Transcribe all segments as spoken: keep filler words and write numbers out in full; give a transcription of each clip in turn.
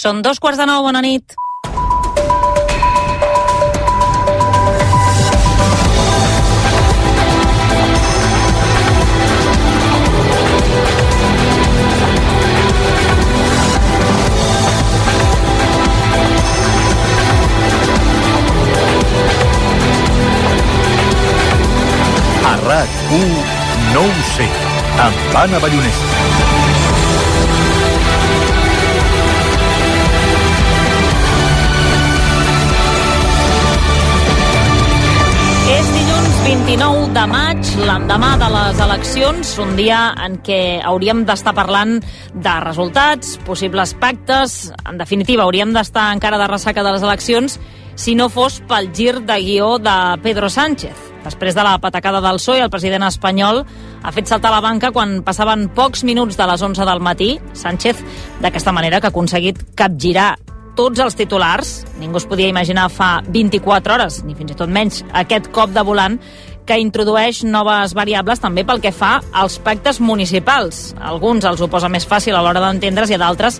Són dos quarts de nou, bona nit. A RAC u no ho sé, amb Anna Ballonesta. És dilluns vint-i-nou de maig, l'endemà de les eleccions, un dia en què hauríem d'estar parlant de resultats, possibles pactes. En definitiva, hauríem d'estar encara de ressaca de les eleccions si no fos pel gir de guió de Pedro Sánchez. Després de la patacada del P S O E, el president espanyol ha fet saltar la banca quan passaven pocs minuts de les onze del matí. Sánchez, d'aquesta manera, que ha aconseguit capgirar tots els titulars. Ningú es podia imaginar fa vint-i-quatre hores, ni fins i tot menys, aquest cop de volant que introdueix noves variables també pel que fa als pactes municipals. Alguns els ho posa més fàcil a l'hora d'entendre's i a d'altres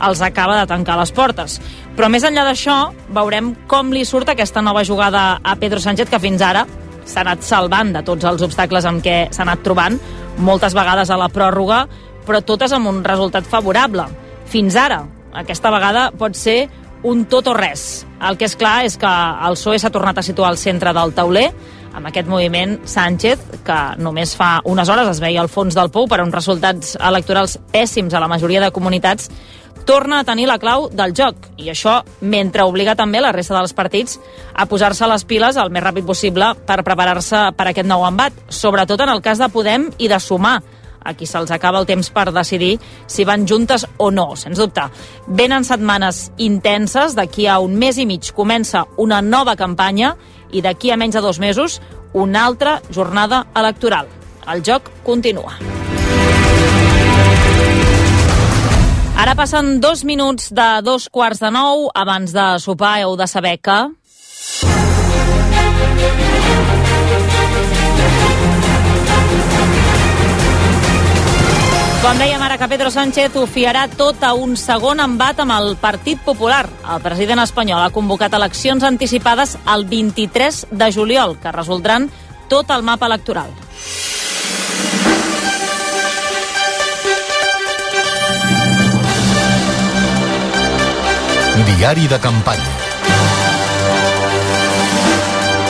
els acaba de tancar les portes. Però més enllà d'això, veurem com li surt aquesta nova jugada a Pedro Sánchez, que fins ara s'ha anat salvant de tots els obstacles amb què s'ha anat trobant, moltes vegades a la pròrroga, però totes amb un resultat favorable. Fins ara, aquesta vegada pot ser un tot o res. El que és clar és que el P S O E s'ha tornat a situar al centre del tauler, amb aquest moviment Sánchez, que només fa unes hores es veia al fons del pou per uns resultats electorals pèssims a la majoria de comunitats, torna a tenir la clau del joc, i això mentre obliga també la resta dels partits a posar-se les piles el més ràpid possible per preparar-se per aquest nou embat, sobretot en el cas de Podem i de Sumar, a qui se'ls acaba el temps per decidir si van juntes o no, sens dubte. Venen setmanes intenses, d'aquí a un mes i mig comença una nova campanya i d'aquí a menys de dos mesos una altra jornada electoral. El joc continua. Ara passen dos minuts de dos quarts de nou. Abans de sopar heu de saber que... Com dèiem ara, que Pedro Sánchez ho fiarà tot a un segon embat amb el Partit Popular. El president espanyol ha convocat eleccions anticipades el vint-i-tres de juliol, que resoldran tot el mapa electoral. Diari de campanya.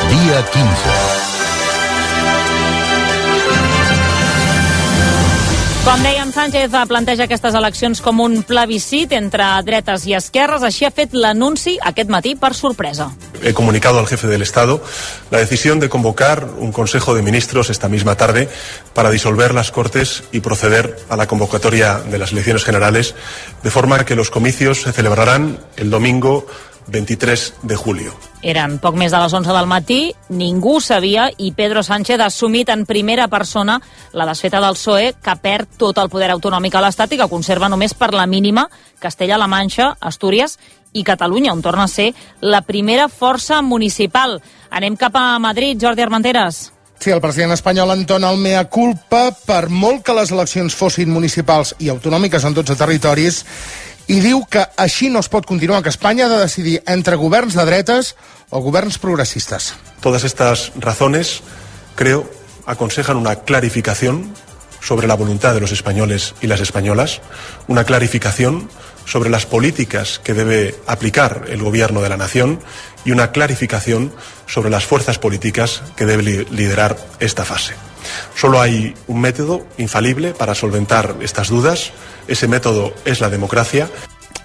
Dia quinze. Com dèiem, Sánchez planteja aquestes eleccions com un plebiscit entre dretes i esquerres. Així ha fet l'anunci aquest matí per sorpresa. He comunicado al jefe del Estado la decisión de convocar un Consejo de Ministros esta misma tarde para disolver las Cortes y proceder a la convocatoria de las elecciones generales, de forma que los comicios se celebrarán el domingo vint-i-tres de julio. Eren poc més de les onze del matí, ningú sabia i Pedro Sánchez ha assumit en primera persona la desfeta del P S O E, que perd tot el poder autonòmic a l'Estat i que conserva només per la mínima Castella-La Manxa, Astúries i Catalunya, on torna a ser la primera força municipal. Anem cap a Madrid, Jordi Armenteres. Sí, el president espanyol entona el mea culpa per molt que les eleccions fossin municipals i autonòmiques en dotze territoris, i diu que així no es pot continuar, que Espanya ha de decidir entre governs de dretes o governs progresistas. Todas estas razones, creo, aconsejan una clarificación sobre la voluntad de los españoles y las españolas, una clarificación sobre las políticas que debe aplicar el gobierno de la nación y una clarificación sobre las fuerzas políticas que debe liderar esta fase. Solo hay un método infalible para solventar estas dudas. Ese método es la democracia.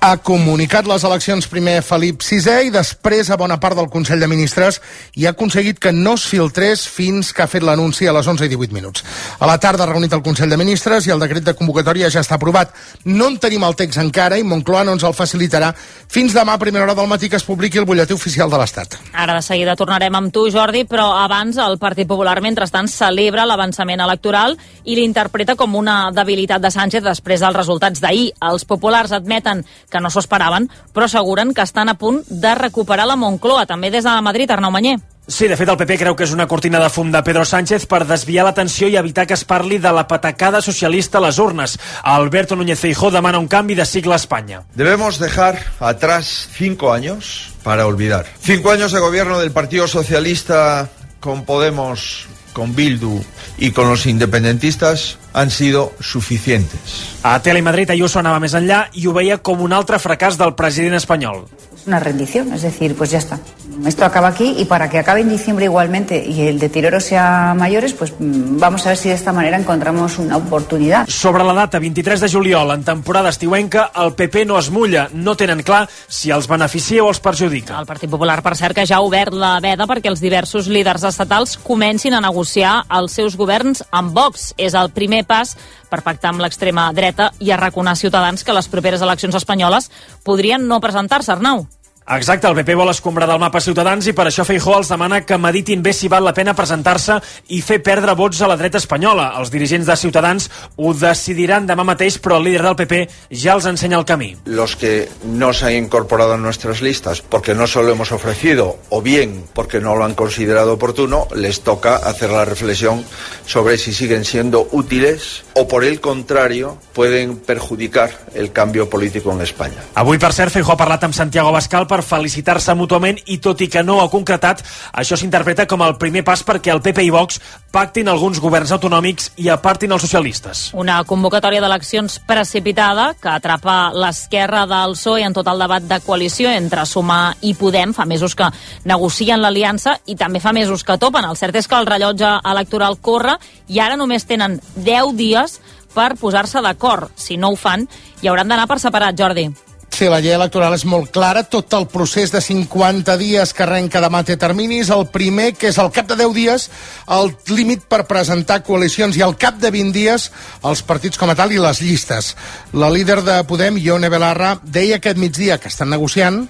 Ha comunicat les eleccions primer Felip sisè i després a bona part del Consell de Ministres i ha aconseguit que no es filtrés fins que ha fet l'anunci a les onze i divuit minuts. A la tarda ha reunit el Consell de Ministres i el decret de convocatòria ja està aprovat. No en tenim el text encara i Moncloa no ens el facilitarà fins demà a primera hora del matí que es publiqui el butlletí oficial de l'Estat. Ara de seguida tornarem amb tu, Jordi, però abans el Partit Popular, mentrestant, celebra l'avançament electoral i l'interpreta com una debilitat de Sánchez després dels resultats d'ahir. Els populars admeten que no s'ho esperaven, però asseguren que estan a punt de recuperar la Moncloa. També des de Madrid, Arnau Manyer. Sí, de fet, el P P creu que és una cortina de fum de Pedro Sánchez per desviar l'atenció i evitar que es parli de la patacada socialista a les urnes. Alberto Núñez Feijóo demana un canvi de cicle a Espanya. Debemos dejar atrás cinco años para olvidar. Cinco años de gobierno del Partido Socialista con Podemos, con Bildu y con los independentistas han sido suficientes. A Telemadrid, Ayuso anava més enllà i ho veia com un altre fracàs del president espanyol. Es una rendición, es decir, pues ya está. Esto acaba aquí y para que acabe en diciembre igualmente y el deterioro sea mayores, pues vamos a ver si de esta manera encontramos una oportunidad. Sobre la data vint-i-tres de juliol, en temporada estiuenca, el P P no es mulla. No tenen clar si els beneficia o els perjudica. El Partit Popular, per cert, que ja ha obert la veda perquè els diversos líders estatals comencin a negociar els seus governs amb Vox. És el primer pas per pactar amb l'extrema dreta i arraconar Ciutadans que les properes eleccions espanyoles podrien no presentar-se, Arnau. Exacte, el P P vol escombrar del mapa Ciutadans i per això Feijóo els demana que meditin bé si val la pena presentar-se i fer perdre vots a la dreta espanyola. Els dirigents de Ciutadans ho decidiran demà mateix, però el líder del P P ja els ensenya el camí. Los que no se han incorporado a nuestras listas porque no se lo hemos ofrecido o bien porque no lo han considerado oportuno, les toca hacer la reflexión sobre si siguen siendo útiles o por el contrario pueden perjudicar el cambio político en España. Avui, per cert, Feijóo ha parlat amb Santiago Abascal per felicitar-se mútuament i tot i que no ho ha concretat, això s'interpreta com el primer pas perquè el P P i Vox pactin alguns governs autonòmics i apartin els socialistes. Una convocatòria d'eleccions precipitada que atrapa l'esquerra del P S O E en tot el debat de coalició entre Sumar i Podem. Fa mesos que negocien l'aliança i també fa mesos que topen. El cert és que el rellotge electoral corre i ara només tenen deu dies per posar-se d'acord. Si no ho fan, hi hauran d'anar per separat, Jordi. Sí, la llei electoral és molt clara. Tot el procés de cinquanta dies que arrenca demà té terminis. El primer, que és al cap de deu dies, el límit per presentar coalicions, i al cap de vint dies els partits com a tal i les llistes. La líder de Podem, Ione Belarra, deia aquest migdia que estan negociant.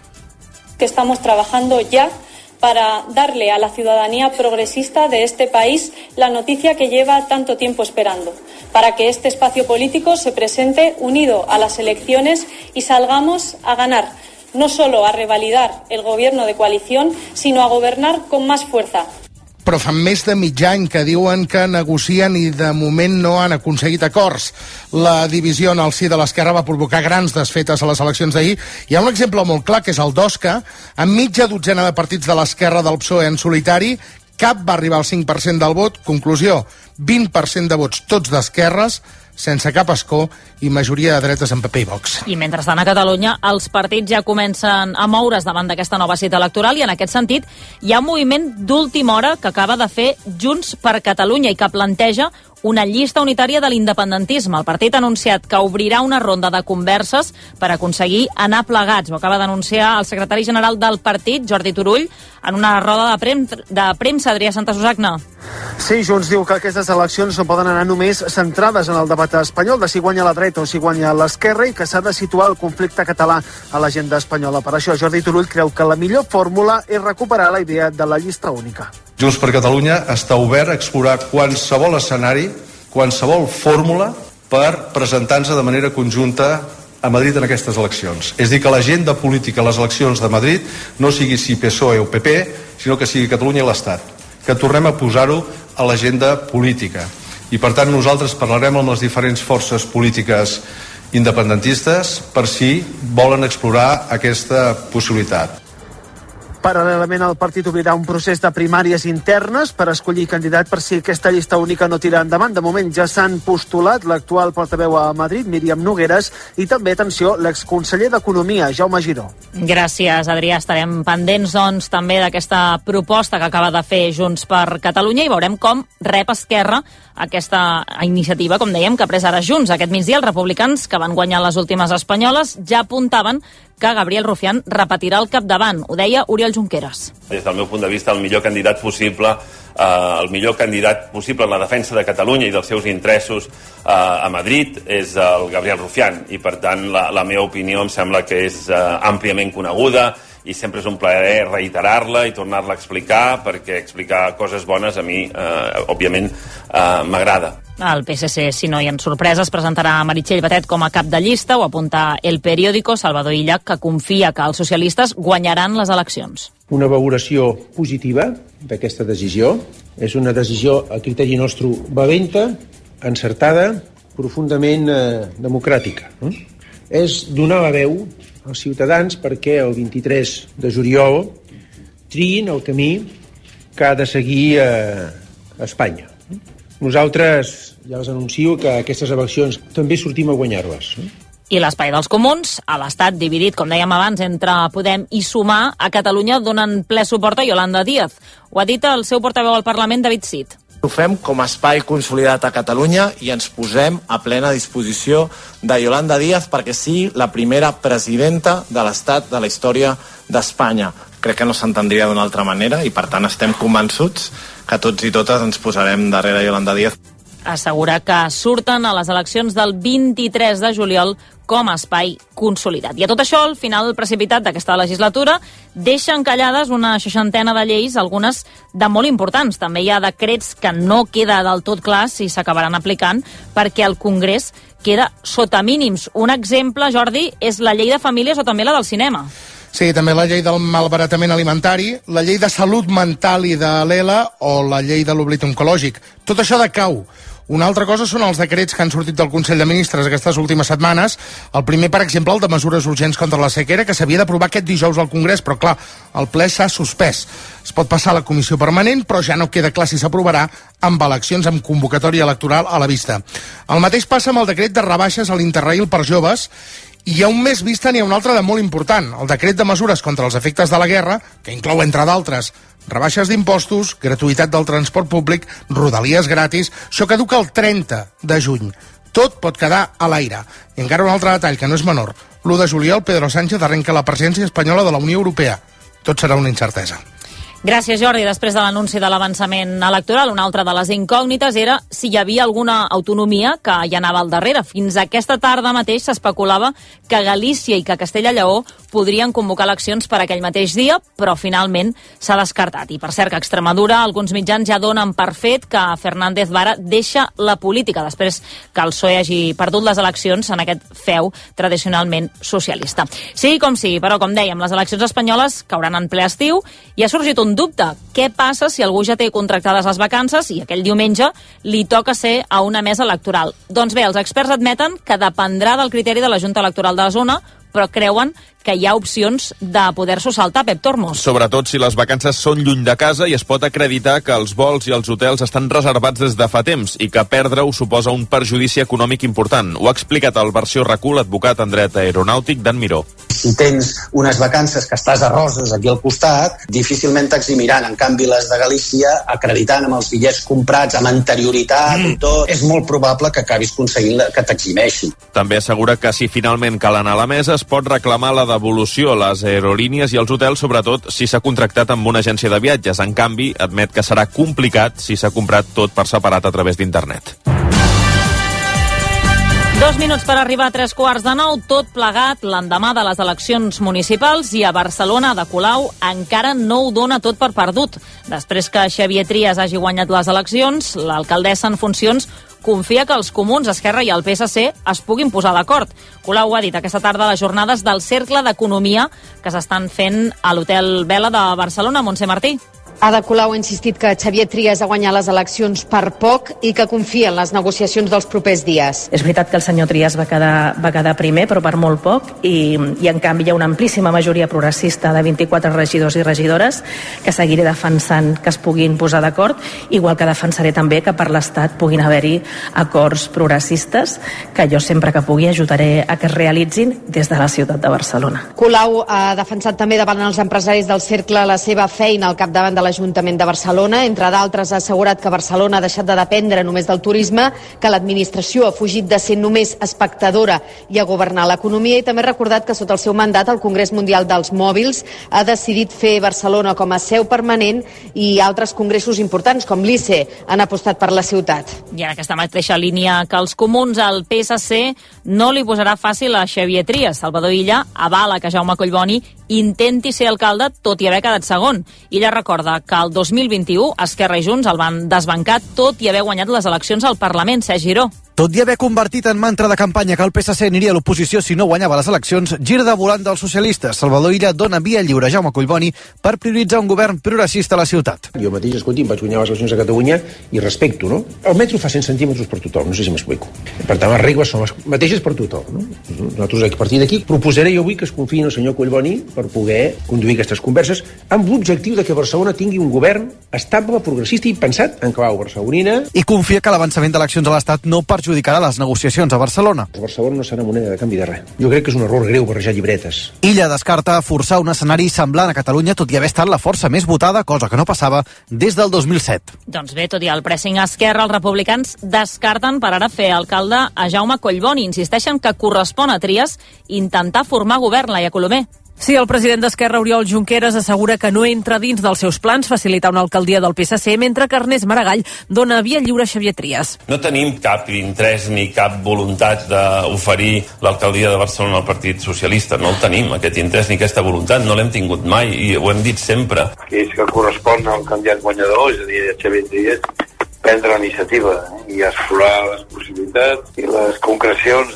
Que estamos trabajando ya para darle a la ciudadanía progresista de este país la noticia que lleva tanto tiempo esperando, para que este espacio político se presente unido a las elecciones y salgamos a ganar, no solo a revalidar el gobierno de coalición, sino a gobernar con más fuerza. Però fa més de mig any que diuen que negocien i de moment no han aconseguit acords. La divisió en el si de l'esquerra va provocar grans desfetes a les eleccions d'ahir. Hi ha un exemple molt clar, que és el d'Osca. Amb mitja dotzena de partits de l'esquerra del P S O E en solitari, cap va arribar al cinc per cent del vot. Conclusió, vint per cent de vots tots d'esquerres, sense cap escó, i majoria de dretes en P P i Vox. I mentrestant a Catalunya els partits ja comencen a moure's davant d'aquesta nova cita electoral i en aquest sentit hi ha un moviment d'última hora que acaba de fer Junts per Catalunya i que planteja una llista unitària de l'independentisme. El partit ha anunciat que obrirà una ronda de converses per aconseguir anar plegats. Ho acaba d'anunciar el secretari general del partit, Jordi Turull, en una roda de, prem de premsa. Adrià Santa Susagna. Sí, Junts diu que aquestes eleccions no poden anar només centrades en el debat espanyol de si guanya la dreta o si guanya l'esquerra i que s'ha de situar el conflicte català a l'agenda espanyola. Per això Jordi Turull creu que la millor fórmula és recuperar la idea de la llista única. Junts per Catalunya està obert a explorar qualsevol escenari, qualsevol fórmula per presentar-nos de manera conjunta a Madrid en aquestes eleccions. És dir, que l'agenda política a les eleccions de Madrid no sigui si P S O E o P P, sinó que sigui Catalunya i l'Estat. Que tornem a posar-ho a l'agenda política. I per tant nosaltres parlarem amb les diferents forces polítiques independentistes per si volen explorar aquesta possibilitat. Paral·lelament, el partit obrirà un procés de primàries internes per escollir candidat per si aquesta llista única no tira endavant. De moment ja s'han postulat l'actual portaveu a Madrid, Míriam Nogueres, i també, atenció, l'exconseller d'Economia, Jaume Giró. Gràcies, Adrià. Estarem pendents, doncs, també d'aquesta proposta que acaba de fer Junts per Catalunya i veurem com rep Esquerra aquesta iniciativa, com dèiem, que ha pres ara Junts. Aquest migdia, els republicans, que van guanyar les últimes espanyoles, ja apuntaven que Gabriel Rufián repetirà el capdavant. Ho deia Oriol Junqueras. Des del meu punt de vista, el millor candidat possible, eh, el millor candidat possible en la defensa de Catalunya i dels seus interessos eh, a Madrid és el Gabriel Rufián. I, per tant, la, la meva opinió em sembla que és eh, àmpliament coneguda i sempre és un plaer reiterar-la i tornar-la a explicar, perquè explicar coses bones a mi, eh, òbviament, eh, m'agrada. El P S C, si no hi ha sorpreses, presentarà Meritxell Batet com a cap de llista, ho apunta El Periódico. Salvador Illa, que confia que els socialistes guanyaran les eleccions. Una valoració positiva d'aquesta decisió. És una decisió, a criteri nostre, valenta, encertada, profundament eh, democràtica. No? És donar la veu als ciutadans perquè el vint-i-tres de juliol triïn el camí que ha de seguir eh, Espanya. Nosaltres ja els anuncio que aquestes eleccions també sortim a guanyar-les. I l'espai dels comuns, a l'estat dividit, com dèiem abans, entre Podem i Sumar, a Catalunya donen ple suport a Yolanda Díaz. Ho ha dit el seu portaveu al Parlament, David Cid. Ho fem com a espai consolidat a Catalunya i ens posem a plena disposició de Yolanda Díaz perquè sigui la primera presidenta de l'Estat de la història d'Espanya. Crec que no s'entendria d'una altra manera i, per tant, estem convençuts que tots i totes ens posarem darrere Yolanda Díaz. Assegura que surten a les eleccions del vint-i-tres de juliol com a espai consolidat. I a tot això, el final precipitat d'aquesta legislatura deixa encallades una seixantena de lleis, algunes de molt importants. També hi ha decrets que no queda del tot clar si s'acabaran aplicant perquè el Congrés queda sota mínims. Un exemple, Jordi, és la llei de famílies o també la del cinema. Sí, també la llei del malbaratament alimentari, la llei de salut mental i de l'E L A o la llei de l'oblit oncològic. Tot això decau. Una altra cosa són els decrets que han sortit del Consell de Ministres aquestes últimes setmanes. El primer, per exemple, el de mesures urgents contra la sequera, que s'havia d'aprovar aquest dijous al Congrés, però clar, el ple s'ha suspès. Es pot passar a la comissió permanent, però ja no queda clar si s'aprovarà amb eleccions amb convocatòria electoral a la vista. El mateix passa amb el decret de rebaixes a l'Interrail per joves. I hi ha un més vista n'hi ha un altre de molt important, el decret de mesures contra els efectes de la guerra, que inclou, entre d'altres, rebaixes d'impostos, gratuïtat del transport públic, rodalies gratis. Això caduca el trenta de juny. Tot pot quedar a l'aire. I encara un altre detall, que no és menor. l'u de juliol, Pedro Sánchez arrenca la presidència espanyola de la Unió Europea. Tot serà una incertesa. Gràcies, Jordi. Després de l'anunci de l'avançament electoral, una altra de les incògnites era si hi havia alguna autonomia que hi anava al darrere. Fins aquesta tarda mateix s'especulava que Galícia i que Castella i Lleó podrien convocar eleccions per aquell mateix dia, però finalment s'ha descartat. I per cert que a Extremadura alguns mitjans ja donen per fet que Fernández Vara deixa la política després que el P S O E hagi perdut les eleccions en aquest feu tradicionalment socialista. Sigui com sigui, però com dèiem, les eleccions espanyoles cauran en ple estiu i ha sorgit un dubte. Què passa si algú ja té contractades les vacances i aquell diumenge li toca ser a una mesa electoral? Doncs bé, els experts admeten que dependrà del criteri de la Junta Electoral de la zona, però creuen que hi ha opcions de poder-s'ho saltar, Pep Tormos. Sobretot si les vacances són lluny de casa i es pot acreditar que els vols i els hotels estan reservats des de fa temps i que perdre-ho suposa un perjudici econòmic important. Ho ha explicat al Versió R A C U l'advocat en dret aeronàutic Dan Miró. Si tens unes vacances que estàs a Roses aquí al costat, difícilment t'eximiran. En canvi, les de Galícia, acreditant amb els bitllets comprats amb anterioritat mm. i tot, és molt probable que acabis aconseguint que t'eximeixin. També assegura que si finalment cal anar a la mesa es pot reclamar la devolució a les aerolínies i als hotels, sobretot si s'ha contractat amb una agència de viatges. En canvi, admet que serà complicat si s'ha comprat tot per separat a través d'internet. Dos minuts per arribar a tres quarts de nou, tot plegat l'endemà de les eleccions municipals i a Barcelona de Colau encara no ho dona tot per perdut. Després que Xavier Trias hagi guanyat les eleccions, l'alcaldessa en funcions confia que els comuns, Esquerra i el P S C es puguin posar d'acord. Colau ha dit aquesta tarda a les jornades del Cercle d'Economia que s'estan fent a l'Hotel Vela de Barcelona. Montse Martí. Ada Colau ha insistit que Xavier Trias ha guanyat les eleccions per poc i que confia en les negociacions dels propers dies. És veritat que el senyor Trias va quedar, va quedar primer, però per molt poc, i, i en canvi hi ha una amplíssima majoria progressista de vint-i-quatre regidors i regidores que seguiré defensant que es puguin posar d'acord, igual que defensaré també que per l'Estat puguin haver-hi acords progressistes que jo sempre que pugui ajudaré a que es realitzin des de la ciutat de Barcelona. Colau ha defensat també davant els empresaris del Cercle la seva feina al capdavant de l'Ajuntament de Barcelona. Entre d'altres, ha assegurat que Barcelona ha deixat de dependre només del turisme, que l'administració ha fugit de ser només espectadora i a governar l'economia, i també ha recordat que sota el seu mandat el Congrés Mundial dels Mòbils ha decidit fer Barcelona com a seu permanent i altres congressos importants, com l'I C E, han apostat per la ciutat. I en aquesta mateixa línia que els comuns, el P S C no li posarà fàcil a Xavier Trias. Salvador Illa avala que Jaume Collboni intenti ser alcalde tot i haver quedat segon. Illa recorda que el dos mil vint-i-u Esquerra i Junts el van desbancar tot i haver guanyat les eleccions al Parlament. Sergi Giró. Tot i haver convertit en mantra de campanya que el P S C aniria a l'oposició si no guanyava les eleccions, gir de volant dels socialistes. Salvador Illa dona via lliure a Jaume Collboni per prioritzar un govern progressista a la ciutat. Jo mateix, escolti, vaig guanyar les eleccions a Catalunya i respecto, no? El metro fa cent centímetres per tothom, no sé si m'explico. Per tant, les regles són les mateixes per tothom, no? Nosaltres, a partir d'aquí, proposaré jo avui que es confiï en el senyor Collboni per poder conduir aquestes converses amb l'objectiu de que Barcelona tingui un govern estable, progressista i pensat en clau barcelonina. I confia que l'avançament d'eleccions a l'Estat no perjudicarà les negociacions a Barcelona. Barcelona no serà moneda de canvi de res. Jo crec que és un error greu barrejar llibretes. Illa descarta forçar un escenari semblant a Catalunya, tot i haver estat la força més votada, cosa que no passava des del dos mil set. Doncs bé, tot i el pressing a Esquerra, els republicans descarten per ara fer alcalde a Jaume Collboni. Insisteixen que correspon a Trias intentar formar govern, Laia Colomer. Sí, el president d'Esquerra, Oriol Junqueras, assegura que no entra dins dels seus plans facilitar una alcaldia del P S C, mentre que Ernest Maragall dona via lliure a Xavier Trias. No tenim cap interès ni cap voluntat d'oferir l'alcaldia de Barcelona al Partit Socialista. No el tenim, aquest interès ni aquesta voluntat. No l'hem tingut mai i ho hem dit sempre. Que és que correspon al candidat guanyador, és a dir, a Xavier Trias, prendre la iniciativa i explorar les possibilitats i les concrecions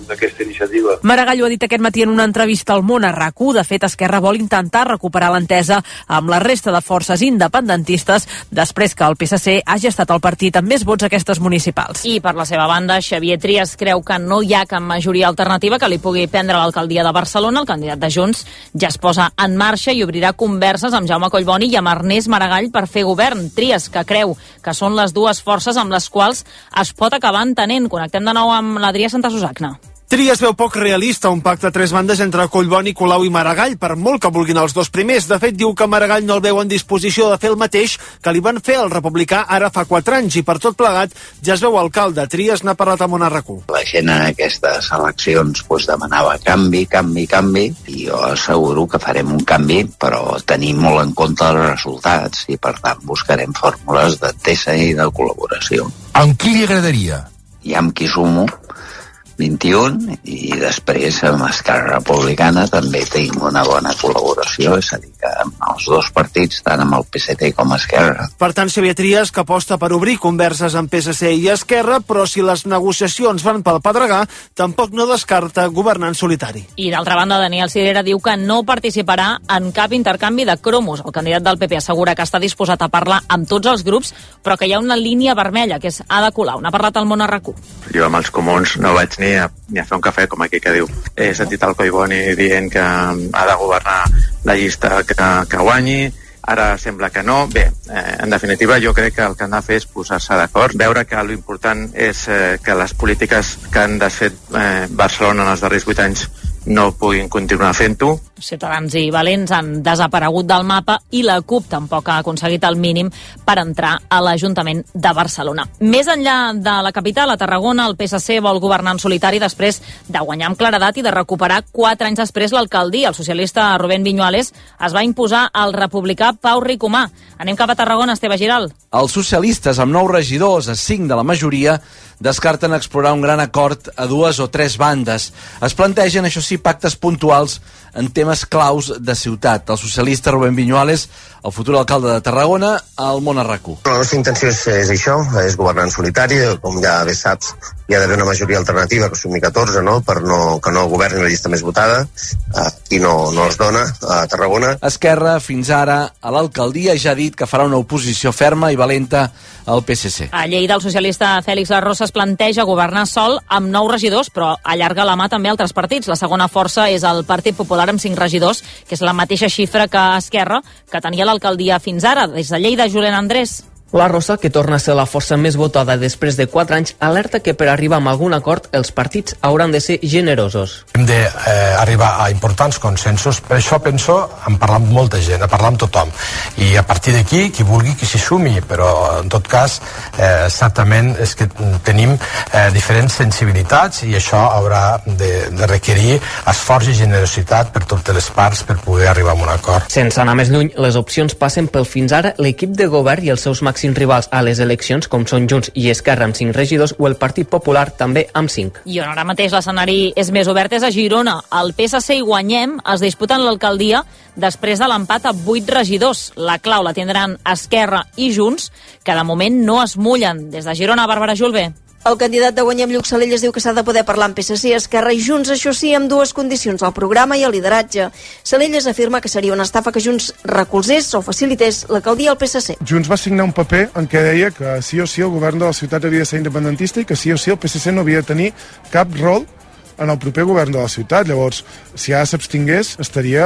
d'aquesta iniciativa. Maragall ho ha dit aquest matí en una entrevista al Món a RAC u. De fet, Esquerra vol intentar recuperar l'entesa amb la resta de forces independentistes després que el P S C hagi estat el partit amb més vots a aquestes municipals. I per la seva banda, Xavier Trias creu que no hi ha cap majoria alternativa que li pugui prendre l'alcaldia de Barcelona. El candidat de Junts ja es posa en marxa i obrirà converses amb Jaume Collboni i amb Ernest Maragall per fer govern. Trias, que creu que són les dues forces amb les quals es pot acabar entenent. Connectem de nou amb l'Adrià Santa Susagna. Trias veu poc realista un pacte a tres bandes entre Collboni, Colau i Maragall, per molt que vulguin els dos primers. De fet, diu que Maragall no el veu en disposició de fer el mateix que li van fer al republicà ara fa quatre anys, i per tot plegat ja es veu alcalde. Trias n'ha parlat amb un arracú. La gent en aquestes eleccions pues, demanava canvi, canvi, canvi, i jo asseguro que farem un canvi, però tenim molt en compte els resultats i per tant buscarem fórmules d'entesa i de col·laboració. Amb qui li agradaria? I amb qui sumo vint-i-un, i després amb Esquerra Republicana també tenim una bona col·laboració, és a dir, que amb els dos partits, tant amb el P S C com Esquerra. Per tant, Xavier Trias, que aposta per obrir converses amb P S C i Esquerra, però si les negociacions van pel pedregar, tampoc no descarta governar en solitari. I d'altra banda, Daniel Sirera diu que no participarà en cap intercanvi de cromos. El candidat del P P assegura que està disposat a parlar amb tots els grups, però que hi ha una línia vermella, que és Ada Colau. N'ha parlat al Món a RAC u. Jo amb els comuns no vaig ni a, ni a fer un cafè, com aquí que diu. He sentit el Collboni dient que ha de governar la llista que, que guanyi, ara sembla que no. Bé, eh, en definitiva jo crec que el que han de fer és posar-se d'acord, veure que l'important és eh, que les polítiques que han desfet eh, Barcelona en els darrers vuit anys no puguin continuar fent-ho. Ciutadans i Valents han desaparegut del mapa i la CUP tampoc ha aconseguit el mínim per entrar a l'Ajuntament de Barcelona. Més enllà de la capital, a Tarragona, el P S C vol governar en solitari després de guanyar amb claredat i de recuperar quatre anys després l'alcaldia. El socialista Rubén Viñuales es va imposar al republicà Pau Ricomà. Anem cap a Tarragona, Esteve Giral. Els socialistes, amb nou regidors a cinc de la majoria, descarten explorar un gran acord a dues o tres bandes. Es plantegen, això sí, pactes puntuals en temes claus de ciutat. El socialista Rubén Viñuales, el futur alcalde de Tarragona, al Món a RAC u. La nostra intenció és, és això, és governar en solitari. Com ja bé saps, hi ha d'haver una majoria alternativa, que sumi catorze, no? Per no, que no governi la llista més votada. Aquí no, no es dona, a Tarragona. Esquerra, fins ara, a l'alcaldia ja ha dit que farà una oposició ferma i valenta al P S C. A Lleida, el socialista Fèlix Larrosa es planteja governar sol amb nou regidors, però allarga la mà també a altres partits. La segona força és el Partit Popular amb cinc regidors, que és la mateixa xifra que Esquerra, que tenia l'alcaldia fins ara. Des de Lleida, Julen Andrés. La Rosa, que torna a ser la força més votada després de quatre anys, alerta que per arribar a algun acord els partits hauran de ser generosos. Hem d'arribar eh, a importants consensos, per això penso en parlar amb molta gent, a parlar amb tothom. I a partir d'aquí, qui vulgui que s'hi sumi, però en tot cas, eh, certament és que tenim eh, diferents sensibilitats i això haurà de, de requerir esforç i generositat per totes les parts per poder arribar a un acord. Sense anar més lluny, les opcions passen pel fins ara l'equip de govern i els seus màxims cinc rivals a les eleccions, com són Junts i Esquerra amb cinc regidors, o el Partit Popular també amb cinc. I on ara mateix l'escenari és més obert és a Girona. El P S C i Guanyem es disputen l'alcaldia després de l'empat a vuit regidors. La clau la tindran Esquerra i Junts, que de moment no es mullen. Des de Girona, Bàrbara Julve. El candidat de Guanyem, Lluc Salelles, diu que s'ha de poder parlar amb P S C, Esquerra i Junts, això sí, amb dues condicions, el programa i el lideratge. Salelles afirma que seria una estafa que Junts recolzés o facilités l'alcaldia al P S C. Junts va signar un paper en què deia que sí o sí el govern de la ciutat havia de ser independentista i que sí o sí el P S C no havia de tenir cap rol en el proper govern de la ciutat. Llavors, si ara s'abstingués, estaria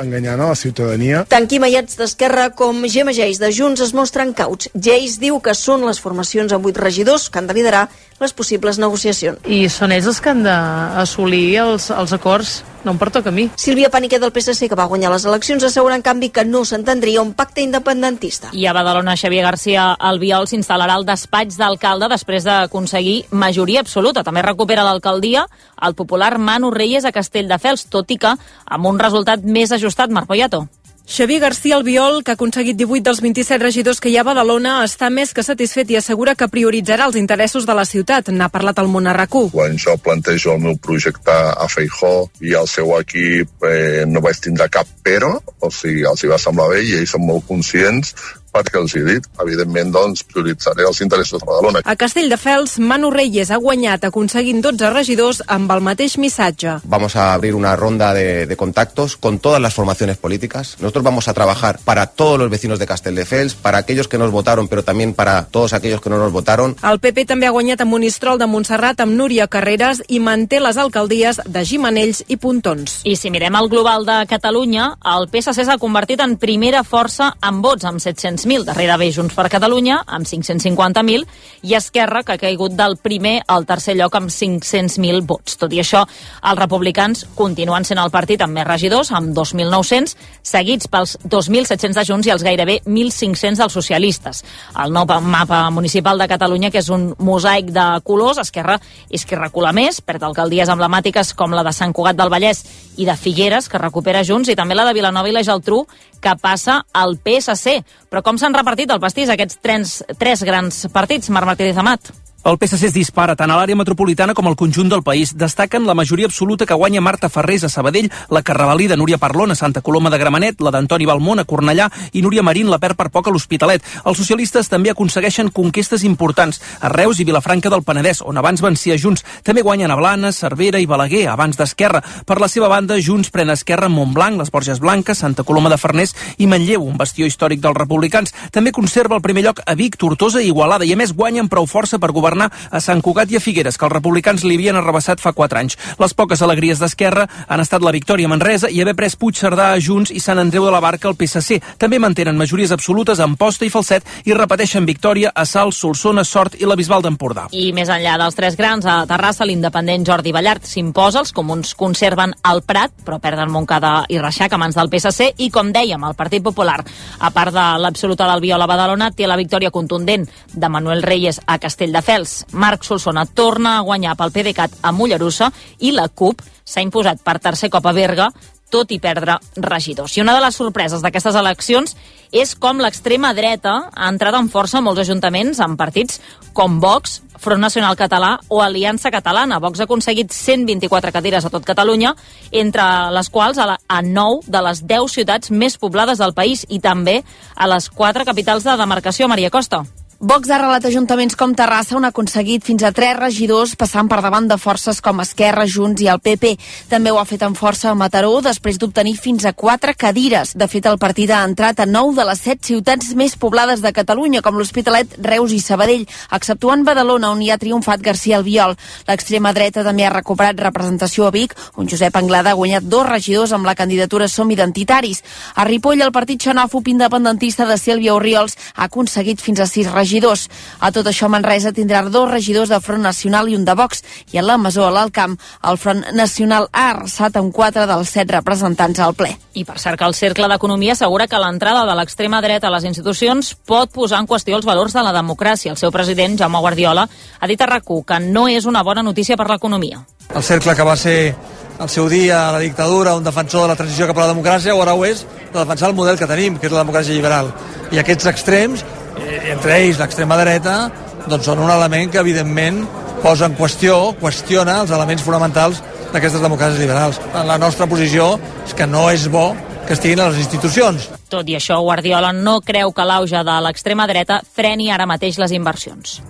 enganyant a la ciutadania. Tant Quim Ayats d'Esquerra com Gemma Geis de Junts es mostren cauts. Geis diu que són les formacions amb vuit regidors que han de liderar les possibles negociacions. I són ells els que han d'assolir els, els acords, no em pertoca a mi. Sílvia Paniquer del P S C, que va guanyar les eleccions, assegura en canvi que no s'entendria un pacte independentista. I a Badalona, Xavier García Albiol s'instal·larà al despatx d'alcalde després d'aconseguir majoria absoluta. També recupera l'alcaldia el popular Manu Reyes a Castelldefels, tot i que amb un resultat més ajustat. Marc Poyato. Xavier García Albiol, que ha aconseguit divuit dels vint-i-set regidors que hi ha a Badalona, està més que satisfet i assegura que prioritzarà els interessos de la ciutat. N'ha parlat al Món a RAC u. Quan jo plantejo el meu projecte a Feijóo i el seu equip eh, no vaig tindre cap però, o sigui, els hi va semblar bé i ells són molt conscients perquè els he dit, evidentment, doncs, prioritzaré els interessos de Badalona. A Castelldefels, Manu Reyes ha guanyat aconseguint dotze regidors amb el mateix missatge. Vamos a abrir una ronda de, de contactos con todas las formaciones políticas. Nosotros vamos a trabajar para todos los vecinos de Castelldefels, para aquellos que nos votaron, pero también para todos aquellos que no nos votaron. El P P també ha guanyat a Monistrol de Montserrat amb Núria Carreras i manté les alcaldies de Gimenells i Pontons. I si mirem el global de Catalunya, el P S C s'ha convertit en primera força en vots, amb set-cents mil. Darrere ve Junts per Catalunya, amb cinc-cents cinquanta mil, i Esquerra, que ha caigut del primer al tercer lloc amb cinc-cents mil vots. Tot i això, els republicans continuen sent el partit amb més regidors, amb dos mil nou-cents, seguits pels dos mil set-cents de Junts i els gairebé mil cinc-cents dels socialistes. El nou mapa municipal de Catalunya, que és un mosaic de colors, Esquerra és qui recula més, perd alcaldies emblemàtiques com la de Sant Cugat del Vallès i de Figueres, que recupera Junts, i també la de Vilanova i la Geltrú, que passa al P S C. Però com s'han repartit el pastís aquests tres, tres grans partits, Marc Martínez Amat? El P S C es dispara tant a l'àrea metropolitana com al conjunt del país. Destaquen la majoria absoluta que guanya Marta Ferrés a Sabadell, la Carrabalí de Núria Parlon a Santa Coloma de Gramenet, la d'Antoni Balmont a Cornellà i Núria Marín la perd per poc a l'Hospitalet. Els socialistes també aconsegueixen conquestes importants a Reus i Vilafranca del Penedès, on abans vencia Junts. També guanyen a Blanes, Cervera i Balaguer, abans d'Esquerra. Per la seva banda, Junts pren Esquerra en Montblanc, les Borges Blanques, Santa Coloma de Farners i Manlleu, un bastió històric dels republicans. També conserva el primer lloc a Vic, Tortosa i Igualada, i a més guanyen prou força per governar a Sant Cugat i a Figueres, que els republicans li havien arrabassat fa quatre anys. Les poques alegries d'Esquerra han estat la victòria a Manresa i haver pres Puigcerdà a Junts i Sant Andreu de la Barca al P S C. També mantenen majories absolutes a Amposta i Falset i repeteixen victòria a Salt, Solsona, Sort i la Bisbal d'Empordà. I més enllà dels tres grans, a Terrassa, l'independent Jordi Ballart s'imposa, els comuns conserven el Prat, però perden Montcada i Reixac a mans del P S C, i com dèiem, el Partit Popular, a part de l'absoluta d'Albiol a Badalona, té la victòria contundent de Manuel Reyes a Castelldefels. Marc Solsona torna a guanyar pel PDeCAT a Mollerussa i la CUP s'ha imposat per tercer cop a Berga, tot i perdre regidors. I una de les sorpreses d'aquestes eleccions és com l'extrema dreta ha entrat en força en molts ajuntaments amb partits com Vox, Front Nacional Català o Aliança Catalana. Vox ha aconseguit cent vint-i-quatre cadires a tot Catalunya, entre les quals a, la, a nou de les deu ciutats més poblades del país i també a les quatre capitals de demarcació. Maria Costa. Vox ha arrelat ajuntaments com Terrassa, on ha aconseguit fins a tres regidors, passant per davant de forces com Esquerra, Junts i el P P. També ho ha fet amb força a Mataró, després d'obtenir fins a quatre cadires. De fet, el partit ha entrat a nou de les set ciutats més poblades de Catalunya, com l'Hospitalet, Reus i Sabadell, exceptuant Badalona, on hi ha triomfat García Albiol. L'extrema dreta també ha recuperat representació a Vic, on Josep Anglada ha guanyat dos regidors amb la candidatura Som Identitaris. A Ripoll, el partit xenòfob independentista de Sílvia Orriols ha aconseguit fins a sis regidors. regidors. A tot això, Manresa tindrà dos regidors de Front Nacional i un de Vox, i a la Masó, a l'Alt Camp, el Front Nacional ha arrasat amb quatre dels set representants al ple. I per cert que el Cercle d'Economia assegura que l'entrada de l'extrema dreta a les institucions pot posar en qüestió els valors de la democràcia. El seu president, Jaume Guardiola, ha dit a RAC u que no és una bona notícia per l'economia. El Cercle, que va ser al seu dia la dictadura, un defensor de la transició cap a la democràcia, o ara ho és de defensar el model que tenim, que és la democràcia liberal. I aquests extrems entre ells l'extrema dreta, doncs són un element que evidentment posa en qüestió, qüestiona els elements fonamentals d'aquestes democràcies liberals. La nostra posició és que no és bo que estiguin a les institucions. Tot i això, Guardiola no creu que l'auge de l'extrema dreta freni ara mateix les inversions.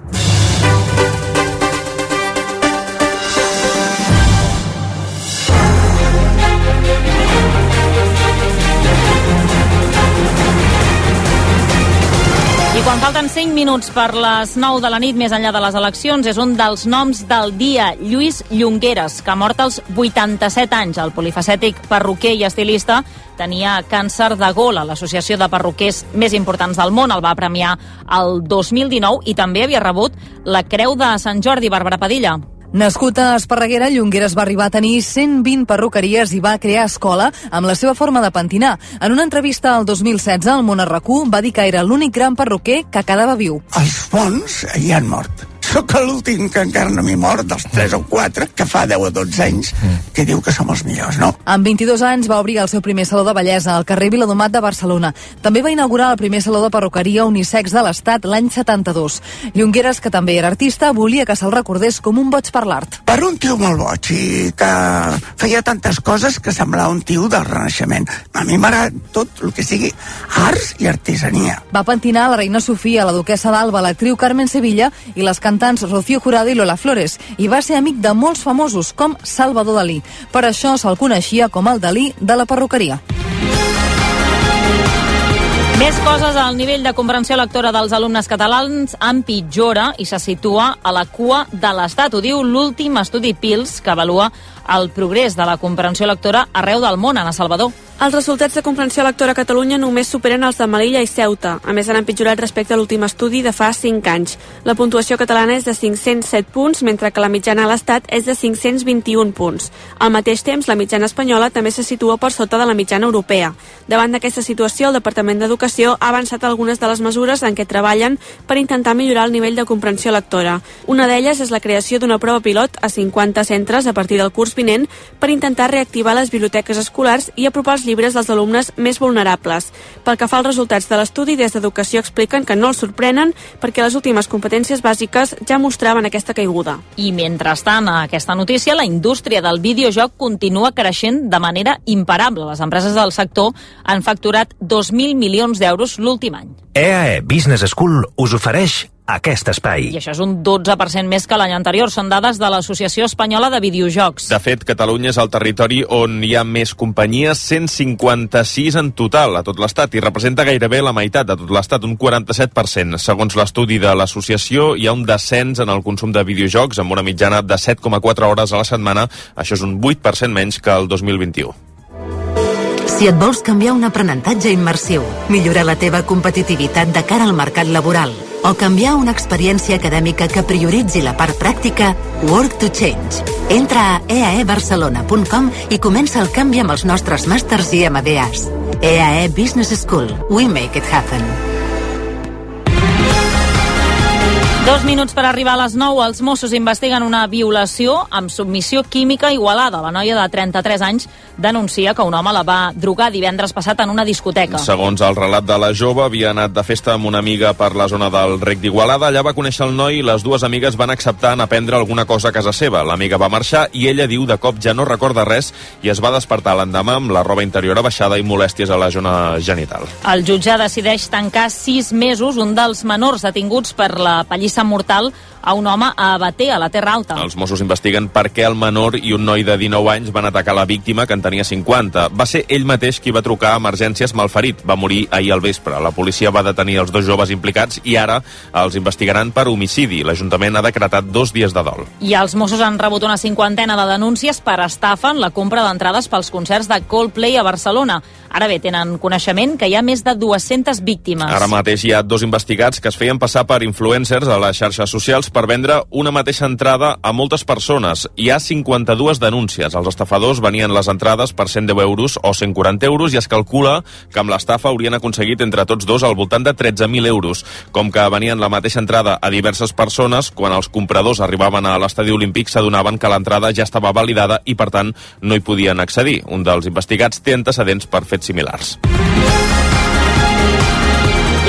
I quan falten cinc minuts per les nou de la nit, més enllà de les eleccions, és un dels noms del dia, Lluís Llongueras, que ha mort als vuitanta-set anys. El polifacètic perruquer i estilista tenia càncer de gola. L'Associació de Perruquers més importants del món el va premiar el dos mil dinou i també havia rebut la Creu de Sant Jordi. Bàrbara Padilla. Nascut a Esparreguera, Llongueras va arribar a tenir cent vint perruqueries i va crear escola amb la seva forma de pentinar. En una entrevista al dos mil setze, al Món a RAC-u va dir que era l'únic gran perruquer que quedava viu. Els bons hi han mort. Sóc l'últim que encara no m'hi mort, dels tres o quatre, que fa deu o dotze anys, que diu que som els millors, no? Amb vint-i-dos anys va obrir el seu primer saló de bellesa al carrer Viladomat de Barcelona. També va inaugurar el primer saló de perruqueria unisex de l'Estat l'any setanta-dos. Llongueras, que també era artista, volia que se'l recordés com un boig per l'art. Per un tio molt boig i que feia tantes coses que semblava un tio del Renaixement. A mi m'agrada tot el que sigui arts i artesania. Va pentinar la reina Sofia, la duquessa d'Alba, l'actriu Carmen Sevilla i les cantants Rocío Jurado i Lola Flores, i va ser amic de molts famosos com Salvador Dalí. Per això se'l coneixia com el Dalí de la perruqueria. Més coses, el nivell de comprensió lectora dels alumnes catalans empitjora i se situa a la cua de l'Estat. Ho diu l'últim estudi PILS, que avalua el progrés de la comprensió lectora arreu del món. Ana Salvador. Els resultats de comprensió lectora a Catalunya només superen els de Melilla i Ceuta. A més, han empitjorat respecte a l'últim estudi de fa cinc anys. La puntuació catalana és de cinc-cents set punts, mentre que la mitjana a l'Estat és de cinc-cents vint-i-un punts. Al mateix temps, la mitjana espanyola també se situa per sota de la mitjana europea. Davant d'aquesta situació, el Departament d'Educació ha avançat algunes de les mesures en què treballen per intentar millorar el nivell de comprensió lectora. Una d'elles és la creació d'una prova pilot a cinquanta centres a partir del curs vinent per intentar reactivar les biblioteques escolars i apropar els llibres dels alumnes més vulnerables. Pel que fa als resultats de l'estudi, des d'Educació expliquen que no els sorprenen perquè les últimes competències bàsiques ja mostraven aquesta caiguda. I mentrestant, a aquesta notícia, la indústria del videojoc continua creixent de manera imparable. Les empreses del sector han facturat dos mil milions d'euros l'últim any. E A E Business School us ofereix aquest espai. I això és un dotze per cent més que l'any anterior. Són dades de l'Associació Espanyola de Videojocs. De fet, Catalunya és el territori on hi ha més companyies, cent cinquanta-sis en total a tot l'Estat, i representa gairebé la meitat de tot l'Estat, un quaranta-set per cent. Segons l'estudi de l'associació, hi ha un descens en el consum de videojocs amb una mitjana de set coma quatre hores a la setmana. Això és un vuit per cent menys que el dos mil vint-i-u. Si et vols canviar un aprenentatge immersiu, millorar la teva competitivitat de cara al mercat laboral o canviar una experiència acadèmica que prioritzi la part pràctica, Work to Change. Entra a e a e barcelona punt com i comença el canvi amb els nostres màsters i M B As. E A E Business School. We make it happen. Dos minuts per arribar a les nou. Els Mossos investiguen una violació amb submissió química a Igualada. La noia de trenta-tres anys denuncia que un home la va drogar divendres passat en una discoteca. Segons el relat de la jove, havia anat de festa amb una amiga per la zona del Rec d'Igualada. Allà va conèixer el noi i les dues amigues van acceptar anar a prendre alguna cosa a casa seva. L'amiga va marxar i ella diu de cop ja no recorda res i es va despertar l'endemà amb la roba interior abaixada i molèsties a la zona genital. El jutge decideix tancar sis mesos un dels menors detinguts per la pallissa mortal a un home a Batea, a la Terra Alta. Els Mossos investiguen per què el menor i un noi de dinou anys van atacar la víctima, que en tenia cinquanta. Va ser ell mateix qui va trucar a emergències malferit. Va morir ahir al vespre. La policia va detenir els dos joves implicats i ara els investigaran per homicidi. L'Ajuntament ha decretat dos dies de dol. I els Mossos han rebut una cinquantena de denúncies per estafa en la compra d'entrades pels concerts de Coldplay a Barcelona. Ara bé, tenen coneixement que hi ha més de dues-centes víctimes. Ara mateix hi ha dos investigats que es feien passar per influencers a les xarxes socials per vendre una mateixa entrada a moltes persones. Hi ha cinquanta-dues denúncies. Els estafadors venien les entrades per cent deu euros o cent quaranta euros i es calcula que amb l'estafa haurien aconseguit entre tots dos al voltant de tretze mil euros. Com que venien la mateixa entrada a diverses persones, quan els compradors arribaven a l'estadi olímpic s'adonaven que l'entrada ja estava validada i, per tant, no hi podien accedir. Un dels investigats té antecedents per fets similars.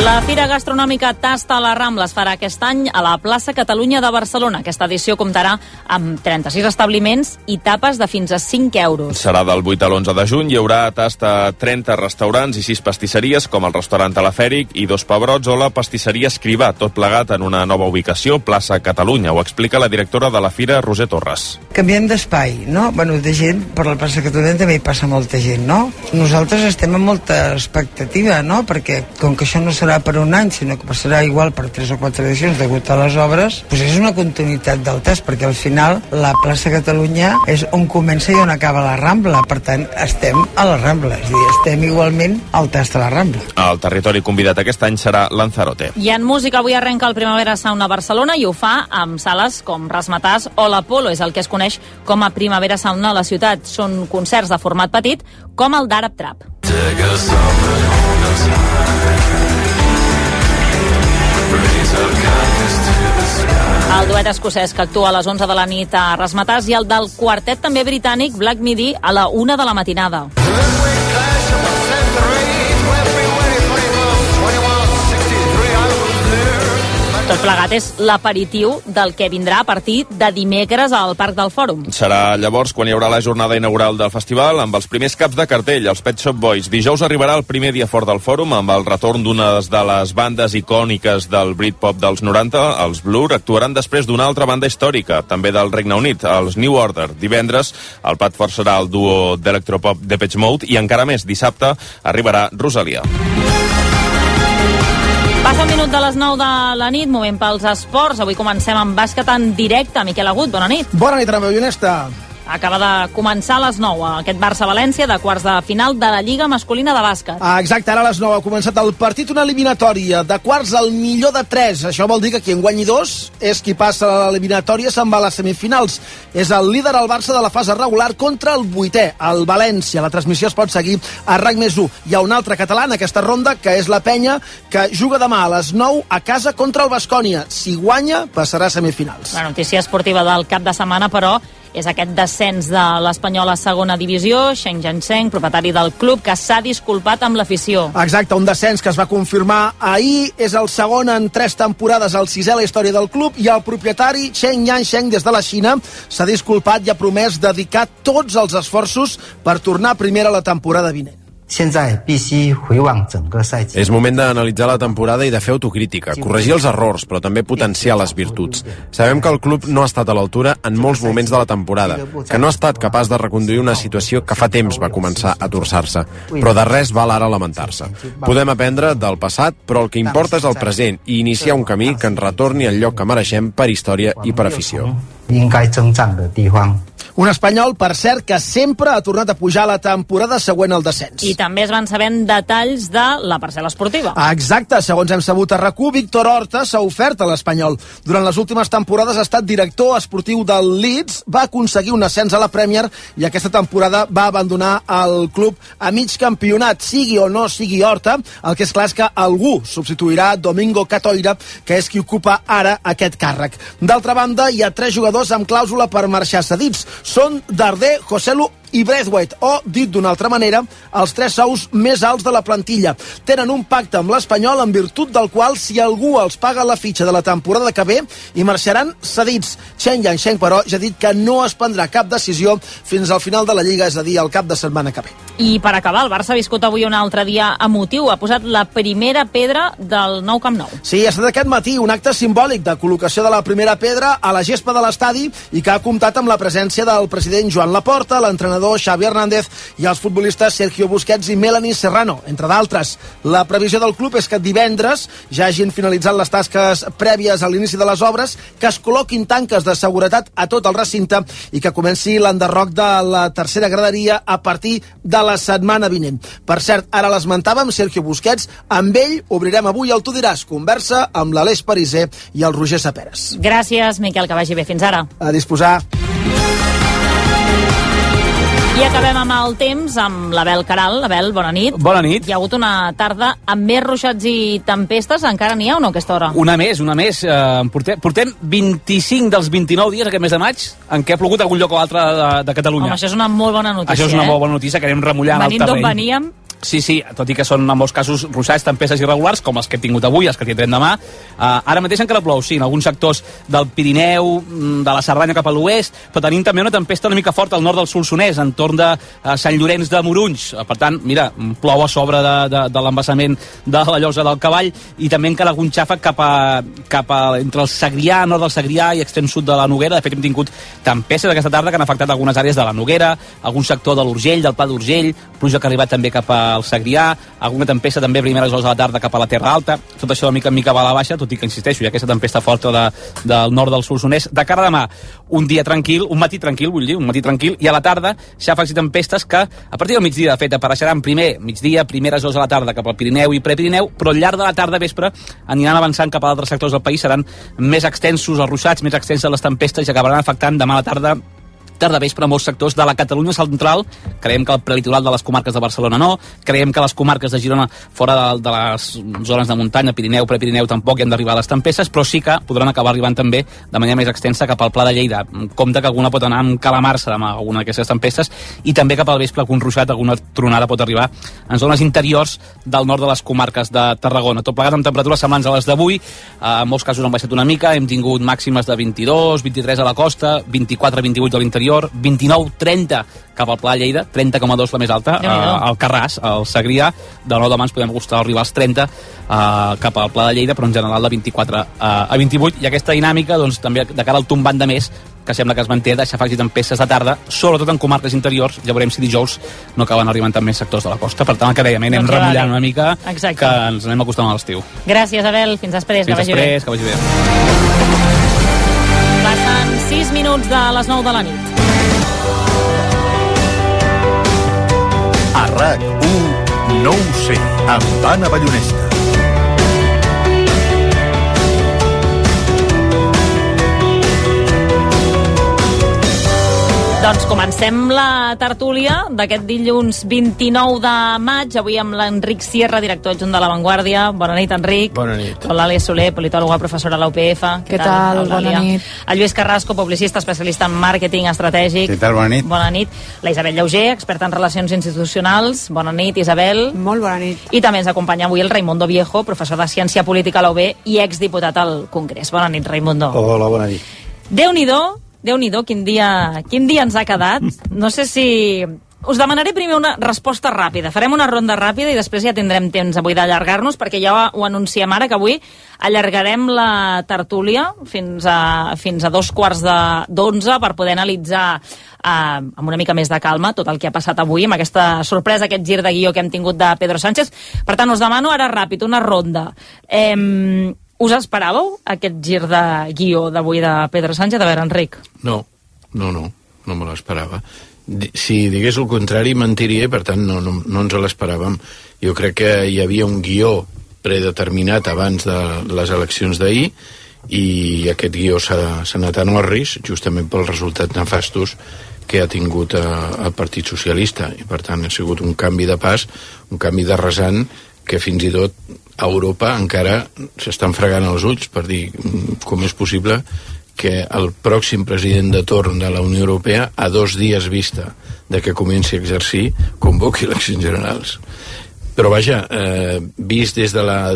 La Fira Gastronòmica Tasta a la Rambla es farà aquest any a la plaça Catalunya de Barcelona. Aquesta edició comptarà amb trenta-sis establiments i tapes de fins a cinc euros. Serà del vuit a l'onze de juny. Hi haurà tasta a trenta restaurants i sis pastisseries, com el restaurant Telefèric i dos pebrots o la pastisseria Escrivà, tot plegat en una nova ubicació, plaça Catalunya. Ho explica la directora de la Fira, Roser Torres. Canviem d'espai, no? Bueno, de gent, per la plaça Catalunya també hi passa molta gent, no? Nosaltres estem amb molta expectativa, no? Perquè com que això no serà per un any, sinó que passarà igual per tres o quatre edicions degut a les obres, doncs és una continuïtat del test, perquè al final la plaça Catalunya és on comença i on acaba la Rambla, per tant estem a la Rambla, és a dir, estem igualment al tast a la Rambla. El territori convidat aquest any serà Lanzarote. I en música avui arrenca el Primavera Sound a Barcelona i ho fa amb sales com Razzmatazz o l'Apolo, és el que es coneix com a Primavera Sound a la ciutat. Són concerts de format petit com el d'Arab Trap. El duet escocès que actua a les onze de la nit a Razzmatazz i el del quartet també britànic Black Midi a la una de la matinada. Tot plegat és l'aperitiu del que vindrà a partir de dimecres al Parc del Fòrum. Serà llavors quan hi haurà la jornada inaugural del festival amb els primers caps de cartell, els Pet Shop Boys. Dijous arribarà el primer dia fort del Fòrum amb el retorn d'una de les bandes icòniques del Britpop dels noranta, els Blur. Actuaran després d'una altra banda històrica, també del Regne Unit, els New Order. Divendres el plat fort serà el duo d'electropop Depeche Mode i encara més, dissabte arribarà Rosalia. Passa un minut de les nou de la nit, moment pels esports. Avui comencem amb bàsquet en directe. Miquel Agut, bona nit. Bona nit, Ana Bellonesta. Acaba de començar a les nou aquest Barça-València de quarts de final de la Lliga Masculina de Bàsquet. Ah, exacte, ara a les nou ha començat el partit, una eliminatòria de quarts al millor de tres. Això vol dir que qui en guanyi dos és qui passa a l'eliminatòria, se'n va a les semifinals. És el líder, el Barça, de la fase regular contra el vuitè, el València. La transmissió es pot seguir a RAC més u. Hi ha un altre català en aquesta ronda, que és la Penya, que juga demà a les nou a casa contra el Baskonia. Si guanya, passarà a semifinals. La notícia esportiva del cap de setmana, però, és aquest descens de l'Espanyol a segona divisió. Sheng Jiansheng, propietari del club, que s'ha disculpat amb l'afició. Exacte, un descens que es va confirmar ahir. És el segon en tres temporades, el sisè a la història del club, i el propietari Sheng Jiansheng, des de la Xina, s'ha disculpat i ha promès dedicar tots els esforços per tornar a primera la temporada vinent. És moment d'analitzar la temporada i de fer autocrítica, corregir els errors, però també potenciar les virtuts. Sabem que el club no ha estat a l'altura en molts moments de la temporada, que no ha estat capaç de reconduir una situació que fa temps va començar a torçar-se, però de res val ara lamentar-se. Podem aprendre del passat, però el que importa és el present i iniciar un camí que ens retorni al lloc que mereixem per història i per afició. Un espanyol, per cert, que sempre ha tornat a pujar la temporada següent al descens. I també es van sabent detalls de la parcel·la esportiva. Exacte, segons hem sabut a RAC u, Víctor Horta s'ha ofert a l'Espanyol. Durant les últimes temporades ha estat director esportiu del Leeds, va aconseguir un ascens a la Premier i aquesta temporada va abandonar el club a mig campionat. Sigui o no sigui Horta, el que és clar és que algú substituirà Domingo Catoira, que és qui ocupa ara aquest càrrec. D'altra banda, hi ha tres jugadors amb clàusula per marxar cedits. Són Darder, Joselu i Braithwaite, o, dit d'una altra manera, els tres sous més alts de la plantilla. Tenen un pacte amb l'Espanyol en virtut del qual, si algú els paga la fitxa de la temporada que ve, hi marxaran cedits. Sheng Jiansheng, però, ja ha dit que no es prendrà cap decisió fins al final de la Lliga, és a dir, el cap de setmana que ve. I per acabar, el Barça ha viscut avui un altre dia emotiu. Ha posat la primera pedra del nou Camp Nou. Sí, ha estat aquest matí un acte simbòlic de col·locació de la primera pedra a la gespa de l'estadi i que ha comptat amb la presència del president Joan Laporta, l'entrenador Xavi Hernández i els futbolistes Sergio Busquets i Melanie Serrano, entre d'altres. La previsió del club és que divendres ja hagin finalitzat les tasques prèvies a l'inici de les obres, que es col·loquin tanques de seguretat a tot el recinte i que comenci l'enderroc de la tercera graderia a partir de la setmana vinent. Per cert, ara l'esmentàvem, Sergio Busquets, amb ell obrirem avui el Tu diràs, conversa amb l'Aleix Pariser i el Roger Saperes. Gràcies, Miquel, que vagi bé. Fins ara. A disposar. I acabem amb el temps, amb l'Abel Caral. Abel, bona nit. Bona nit. Hi ha hagut una tarda amb més ruixats i tempestes. Encara n'hi ha o no a aquesta hora? Una més, una més. Uh, portem, portem vint-i-cinc dels vint-i-nou dies aquest mes de maig en què ha plogut algun lloc o altre de, de Catalunya. Home, això és una molt bona notícia. Això és una eh? molt bona notícia, que anem remullant Venim el terreny. d'on veníem. Sí, sí, tot i que són en molts casos ruixats, tempestes irregulars, com els que hem tingut avui, els que tindrem demà. Uh, ara mateix encara plou, sí, en alguns sectors del Pirineu, de la Cerdanya cap a l'oest, però tenim també una tempesta una mica forta al nord del Solsonès, entorn de uh, Sant Llorenç de Morunys. Uh, per tant, mira, plou a sobre de, de, de l'embassament de la Llosa del Cavall, i també encara algun xàfec cap a, cap a entre el Segrià, nord del Segrià i extrem sud de la Noguera. De fet, hem tingut tempestes aquesta tarda que han afectat algunes àrees de la Noguera, algun sector de l'Urgell, del Pla d'Urgell, pluja que ha arribat també cap a al Segrià, alguna tempesta també a primeres hores de la tarda cap a la Terra Alta. Tot això de mica en mica va a la baixa, tot i que, insisteixo, hi ha aquesta tempesta forta de, del nord del Solsonès. De cara a demà, un dia tranquil, un matí tranquil, vull dir, un matí tranquil, i a la tarda xàfecs i tempestes que a partir del migdia, de fet, apareixeran primer migdia, primeres hores de la tarda cap al Pirineu i Prepirineu, però al llarg de la tarda vespre aniran avançant cap a altres sectors del país, seran més extensos els ruixats, més extenses les tempestes i acabaran afectant demà a la tarda tarda vespre a molts sectors de la Catalunya central. Creiem que el prelitoral de les comarques de Barcelona no, creiem que les comarques de Girona, fora de, de les zones de muntanya, Pirineu, Prepirineu, tampoc hi han d'arribar les tempestes, però sí que podran acabar arribant també de manera més extensa cap al Pla de Lleida. Compte que alguna pot anar amb calamarsa amb alguna d'aquestes tempestes, i també cap al vespre algun ruixat, alguna tronada pot arribar en zones interiors del nord de les comarques de Tarragona. Tot plegat amb temperatures semblants a les d'avui, en molts casos han baixat una mica, hem tingut màximes de vint-i-dos, vint-i-tres a la costa, vint-i-quatre vint-i-vuit a l'interior, vint-i-nou trenta cap al Pla de Lleida, trenta coma dos la més alta, uh, al Carràs, al Segrià. De nou demà ens podem acostar a arribar als trenta uh, cap al Pla de Lleida, però en general de vint-i-quatre a vint-i-vuit, i aquesta dinàmica doncs, també de cara al tombant de mes, que sembla que es manté de xàfecs i tempestes de tarda, sobretot en comarques interiors. Ja veurem si dijous no acaben arribant també sectors de la costa. Per tant, el que dèiem, anem doncs remullant una mica. Exacte. Que ens anem acostant a l'estiu. Gràcies, Abel. Fins després. Fins que després, que vagi bé. Passen sis minuts de les nou de la nit. A RAC u, no ho sé, amb Anna Ballonesta. Doncs comencem la tertúlia d'aquest dilluns vint-i-nou de maig, avui amb l'Enric Sierra, director adjunt de La Vanguardia. Bona nit, Enric. Bona nit. L'Àlia Soler, politòloga, professora a la U P F. Què, Què tal? tal? Bona nit. El Lluís Carrasco, publicista, especialista en màrqueting estratègic. Què tal? Bona nit. Bona nit. La Isabel Llauger, experta en relacions institucionals. Bona nit, Isabel. Molt bona nit. I també ens acompanya avui el Raimundo Viejo, professor de Ciència Política a la U B i exdiputat al Congrés. Bona nit, Raimundo. Hola, bona nit. Déu-n'hi-do, Déu-n'hi-do, quin dia, quin dia ens ha quedat. No sé si... Us demanaré primer una resposta ràpida. Farem una ronda ràpida i després ja tindrem temps avui d'allargar-nos, perquè ja ho anunciem ara, que avui allargarem la tertúlia fins a, fins a dos quarts d'onze per poder analitzar eh, amb una mica més de calma tot el que ha passat avui, amb aquesta sorpresa, aquest gir de guió que hem tingut de Pedro Sánchez. Per tant, us demano ara ràpid una ronda. Eh, Us esperàveu aquest gir de guió d'avui de Pedro Sánchez? A veure, Enric. No, no, no, no me l'esperava. Si digués el contrari, mentiria, per tant, no, no, no ens l'esperàvem. Jo crec que hi havia un guió predeterminat abans de les eleccions d'ahir, i aquest guió s'ha anat a Norris, justament pels resultats nefastos que ha tingut el Partit Socialista, i per tant ha sigut un canvi de pas, un canvi de rasant, que fins i tot a Europa encara s'estan fregant els ulls per dir com és possible que el pròxim president de torn de la Unió Europea, a dos dies vista de que comenci a exercir, convoqui eleccions generals. Però vaja, eh, vist des de la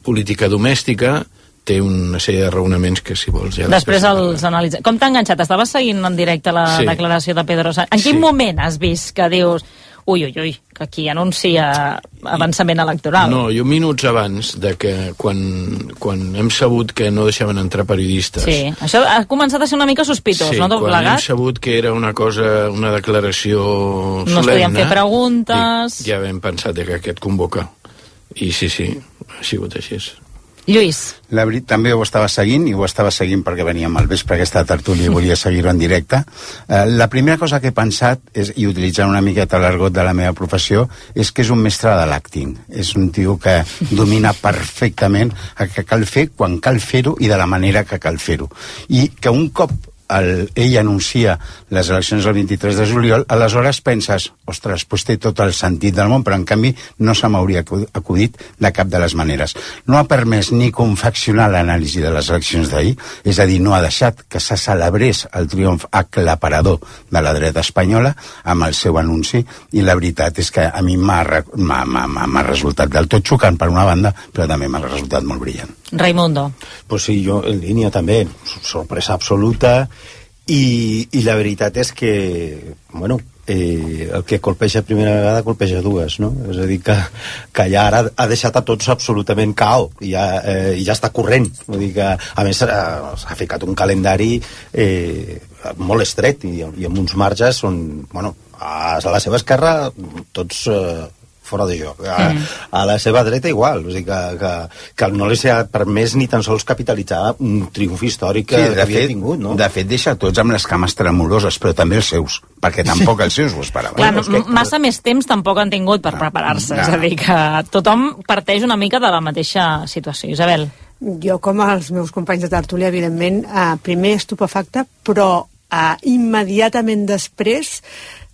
política domèstica, té una sèrie de raonaments que, si vols, ja... Després els analitzem. Com t'ha enganxat? Estaves seguint en directe la sí. declaració de Pedro Sánchez. En quin sí. moment has vist que dius... Ui, ui, ui, que aquí anuncia avançament electoral? No, jo minuts abans de que quan, quan hem sabut que no deixaven entrar periodistes... Sí, això ha començat a ser una mica sospitós, sí, no? Tot quan plegat. hem sabut que era una cosa, una declaració solemne... No es podien fer preguntes... Ja vam pensar que aquest convoca. I sí, sí, ha sigut així. Lluís. La veritat, també ho estava seguint, i ho estava seguint perquè veníem al vespre aquesta tertúlia i volia seguir-ho en directe. Eh, la primera cosa que he pensat, és, i utilitzant una miqueta l'argot de la meva professió, és que és un mestre de l'acting. És un tio que domina perfectament el que cal fer, quan cal fer-ho i de la manera que cal fer-ho. I que un cop el, ell anuncia les eleccions el vint-i-tres de juliol, aleshores penses, ostres, pues té tot el sentit del món, però en canvi no se m'hauria acudit de cap de les maneres. No ha permès ni confeccionar l'anàlisi de les eleccions d'ahir, és a dir, no ha deixat que se celebrés el triomf aclaparador de la dreta espanyola amb el seu anunci, i la veritat és que a mi m'ha resultat del tot xocant per una banda, però també m'ha resultat molt brillant. Raimundo. Pues sí, jo en línia també, sorpresa absoluta, i, i la veritat és que, bueno, eh, el que colpeja primera vegada colpeja dues, no? És a dir, que, que ja ara ha deixat a tots absolutament cao, i ja, eh, i ja està corrent. Vull dir que, a més, s'ha ficat un calendari eh, molt estret, i, i amb uns marges on, bueno, a la seva esquerra tots eh, fora de joc. A, mm. a la seva dreta igual, o sigui que, que, que no li s'ha permès ni tan sols capitalitzar un triomf històric que, sí, que havia fet, tingut, no? De fet, deixa tots amb les cames tremoloses, però també els seus, perquè tampoc els seus ho esperaven. Clar, no, que... massa més temps tampoc han tingut per no, preparar-se, no. És a dir, que tothom parteix una mica de la mateixa situació. Isabel. Jo, com els meus companys de tertúlia, evidentment, eh, primer estupefacte, però eh, immediatament després...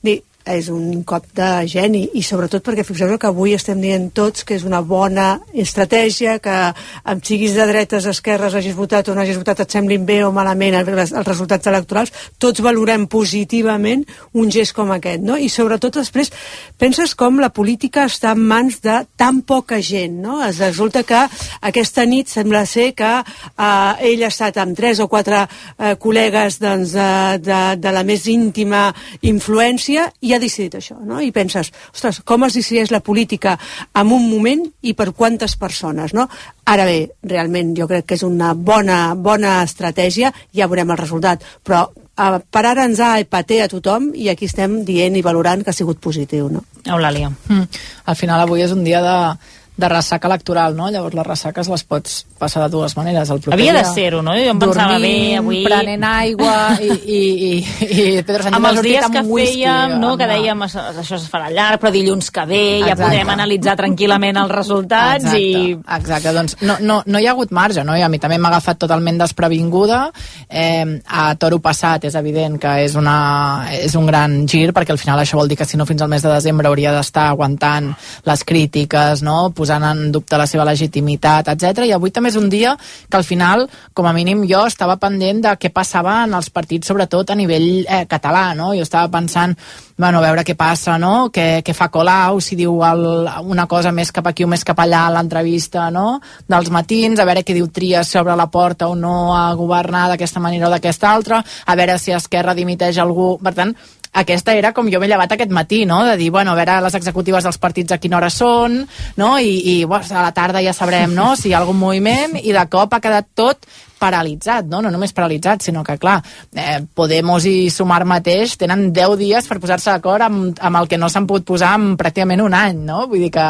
Dir, és un cop de geni, i sobretot perquè fixeu-vos que avui estem dient tots que és una bona estratègia, que amb siguis de dretes, esquerres, hagis votat o no hagis votat, et semblin bé o malament els resultats electorals, tots valorem positivament un gest com aquest, no? I sobretot després penses com la política està en mans de tan poca gent, no? Es resulta que aquesta nit sembla ser que eh, ell ha estat amb tres o quatre eh, col·legues doncs, de, de, de la més íntima influència i ha decidit això, no? I penses, ostres, com es decideix la política en un moment i per quantes persones, no? Ara bé, realment jo crec que és una bona, bona estratègia, ja veurem el resultat, però eh, per ara ens ha epaté a tothom i aquí estem dient i valorant que ha sigut positiu, no? Eulàlia. Mm. Al final avui és un dia de, de ressaca electoral, no? Llavors les ressaques les pots passar de dues maneres. El Havia de ser-ho, no? Jo em pensava bé avui... prenent aigua i, i, i, i Pedro Sánchez amb els dies que whisky, fèiem, no? Amb... Que dèiem això es farà llarg, però dilluns que ve ja Exacte. Podrem analitzar tranquil·lament els resultats. Exacte. i... Exacte, doncs no, no, no hi ha hagut marge, no? I a mi també m'ha agafat totalment desprevinguda. Eh, a toro passat és evident que és, una, és un gran gir, perquè al final això vol dir que si no fins al mes de desembre hauria d'estar aguantant les crítiques, no? Posant en dubte la seva legitimitat, etcètera. I avui també és un dia que al final, com a mínim jo estava pendent de què passava en els partits, sobretot a nivell eh, català, no? Jo estava pensant, bueno, a veure què passa, no? Què, què fa Colau, si diu el, una cosa més cap aquí o més cap allà a l'entrevista, no? Dels matins, a veure què diu Trias sobre la porta o no a governar d'aquesta manera o d'aquesta altra, a veure si Esquerra dimiteix algú. Per tant, aquesta era com jo m'he llevat aquest matí, no? De dir, bueno, a veure les executives dels partits a quina hora són, no? I, i bueno, a la tarda ja sabrem, no? Si hi ha algun moviment, i de cop ha quedat tot paralitzat, no? No només paralitzat, sinó que, clar, eh, Podemos i Sumar mateix tenen deu dies per posar-se d'acord amb, amb el que no s'han pogut posar en pràcticament un any, no? Vull dir que,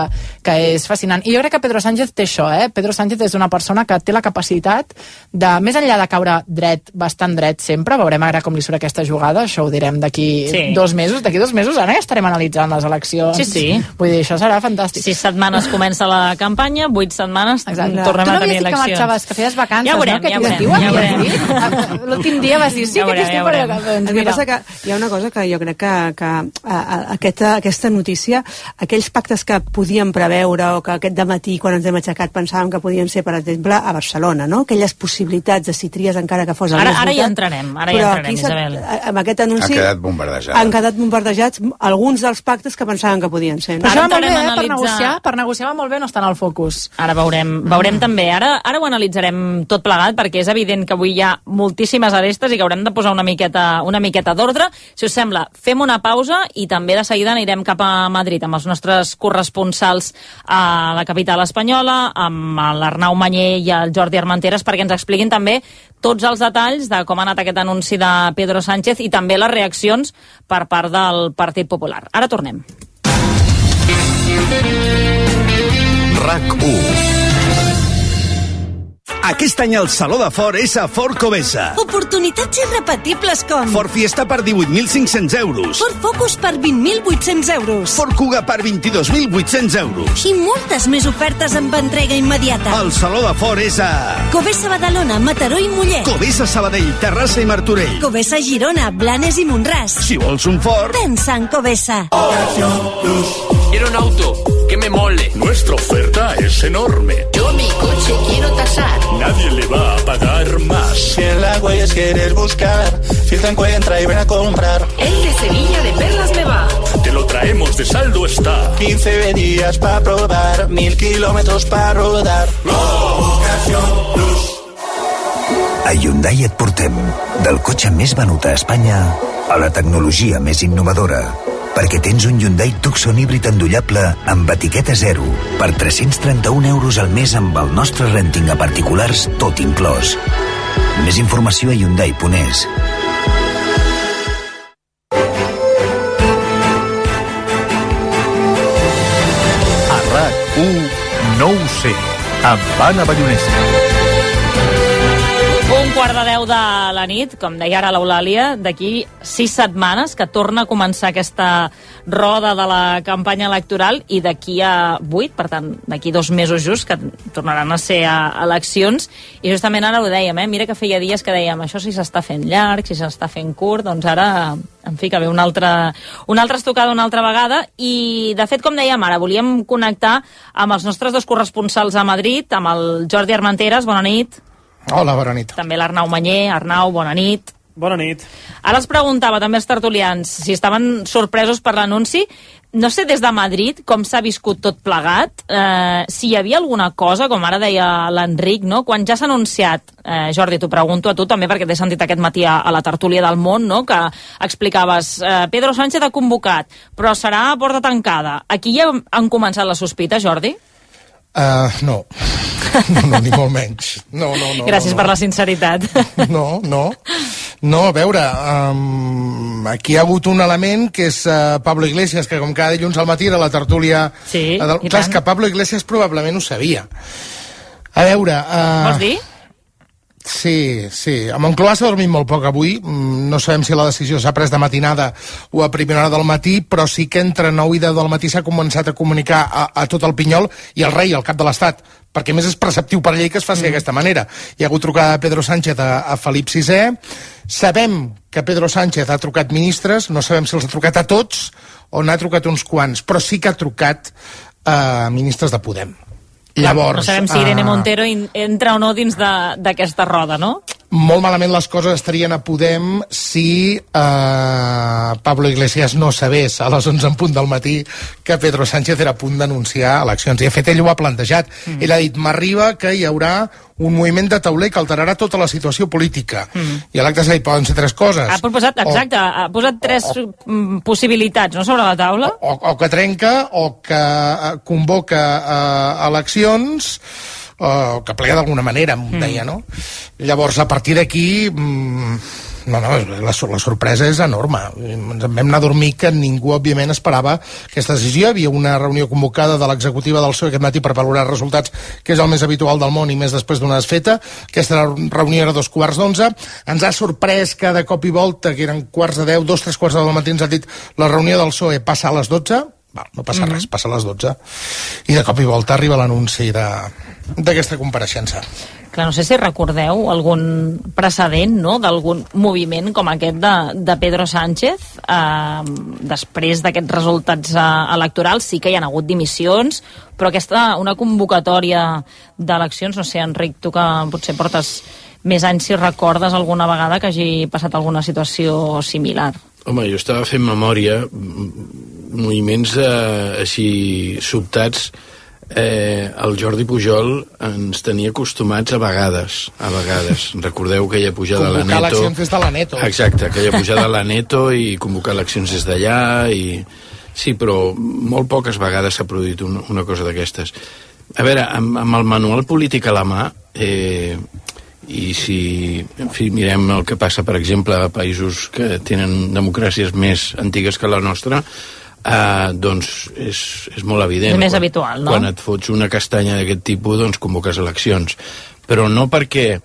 que és fascinant. I jo crec que Pedro Sánchez té això, eh? Pedro Sánchez és una persona que té la capacitat de, més enllà de caure dret, bastant dret sempre, veurem ara com li surt aquesta jugada, això ho direm d'aquí sí. dos mesos, d'aquí dos mesos ara ja estarem analitzant les eleccions. Sí, sí. Vull dir, això serà fantàstic. Sis setmanes comença la campanya, vuit setmanes Exacte. Tornem a tenir eleccions. Tu no havies dit que marxaves, que feies vacances, ja veurem, no? Que ja veurem, ja veurem. L'últim dia vas dir, sí, ja que t'estic per allà. El que passa que hi ha una cosa que jo crec que, que a, a, aquesta, aquesta notícia, aquells pactes que podíem preveure o que aquest dematí, quan ens hem aixecat, pensàvem que podien ser, per exemple, a Barcelona, no? Aquelles possibilitats de si tries encara que fos el ara, més ara votat. Ja entrarem, ara ja entrarem, Isabel. Amb aquest anunci... Han quedat bombardejats. Han quedat bombardejats alguns dels pactes que pensaven que podien ser. No? Però això va molt bé, eh? Per negociar, per negociar va molt bé no estar en el focus. Ara veurem, veurem mm. també. Ara, ara ho analitzarem tot plegat, perquè és evident que avui hi ha moltíssimes arestes i que haurem de posar una miqueta, una miqueta d'ordre. Si us sembla, fem una pausa i també de seguida anirem cap a Madrid amb els nostres corresponsals a la capital espanyola, amb l'Arnau Mañé i el Jordi Armenteres, perquè ens expliquin també tots els detalls de com ha anat aquest anunci de Pedro Sánchez i també les reaccions per part del Partit Popular. Ara tornem. RAC u. Aquest any el Saló de Ford és a Ford Covesa. Oportunitats irrepetibles com... Ford Fiesta per divuit mil cinc-cents euros. Ford Focus per vint mil vuit-cents euros. Ford Kuga per vint-i-dos mil vuit-cents euros. I moltes més ofertes amb entrega immediata. El Saló de Ford és a... Covesa Badalona, Mataró i Mollet. Covesa Sabadell, Terrassa i Martorell. Covesa Girona, Blanes i Montràs. Si vols un Ford... Pensa en Covesa. Quiero un auto que me mole. Nuestra oferta es enorme. Yo mi coche quiero tasar. Nadie le va a pagar más. Si en la Huellas quieres buscar, filtra, encuentra y ven a comprar. El de Sevilla de Perlas me va. Te lo traemos de saldo está. quince días para probar, mil kilómetros para rodar. Ocasión Plus. A Hyundai et portem del cotxe més venut a Espanya a la tecnologia més innovadora, perquè tens un Hyundai Tucson híbrid endollable amb etiqueta zero per tres-cents trenta-un euros al mes amb el nostre renting a particulars tot inclòs. Més informació a hyundai punt es. A RAC u no ho sé, amb Anna Ballonesa. Un quart de deu de la nit, com deia ara l'Eulàlia, d'aquí sis setmanes que torna a començar aquesta roda de la campanya electoral i d'aquí a vuit, per tant, d'aquí dos mesos just, que tornaran a ser a eleccions. I justament ara ho dèiem, eh? Mira que feia dies que dèiem això si s'està fent llarg, si s'està fent curt, doncs ara, en fi, que ve una altra, una altra estocada una altra vegada. I, de fet, com dèiem ara, volíem connectar amb els nostres dos corresponsals a Madrid, amb el Jordi Armenteres, bona nit. Hola, bona nit. També l'Arnau Manyer. Arnau, bona nit. Bona nit. Ara els preguntava també els tertulians si estaven sorpresos per l'anunci. No sé des de Madrid com s'ha viscut tot plegat, eh, si hi havia alguna cosa, com ara deia l'Enric, no? Quan ja s'ha anunciat, eh, Jordi, t'ho pregunto a tu també perquè t'he sentit aquest matí a, a la tertúlia del Món, no? Que explicaves, eh, Pedro Sánchez ha convocat, però serà a porta tancada. Aquí ja han començat les sospites, Jordi? Uh, no. no, no, ni molt menys. No, no, no. Gràcies no, no. per la sinceritat. No, no. No, a veure, um, aquí hi ha hagut un element que és uh, Pablo Iglesias, que com cada dilluns al matí era la tertúlia... Sí, uh, del... Clar, és que Pablo Iglesias probablement ho sabia. A veure... Uh... Vols dir? Sí, sí. A Moncloa s'ha dormit molt poc avui. No sabem si la decisió s'ha pres de matinada o a primera hora del matí, però sí que entre nou i deu del matí s'ha començat a comunicar a, a tot el Pinyol i al rei, al cap de l'Estat, perquè més és preceptiu per llei que es faci mm. d'aquesta manera. Hi ha hagut trucada de Pedro Sánchez a, a Felip sisè. Sabem que Pedro Sánchez ha trucat ministres, no sabem si els ha trucat a tots o n'ha trucat uns quants, però sí que ha trucat a ministres de Podem. Llavors, no sabem si Irene Montero entra o no dins d'aquesta roda, no? Molt malament les coses estarien a Podem si eh, Pablo Iglesias no sabés a les onze en punt del matí que Pedro Sánchez era a punt d'anunciar eleccions. I, de fet, ell ho ha plantejat. Mm. Ell ha dit, m'arriba que hi haurà un moviment de tauler que alterarà tota la situació política. Mm. I a l'acte s'ha dit, poden ser tres coses. Ha proposat, exacte, o, ha posat tres o, o, possibilitats, no?, sobre la taula. O, o que trenca, o que convoca uh, eleccions, o que plega d'alguna manera, em deia, no? Llavors, a partir d'aquí... Mmm, no, no, la, la sorpresa és enorme. Ens en vam anar a dormir que ningú, òbviament, esperava aquesta decisió. Hi havia una reunió convocada de l'executiva del P S O E aquest matí per valorar resultats, que és el més habitual del món i més després d'una desfeta. Aquesta reunió era dos quarts d'onze. Ens ha sorprès que de cop i volta, que eren quarts de deu, dos, tres quarts de deu del matí, ens ha dit la reunió del P S O E passa a les dotze. Val, no passa mm-hmm. res, passa a les dotze. I de cop i volta arriba l'anunci d'aquesta compareixença. Clar, no sé si recordeu algun precedent, no?, d'algun moviment com aquest de, de Pedro Sánchez eh, després d'aquests resultats eh, electorals. Sí que hi ha hagut dimissions, però aquesta, una convocatòria d'eleccions, no sé, Enric, tu que potser portes més anys, si recordes alguna vegada que hagi passat alguna situació similar. Home, jo estava fent memòria, moviments eh, així sobtats. Eh, el Jordi Pujol ens tenia acostumats a vegades, a vegades. Recordeu aquella pujada a la Neto. Convocar eleccions des de la Neto. Exacte, aquella pujada a la Neto i convocar eleccions des d'allà. I... Sí, però molt poques vegades s'ha produït una, una cosa d'aquestes. A veure, amb, amb el manual polític a la mà, eh, i si en fi, mirem el que passa, per exemple, a països que tenen democràcies més antigues que la nostra, Uh, doncs és, és molt evident. És més quan, habitual, no? Quan et fots una castanya d'aquest tipus, doncs convoques eleccions. però no perquè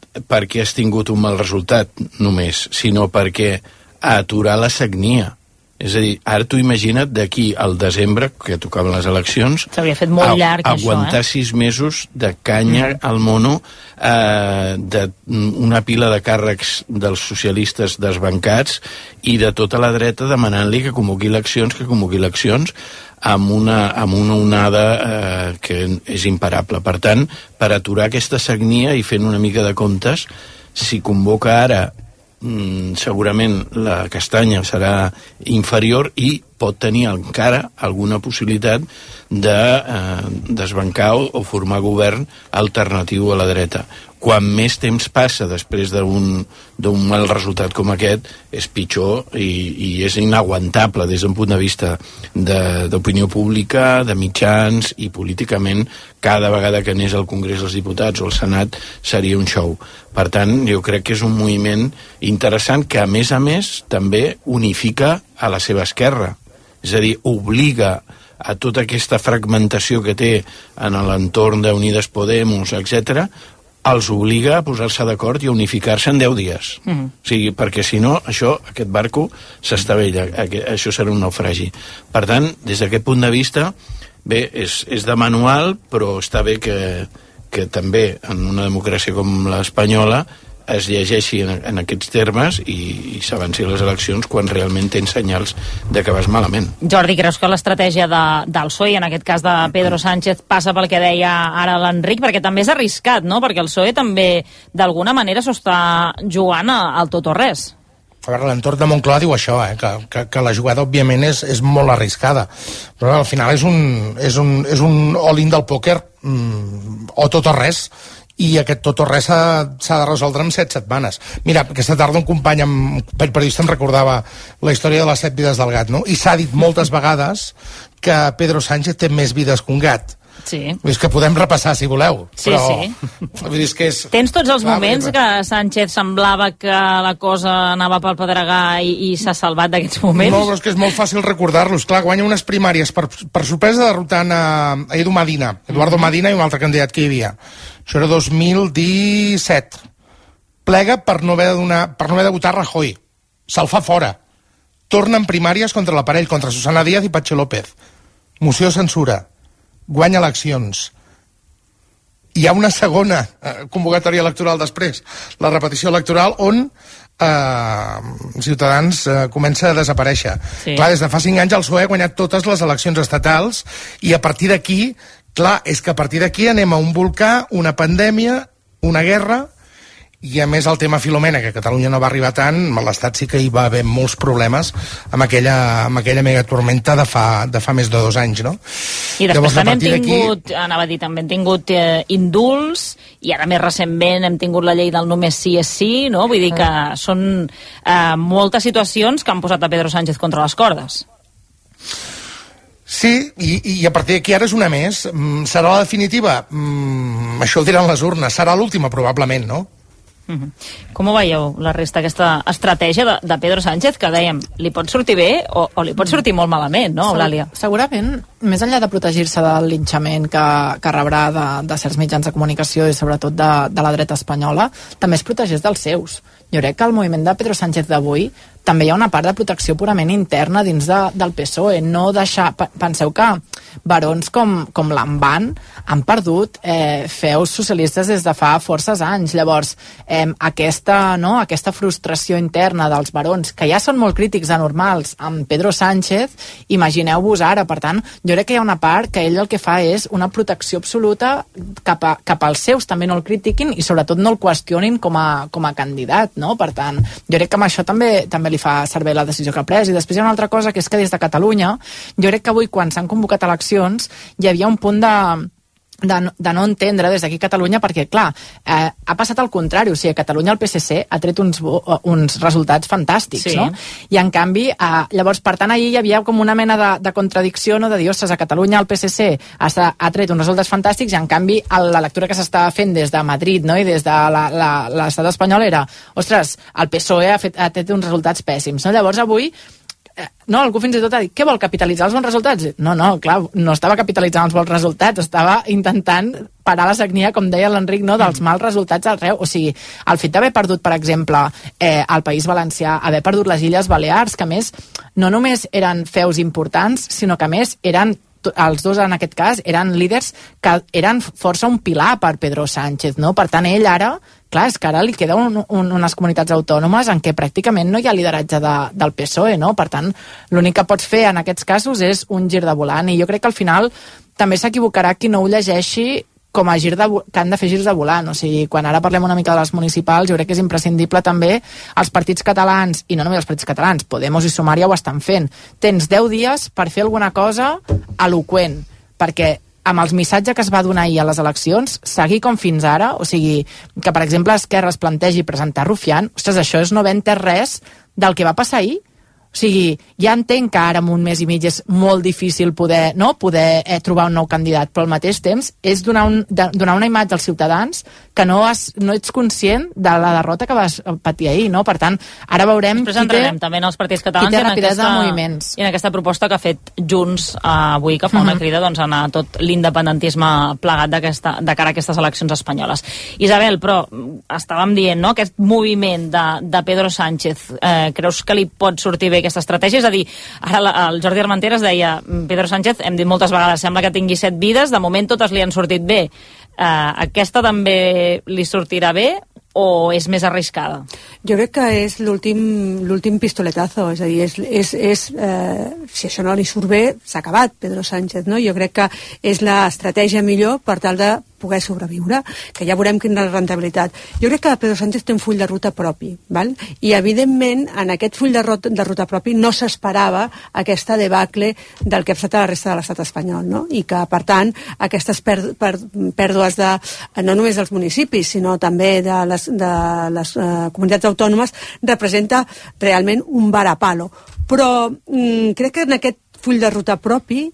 perquè has tingut un mal resultat només, sinó perquè aturar la sagnia. És a dir, ara tu imagina't d'aquí al desembre, que tocaven les eleccions, s'havia fet molt llarg, a, això, aguantar eh? sis mesos de canya mm. al mono, eh, d'una pila de càrrecs dels socialistes desbancats i de tota la dreta demanant-li que convoqui eleccions, que convoqui eleccions, amb una, amb una onada eh, que és imparable. Per tant, per aturar aquesta sagnia i fent una mica de comptes, si convoca ara mm, segurament la castanya serà inferior i pot tenir encara alguna possibilitat de eh, desbancar o, o formar govern alternatiu a la dreta. Quan més temps passa després d'un d'un mal resultat com aquest, és pitjor i, i és inaguantable des d'un punt de vista d'opinió pública, de mitjans i políticament cada vegada que anés al Congrés dels Diputats o al Senat seria un show. Per tant, jo crec que és un moviment interessant que a més a més també unifica a la seva esquerra. És a dir, obliga a tota aquesta fragmentació que té en l'entorn d'Unides Podemos, etcètera, els obliga a posar-se d'acord i a unificar-se en deu dies. Mm. O sigui, perquè si no, això, aquest barco s'estavella, això serà un naufragi. Per tant, des d'aquest punt de vista, bé, és, és de manual, però està bé que, que també en una democràcia com l'espanyola es llegeixi en, en aquests termes i, i s'avanci a les eleccions quan realment tens senyals de que vas malament. Jordi, creus que l'estratègia de, del P S O E, en aquest cas de Pedro Sánchez, passa pel que deia ara l'Enric? Perquè també és arriscat, no? Perquè el P S O E també, d'alguna manera, s'ho està jugant al tot o res. A veure, l'entorn de Moncloa diu això, eh? que, que, que la jugada, òbviament, és, és molt arriscada. Però al final és un, és un, és un all-in del pòquer, mm, o tot o res, i aquest tot o res s'ha de resoldre en set setmanes. Mira, aquesta tarda un company, un periodista, em recordava la història de les set vides del gat, no? I s'ha dit moltes vegades que Pedro Sánchez té més vides que un gat. Sí. És que podem repassar, si voleu. Sí, però... sí. És que és... Tens tots els Clar, moments que Sánchez semblava que la cosa anava pel pedregar i, i s'ha salvat d'aquests moments? No, però és que és molt fàcil recordar-los. Clar, guanya unes primàries per, per sorpresa derrotant a, a Edu Medina, Eduardo Medina i un altre candidat que hi havia. Això era dos mil disset. Plega per no haver de, donar, per no haver de votar Rajoy. Se'l fa fora. Torna en primàries contra l'aparell, contra Susana Díaz i Patxi López. Moció de censura. Guanya eleccions. Hi ha una segona eh, convocatòria electoral després, la repetició electoral, on eh, Ciutadans eh, comença a desaparèixer. Sí. Clar, des de fa cinc anys el P S O E ha guanyat totes les eleccions estatals i a partir d'aquí, clar, és que a partir d'aquí anem a un volcà, una pandèmia, una guerra, i a més el tema Filomena, que a Catalunya no va arribar tant, a l'Estat sí que hi va haver molts problemes amb aquella, amb aquella megatormenta de fa, de fa més de dos anys, no? I després Llavors, també hem tingut, anava a dir, també hem tingut eh, indults, i ara més recentment hem tingut la llei del només sí és sí, no? Vull dir que són eh, moltes situacions que han posat a Pedro Sánchez contra les cordes. Sí, i, i a partir d'aquí ara és una més. Serà la definitiva? Mm, això ho diran les urnes. Serà l'última, probablement, no? Uh-huh. Com ho veieu, la resta, aquesta estratègia de, de Pedro Sánchez, que dèiem, li pot sortir bé o, o li pot sortir molt malament, no, Eulàlia? Segurament, més enllà de protegir-se del linxament que, que rebrà de, de certs mitjans de comunicació i sobretot de, de la dreta espanyola, també es protegeix dels seus. Jo crec que el moviment de Pedro Sánchez d'avui també hi ha una part de protecció purament interna dins de, del P S O E. No deixar... Penseu que barons com, com l'Amban han perdut eh, feus socialistes des de fa forces anys. Llavors, eh, aquesta, no, aquesta frustració interna dels barons, que ja són molt crítics anormals amb Pedro Sánchez, imagineu-vos ara. Per tant, jo crec que hi ha una part que ell el que fa és una protecció absoluta cap, a, cap als seus, també no el critiquin i sobretot no el qüestionin com a, com a candidat, no? Per tant, jo crec que amb això també, també li fa servir la decisió que ha pres. I després hi ha una altra cosa, que és que des de Catalunya, jo crec que avui, quan s'han convocat eleccions, hi havia un punt de... De, de no entendre des d'aquí a Catalunya, perquè, clar, eh, ha passat al contrari. O sigui, a Catalunya el P S C ha tret uns, uns resultats fantàstics, sí. No? I, en canvi, eh, llavors, per tant, ahir hi havia com una mena de, de contradicció, no? De dir, ostres, a Catalunya el P S C ha, ha tret uns resultats fantàstics i, en canvi, la lectura que s'estava fent des de Madrid, no? I des de l'estat espanyol era, ostres, el P S O E ha, fet, ha tret uns resultats pèssims, no? Llavors, avui, no, algú fins i tot ha dit, què vol, capitalitzar els bons resultats? No, no, clar, no estava capitalitzant els bons resultats, estava intentant parar la sagnia, com deia l'Enric, no, dels mals resultats arreu. O sigui, el fet d'haver perdut, per exemple, eh, el País Valencià, haver perdut les Illes Balears, que a més no només eren feus importants, sinó que a més eren els dos en aquest cas eren líders que eren força un pilar per Pedro Sánchez, no? Per tant, ell ara, clar, és que ara li queda un, un, unes comunitats autònomes en què pràcticament no hi ha lideratge de, del P S O E, no? Per tant, l'únic que pots fer en aquests casos és un gir de volant, i jo crec que al final també s'equivocarà qui no ho llegeixi com a gir de, que han de fer girs de volant. O sigui, quan ara parlem una mica de les municipals, jo crec que és imprescindible també els partits catalans, i no només els partits catalans, Podemos i Sumar ja ho estan fent. Tens deu dies per fer alguna cosa eloqüent, perquè amb els missatges que es va donar ahir a les eleccions, seguir com fins ara, o sigui, que per exemple Esquerra es plantegi presentar Rufián, ostres, això és no haver entès res del que va passar ahir. O sigui, ja entenc que ara en un mes i mig és molt difícil poder, no, poder eh, trobar un nou candidat, però al mateix temps és donar, un, de, donar una imatge als ciutadans que no, has, no ets conscient de la derrota que vas patir ahir, no? Per tant, ara veurem Després qui té, també en els partits catalans qui té i en rapidesa aquesta, de moviments. I en aquesta proposta que ha fet Junts eh, avui, que fa una Mhm. crida doncs, a anar tot l'independentisme plegat de cara a aquestes eleccions espanyoles. Isabel, però estàvem dient, no?, aquest moviment de, de Pedro Sánchez, eh, creus que li pot sortir bé aquesta estratègia? És a dir, ara la, el Jordi Armenteres deia, Pedro Sánchez, hem dit moltes vegades, sembla que tingui set vides, de moment totes li han sortit bé. Uh, aquesta també li sortirà bé o és més arriscada? Jo crec que és l'últim l'últim pistoletazo, és a dir, és, és, és, eh, si això no li surt bé, s'ha acabat Pedro Sánchez, no? Jo crec que és l'estratègia millor per tal de poder sobreviure, que ja veurem quina és la rentabilitat. Jo crec que Pedro Sánchez té un full de ruta propi, val? I evidentment en aquest full de ruta, de ruta propi no s'esperava aquesta debacle del que ha passat a la resta de l'estat espanyol, no? I que, per tant, aquestes per, per, pèrdues de, no només dels municipis, sinó també de les, de les uh, comunitats autònomes, representa realment un varapalo. Però mm, crec que en aquest full de ruta propi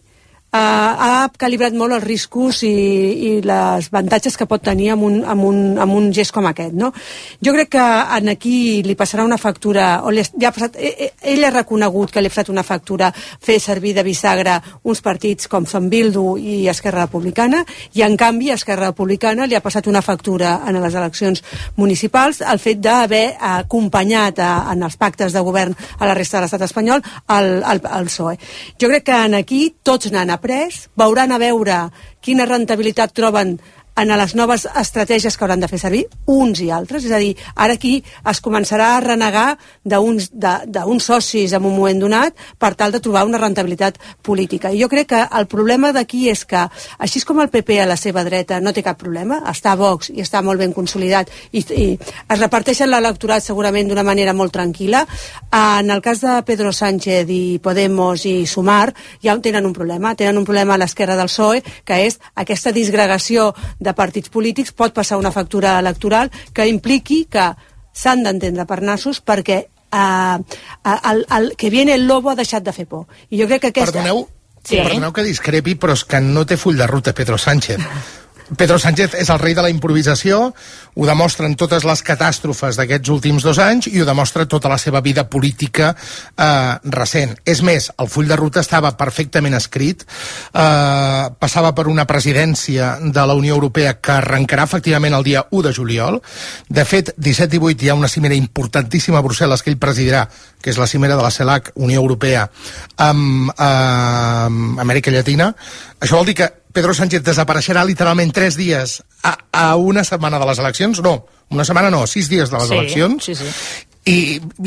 Uh, ha calibrat molt els riscos i, i les avantatges que pot tenir amb un, amb, un, amb un gest com aquest, no? Jo crec que en aquí li passarà una factura, o li, ja ha passat, ell, ell ha reconegut que li ha passat una factura fer servir de bisagra uns partits com són Bildu i Esquerra Republicana, i en canvi Esquerra Republicana li ha passat una factura en les eleccions municipals el fet d'haver acompanyat a, en els pactes de govern a la resta de l'estat espanyol al, al, al P S O E. Jo crec que en aquí tots n'han après, veuran a veure quina rentabilitat troben en les noves estratègies que hauran de fer servir uns i altres, és a dir, ara aquí es començarà a renegar d'uns d'uns socis en un moment donat per tal de trobar una rentabilitat política. I jo crec que el problema d'aquí és que, així com el P P a la seva dreta no té cap problema, està a Vox i està molt ben consolidat i, i es reparteixen l'electorat segurament d'una manera molt tranquil·la, en el cas de Pedro Sánchez i Podemos i Sumar ja tenen un problema, tenen un problema a l'esquerra del P S O E, que és aquesta disgregació de partits polítics, pot passar una factura electoral que impliqui que s'han d'entendre per nassos perquè eh, el, el que viene el lobo ha deixat de fer por. I jo crec que aquesta... Perdoneu, sí. perdoneu que discrepi, però és que no té full de ruta Pedro Sánchez. Pedro Sánchez és el rei de la improvisació, ho demostren totes les catàstrofes d'aquests últims dos anys i ho demostra tota la seva vida política eh, recent. És més, el full de ruta estava perfectament escrit, eh, passava per una presidència de la Unió Europea que arrencarà efectivament el dia u de juliol. De fet, disset i divuit hi ha una cimera importantíssima a Brussel·les que ell presidirà, que és la cimera de la CELAC, Unió Europea, amb eh, Amèrica Llatina. Això vol dir que Pedro Sánchez desapareixerà literalment tres dies a, a una setmana de les eleccions. No, una setmana no, sis dies de les sí, eleccions. Sí, sí. I,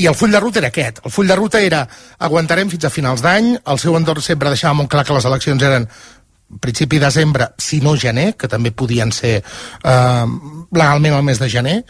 I el full de ruta era aquest. El full de ruta era aguantarem fins a finals d'any, el seu entorn sempre deixava molt clar que les eleccions eren principi de desembre, si no gener, que també podien ser eh, legalment el mes de gener,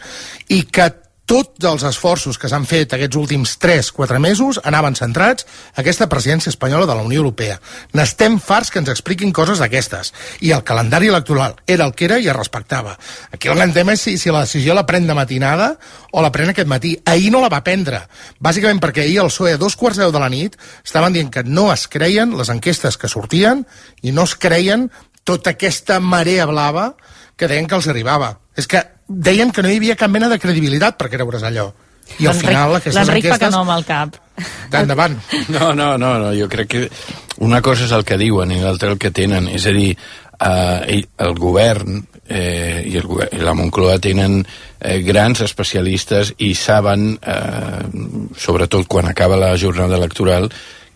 i que tots els esforços que s'han fet aquests últims tres quatre mesos anaven centrats a aquesta presidència espanyola de la Unió Europea. N'estem farts que ens expliquin coses d'aquestes. I el calendari electoral era el que era i es respectava. Aquí el gran tema és si, si la decisió la pren de matinada o la pren aquest matí. Ahir no la va prendre. Bàsicament perquè ahir el P S O E a dos quarts de deu de la nit estaven dient que no es creien les enquestes que sortien i no es creien tota aquesta marea blava que deien que els arribava. És que deien que no hi havia cap mena de credibilitat per creure's allò. I al final aquestes L'Enric enquestes... fa que no amb el cap. Endavant. No, no, no, no, jo crec que una cosa és el que diuen i l'altra el que tenen. És a dir, eh, el govern eh, i, el govern, i la Moncloa tenen eh, grans especialistes i saben, eh, sobretot quan acaba la jornada electoral,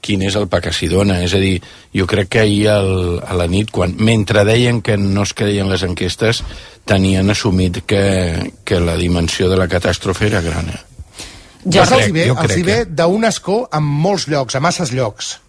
quin és el pa que s'hi dona. És a dir, jo crec que ahir el, a la nit, quan, mentre deien que no es creien les enquestes, tenien assumit que, que la dimensió de la catàstrofe era gran. Eh? Jo crec, els hi ve, els hi ve d'un escó en molts llocs, a masses llocs.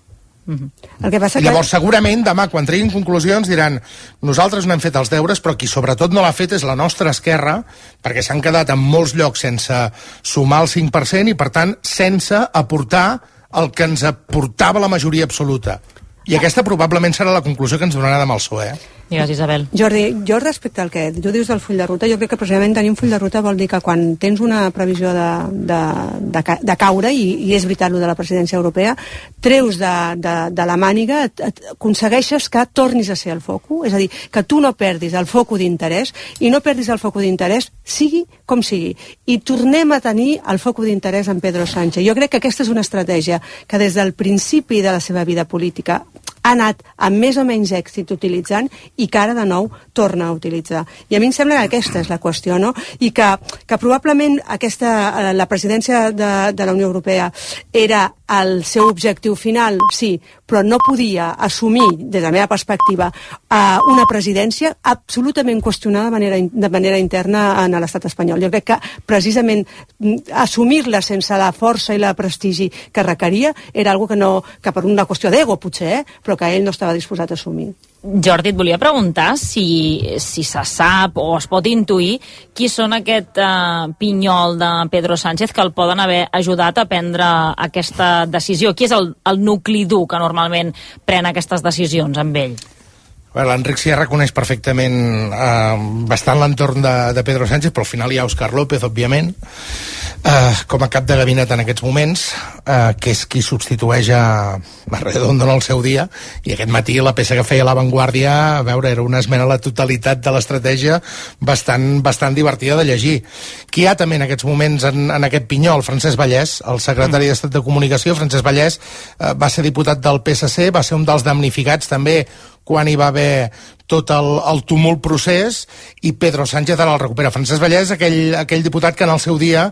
Uh-huh. El que passa I llavors que... segurament demà quan treguin conclusions diran nosaltres no hem fet els deures, però qui sobretot no l'ha fet és la nostra esquerra, perquè s'han quedat en molts llocs sense sumar el cinc per cent i per tant sense aportar el que ens aportava la majoria absoluta. I aquesta probablement serà la conclusió que ens donarà demà el P S O E. Digues, Isabel. Jordi, jo respecte al que tu dius del full de ruta, jo crec que precisament tenir un full de ruta vol dir que quan tens una previsió de, de, de, de caure, i, i és veritat el de la presidència europea, treus de, de, de la màniga, et, et, aconsegueixes que tornis a ser el focus, és a dir, que tu no perdis el focus d'interès, i no perdis el focus d'interès, sigui com sigui. I tornem a tenir el focus d'interès en Pedro Sánchez. Jo crec que aquesta és una estratègia que des del principi de la seva vida política ha anat amb més o menys èxit utilitzant i que ara de nou torna a utilitzar. I a mi em sembla que aquesta és la qüestió, no? I que, que probablement aquesta, la presidència de, de la Unió Europea era el seu objectiu final, sí, però no podia assumir, des de la meva perspectiva, una presidència absolutament qüestionada de manera, de manera interna en l'estat espanyol. Jo crec que precisament assumir-la sense la força i la prestigi que requeria era algo que no, que per una qüestió d'ego potser, eh? Però que ell no estava disposat a assumir. Jordi, et volia preguntar si, si se sap o es pot intuir qui són aquest uh, pinyol de Pedro Sánchez que el poden haver ajudat a prendre aquesta decisió. Qui és el, el nucli dur que normalment pren aquestes decisions amb ell? L'Enric Sierra coneix perfectament eh, bastant l'entorn de, de Pedro Sánchez, però al final hi ha Òscar López, òbviament, eh, com a cap de gabinet en aquests moments, eh, que és qui substitueix a, a Redondo en el seu dia, i aquest matí la peça que feia La Vanguardia, a veure, era una esmena a la totalitat de l'estratègia bastant, bastant divertida de llegir. Qui hi ha també en aquests moments en, en aquest pinyol? Francesc Vallès, el secretari d'Estat de Comunicació. Francesc Vallès eh, va ser diputat del P S C, va ser un dels damnificats també quan hi va haver tot el, el tumult procés, i Pedro Sánchez ara el recupera. Francesc Vallès, aquell, aquell diputat que en el seu dia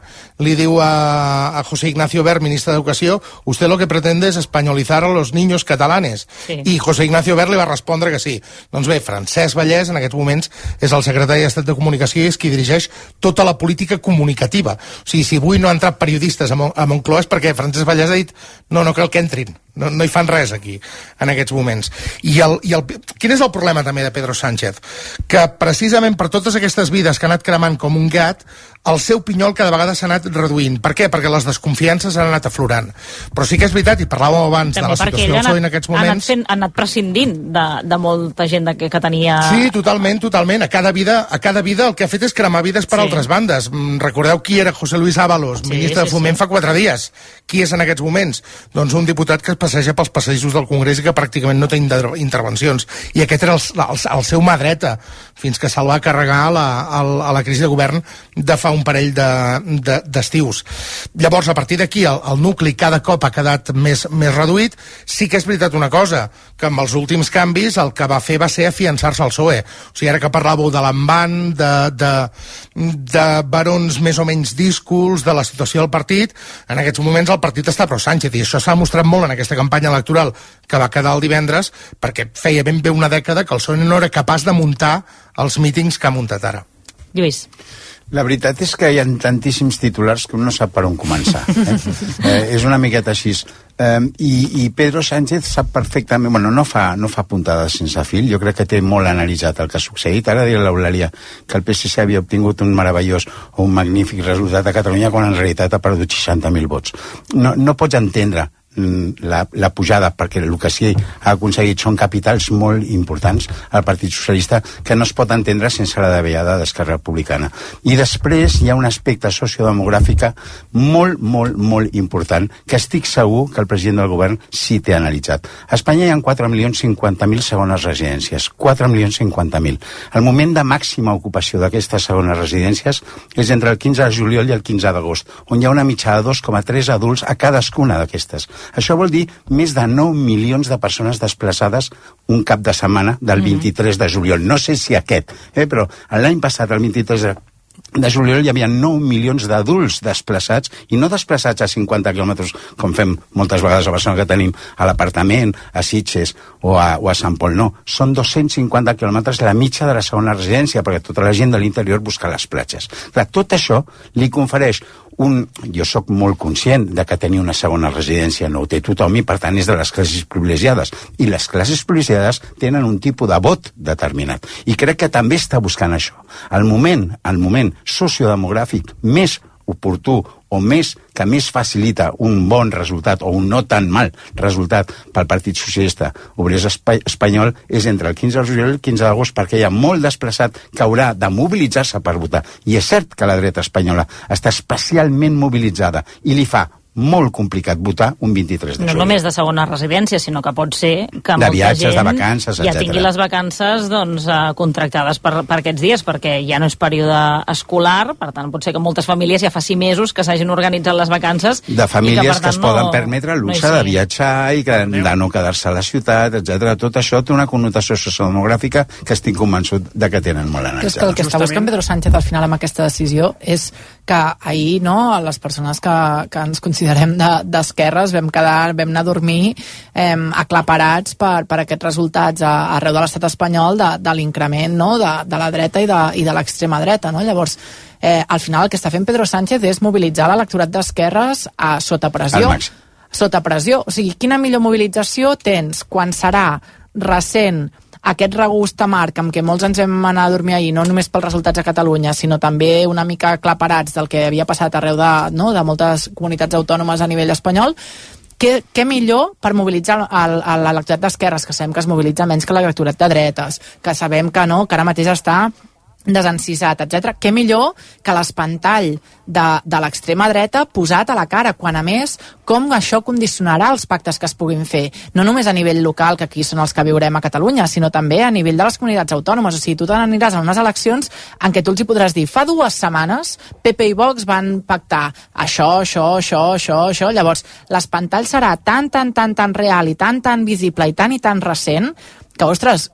li diu a, a José Ignacio Wert, ministre d'Educació, usted lo que pretende es españolizar a los niños catalanes. Sí. I José Ignacio Wert li va respondre que sí. Doncs bé, Francesc Vallès en aquests moments és el secretari d'Estat de Comunicació i és qui dirigeix tota la política comunicativa. O sigui, si avui no han entrat periodistes a, Mon a Moncloa és perquè Francesc Vallès ha dit no, no cal que entrin. No, no hi fan res aquí, en aquests moments. I, el, i el, quin és el problema també de Pedro Sánchez? Que precisament per totes aquestes vides que ha anat cremant com un gat, el seu pinyol cada vegada s'ha anat reduint. Per què? Perquè les desconfiances han anat aflorant. Però sí que és veritat, i parlàvem abans també de la situació del P S O E en aquests moments... Ha anat, fent, ha anat prescindint de, de molta gent que, que tenia... Sí, totalment, totalment. A cada vida, a cada vida el que ha fet és cremar vides per sí. altres bandes. Recordeu qui era José Luis Ábalos, sí, ministre sí, de Foment sí. fa quatre dies. Qui és en aquests moments? Doncs un diputat que es passeja pels passadissos del Congrés i que pràcticament no té intervencions. I aquest era el, el, el seu mà dreta, fins que se'l va carregar a la, a la crisi de govern de fa un parell d'estius. De, de, Llavors, a partir d'aquí, el, el nucli cada cop ha quedat més, més reduït. Sí que és veritat una cosa, que amb els últims canvis el que va fer va ser afiançar-se al P S O E. O sigui, ara que parlàveu de l'envant, de, de, de barons més o menys díscols, de la situació del partit, en aquests moments el partit està pro Sánchez, i això s'ha mostrat molt en aquesta campanya electoral que va quedar el divendres, perquè feia ben bé una dècada que el P S O E no era capaç de muntar els mítings que ha muntat ara. Lluís. La veritat és que hi ha tantíssims titulars que un no sap per on començar. Eh? eh, és una miqueta així. Eh, i, I Pedro Sánchez sap perfectament... Bueno, no fa, no fa puntades sense fil. Jo crec que té molt analitzat el que ha succeït. Ara diré l'Eulàlia que el P S C havia obtingut un meravellós o un magnífic resultat a Catalunya quan en realitat ha perdut seixanta mil vots. No, no pots entendre la, la pujada, perquè el que sí ha aconseguit són capitals molt importants al Partit Socialista que no es pot entendre sense la davallada d'Esquerra Republicana. I després hi ha un aspecte sociodemogràfic molt, molt, molt important que estic segur que el president del govern sí té analitzat. A Espanya hi ha quatre milions cinquanta mil segones residències, quatre milions cinquanta mil. El moment de màxima ocupació d'aquestes segones residències és entre el quinze de juliol i el quinze d'agost, on hi ha una mitjana de dos coma tres adults a cadascuna d'aquestes. Això vol dir més de nou milions de persones desplaçades un cap de setmana del vint-i-tres de juliol. No sé si aquest, eh, però l'any passat, el vint-i-tres de de juliol, hi havia nou milions d'adults desplaçats, i no desplaçats a cinquanta quilòmetres, com fem moltes vegades a Barcelona, que tenim a l'apartament, a Sitges o a, o a Sant Pol. No, són dos-cents cinquanta quilòmetres la mitja de la segona residència, perquè tota la gent de l'interior busca les platges. Clar, tot això li confereix un... Jo sóc molt conscient de que tenir una segona residència no ho té tothom i per tant és de les classes privilegiades, i les classes privilegiades tenen un tipus de vot determinat, i crec que també està buscant això. El moment, el moment sociodemogràfic més oportú o més que més facilita un bon resultat o un no tan mal resultat pel Partit Socialista Obrer Espanyol és entre el quinze de juliol i el quinze d'agost, perquè hi ha molt desplaçat que haurà de mobilitzar-se per votar. I és cert que la dreta espanyola està especialment mobilitzada i li fa molt complicat votar un vint-i-tres de juliol. No només de segona residència, sinó que pot ser que de molta viatges, gent de vacances, ja tingui les vacances doncs, contractades per, per aquests dies, perquè ja no és període escolar, per tant pot ser que moltes famílies ja fa sis mesos que s'hagin organitzat les vacances. De famílies que, que es no, poden permetre el luxe no de viatjar i que, de no quedar-se a la ciutat, etcètera. Tot això té una connotació sociodemogràfica que estic convençut de que tenen molt analitzada. És que el que està buscant Pedro Sánchez al final amb aquesta decisió és que ahir, no, les persones que, que ens considerem d'esquerres de, vam quedar, vam anar a dormir eh, aclaparats per, per aquests resultats a, arreu de l'estat espanyol de, de l'increment, no, de, de la dreta i de, i de l'extrema dreta, no? Llavors, eh, al final el que està fent Pedro Sánchez és mobilitzar l'electorat d'esquerres a sota pressió. Sota pressió. O sigui, quina millor mobilització tens quan serà recent aquest regust amarg amb què molts ens vam anar a dormir ahir, no només pels resultats a Catalunya, sinó també una mica aclaparats del que havia passat arreu de, no, de moltes comunitats autònomes a nivell espanyol. Què, què millor per mobilitzar l'electorat d'esquerres, que sabem que es mobilitza menys que l'electorat de dretes, que sabem que no, que ara mateix està desencisat, etcètera. Què millor que l'espantall de, de l'extrema dreta posat a la cara, quan a més com això condicionarà els pactes que es puguin fer, no només a nivell local, que aquí són els que viurem a Catalunya, sinó també a nivell de les comunitats autònomes. O sigui, tu te n'aniràs a unes eleccions en què tu els hi podràs dir, fa dues setmanes P P i Vox van pactar això, això, això, això, això. Llavors, l'espantall serà tan, tan, tan, tan real i tan, tan visible i tan i tan recent que, ostres,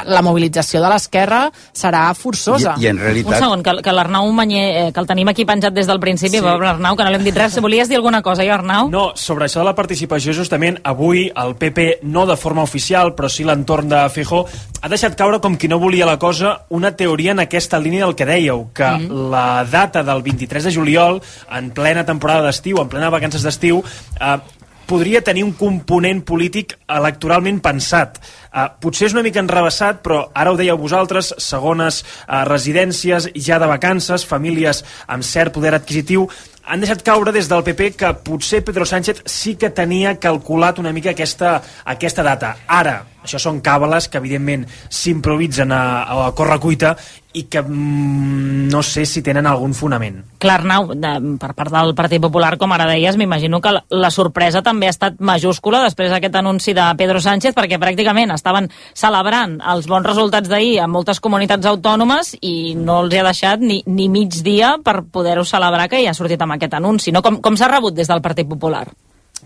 la mobilització de l'esquerra serà forçosa. I, i en realitat... Un segon, que, que l'Arnau Manyer, que el tenim aquí penjat des del principi, sí. Pobre Arnau, que no li hem dit res. Volies dir alguna cosa, jo, Arnau? No, sobre això de la participació, justament, avui el P P, no de forma oficial, però sí l'entorn de Feijóo, ha deixat caure, com qui no volia la cosa, una teoria en aquesta línia del que dèieu, que mm. la data del vint-i-tres de juliol, en plena temporada d'estiu, en plena vacances d'estiu, eh, podria tenir un component polític electoralment pensat. Uh, potser és una mica enrevessat, però ara ho dèieu vosaltres, segones uh, residències ja de vacances, famílies amb cert poder adquisitiu, han deixat caure des del P P que potser Pedro Sánchez sí que tenia calculat una mica aquesta, aquesta data. Ara, això són càbales que evidentment s'improvisen a, a correcuita i que mm, no sé si tenen algun fonament. Clar, Arnau, de, per part del Partit Popular, com ara deies, m'imagino que la, la sorpresa també ha estat majúscula després d'aquest anunci de Pedro Sánchez, perquè pràcticament estaven celebrant els bons resultats d'ahir a moltes comunitats autònomes i no els hi ha deixat ni, ni mig dia per poder-ho celebrar que ja ha sortit amb aquest anunci, no? Com, com s'ha rebut des del Partit Popular?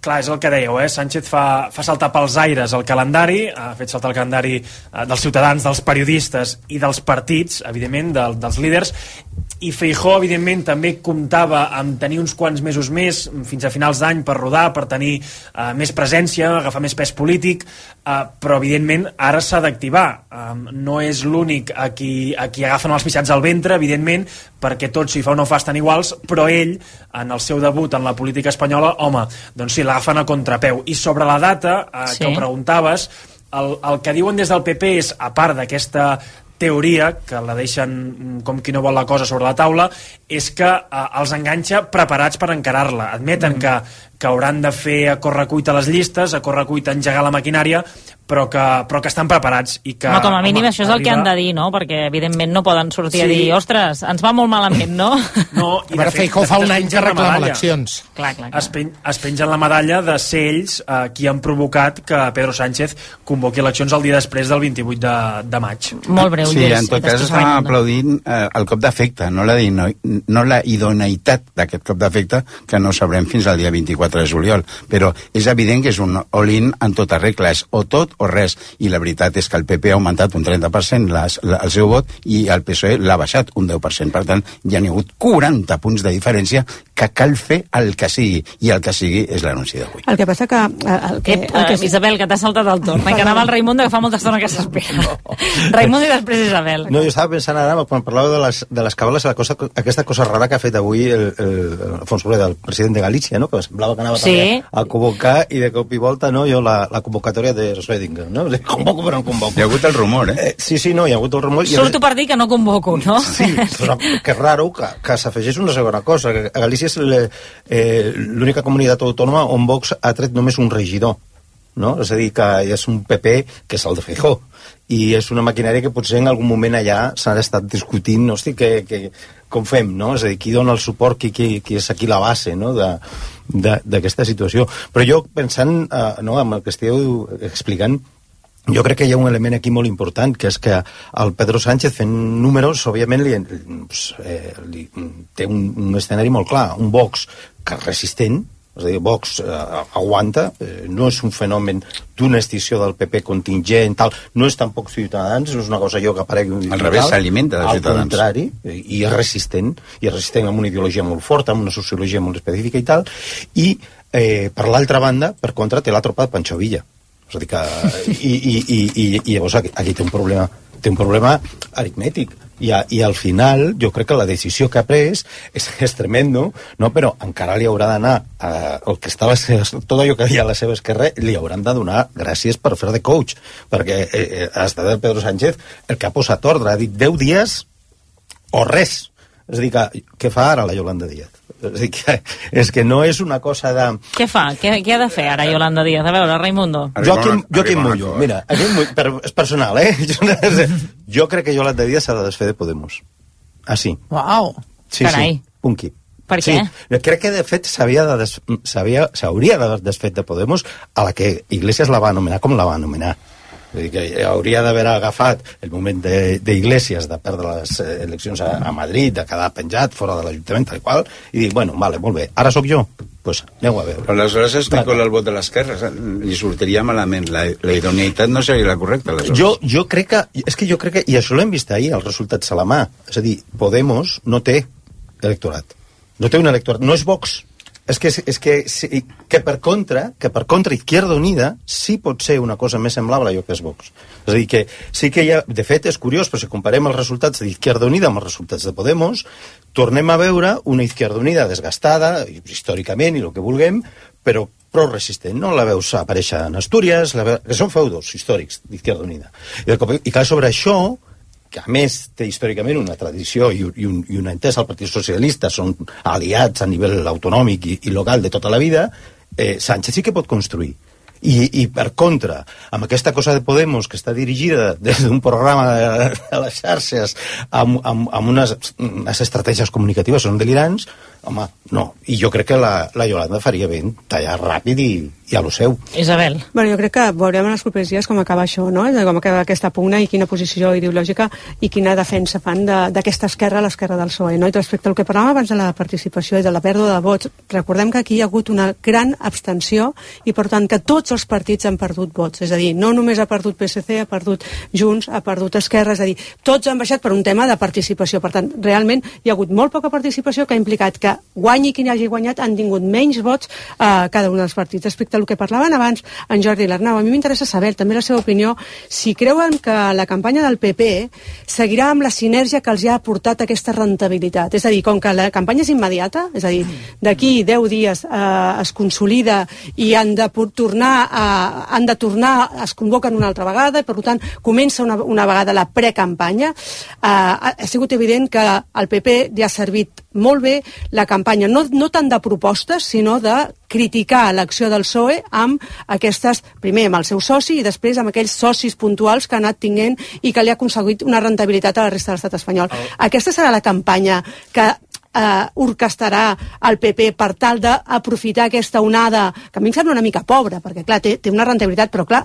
Clar, és el que dèieu, eh? Sánchez fa, fa saltar pels aires el calendari, ha fet saltar el calendari eh, dels ciutadans, dels periodistes i dels partits, evidentment, del, dels líders, i Feijóo, evidentment, també comptava amb tenir uns quants mesos més, fins a finals d'any, per rodar, per tenir eh, més presència, agafar més pes polític, eh, però, evidentment, ara s'ha d'activar. Eh, no és l'únic a qui, a qui agafen els pixats al ventre, evidentment, perquè tots, si fa o no fa, estan iguals, però ell, en el seu debut en la política espanyola, home, doncs sí, l'agafen a contrapeu. I sobre la data, eh, sí. que ho preguntaves, el, el que diuen des del P P és, a part d'aquesta teoria, que la deixen com qui no vol la cosa sobre la taula, és que eh, els enganxa preparats per encarar-la. Admeten mm. que, que hauran de fer a correcuita les llistes, a correcuita engegar la maquinària, però que, però que estan preparats. I que, home, com a mínim home, això és el que han de dir, no? Perquè evidentment no poden sortir sí. a dir, ostres, ens va molt malament, no? No, i de fet, Feijóo fa un any que reclama eleccions. Clar, clar, clar. Es, pen, es pengen la medalla de ser ells eh, qui han provocat que Pedro Sánchez convoqui eleccions el dia després del vint-i-vuit de, de maig. Molt breu, Sí, en tot cas estàvem aplaudint eh, el cop d'efecte, no la, no, no la idoneïtat d'aquest cop d'efecte, que no sabrem fins al dia vint-i-quatre de juliol. Però és evident que és un all-in en tota regla, és o tot o res, i la veritat és que el P P ha augmentat un trenta per cent les, la, el seu vot i el P S O E l'ha baixat un deu per cent. Per tant, ja n'hi ha hagut quaranta punts de diferència que cal fer el que sigui, i el que sigui és l'anunci d'avui. El que passa que... El que, Ep, el que... Uh, Isabel, que t'ha saltat el torn, que anava el Raimundo, que fa molta estona que s'espera. No. Raimundo i després Isabel. No, jo estava pensant ara, quan parlàveu de les, de les cabales, la cosa, aquesta cosa rara que ha fet avui el, el, el Alfonso Rueda, el president de Galícia, no? Que semblava que anava sí. també a convocar, i de cop i volta, no? Jo la, la convocatòria de Schrödinger, no? Convoco però no convoco. Hi ha hagut el rumor, eh? eh sí, sí, no, hi ha hagut el rumor. Surto per dir que no convoco, no? Sí, però que raro que, que s'afegeix una segona cosa, que a Galícia és l'única eh, comunitat autònoma on Vox ha tret només un regidor, no? És a dir, que és un P P que és el de Feijóo, i és una maquinària que potser en algun moment allà s'ha estat discutint, no? Hosti, que, que, com fem, no? És a dir, qui dona el suport, qui, qui, qui és aquí la base, no? d'aquesta situació. Però jo, pensant eh, no, amb el que esteu explicant, jo crec que hi ha un element aquí molt important, que és que el Pedro Sánchez, fent números, òbviament li, eh, li, té un, un escenari molt clar, un Vox que és resistent, és a dir, Vox eh, aguanta, eh, no és un fenomen d'una extinció del P P contingent, tal, no és tampoc Ciutadans, no és una cosa allò que aparegui... Al revés, s'alimenta de Ciutadans. Al contrari, i és resistent, i és resistent amb una ideologia molt forta, amb una sociologia molt específica i tal, i eh, per l'altra banda, per contra, té la tropa de Pancho Villa. És a dir que... I, i, i, i, i llavors aquí, aquí té un problema, té un problema aritmètic. I, a, I al final, jo crec que la decisió que ha pres és, és tremendo, no? Però encara li haurà d'anar eh, el que estava, tot allò que havia a la seva esquerra, li hauran de donar gràcies per fer de coach, perquè eh, ha estat el Pedro Sánchez el que ha posat ordre, ha dit deu dies o res. És a dir, que, què fa ara la Yolanda Díaz? És a dir, que, és que no és una cosa de... Què fa? Què, què ha de fer ara Yolanda Díaz? A veure, Raimundo. Joaquim, Joaquim Mullo, mira, aquí, per, és personal, eh? Jo crec que Yolanda Díaz s'ha de desfer de Podemos. Ah, sí. Uau, sí, carai. Sí, punqui. Per sí, què? Crec que, de fet, s'hauria de des, s'hauria d'haver desfet de Podemos, a la que Iglesias la va anomenar com la va anomenar. Vull dir que hauria d'haver agafat el moment d'Iglesias de, de perdre les eleccions a, a Madrid, de quedar penjat fora de l'Ajuntament, tal qual, i dir, bueno, vale, molt bé, ara sóc jo, doncs pues, aneu a veure. Però aleshores es vincola el vot de l'esquerra, li sortiria malament, la, la idoneïtat no seria la correcta, aleshores. Jo, jo crec que, és que jo crec que, i això l'hem vist ahir, els resultats a la mà, és a dir, Podemos no té electorat, no té un electorat, no és Vox. És que, és que, que per contra, que per contra Izquierda Unida sí pot ser una cosa més semblable a allò que és Vox. És a dir, que sí que hi ha... De fet, és curiós, però si comparem els resultats d'Izquierda Unida amb els resultats de Podemos, tornem a veure una Izquierda Unida desgastada, històricament, i el que vulguem, però prou resistent, no? La veus aparèixer en Astúries, la veus, que són feudos històrics d'Izquierda Unida. I, i clar, sobre això, que a més té històricament una tradició i, i, un, i una entesa al Partit Socialista, són aliats a nivell autonòmic i, i local de tota la vida, eh, Sánchez sí que pot construir. I, I per contra, amb aquesta cosa de Podemos que està dirigida des d'un programa de, de les xarxes amb, amb, amb unes, unes estratègies comunicatives són delirants, home, no. I jo crec que la, la Yolanda faria bé tallar ràpid i, i a lo seu. Isabel. Bueno, jo crec que veurem en els propers dies com acaba això, no? Com acaba aquesta pugna i quina posició ideològica i quina defensa fan d'aquesta esquerra a l'esquerra del P S O E, no? I respecte al que parlàvem abans de la participació i de la pèrdua de vots, recordem que aquí hi ha hagut una gran abstenció i, per tant, que tots els partits han perdut vots. És a dir, no només ha perdut P S C, ha perdut Junts, ha perdut Esquerra, és a dir, tots han baixat per un tema de participació. Per tant, realment hi ha hagut molt poca participació que ha implicat que guanyi qui hagi guanyat han tingut menys vots a cada un dels partits. Respecte al que parlaven abans en Jordi i l'Arnau, a mi m'interessa saber també la seva opinió, si creuen que la campanya del P P seguirà amb la sinergia que els ha aportat aquesta rentabilitat. És a dir, com que la campanya és immediata, és a dir, d'aquí deu dies eh, es consolida i han de tornar, a, han de tornar, es convoquen una altra vegada i, per tant, comença una, una vegada la precampanya, eh, ha sigut evident que el P P li ha servit molt bé la campanya, no, no tant de propostes, sinó de criticar l'acció del P S O E amb aquestes, primer amb el seu soci i després amb aquells socis puntuals que ha anat tinguent i que li ha aconseguit una rentabilitat a la resta de l'estat espanyol. Oh. Aquesta serà la campanya que eh, orquestarà el P P per tal d'aprofitar aquesta onada, que a mi em sembla una mica pobra, perquè clar, té, té una rentabilitat, però clar,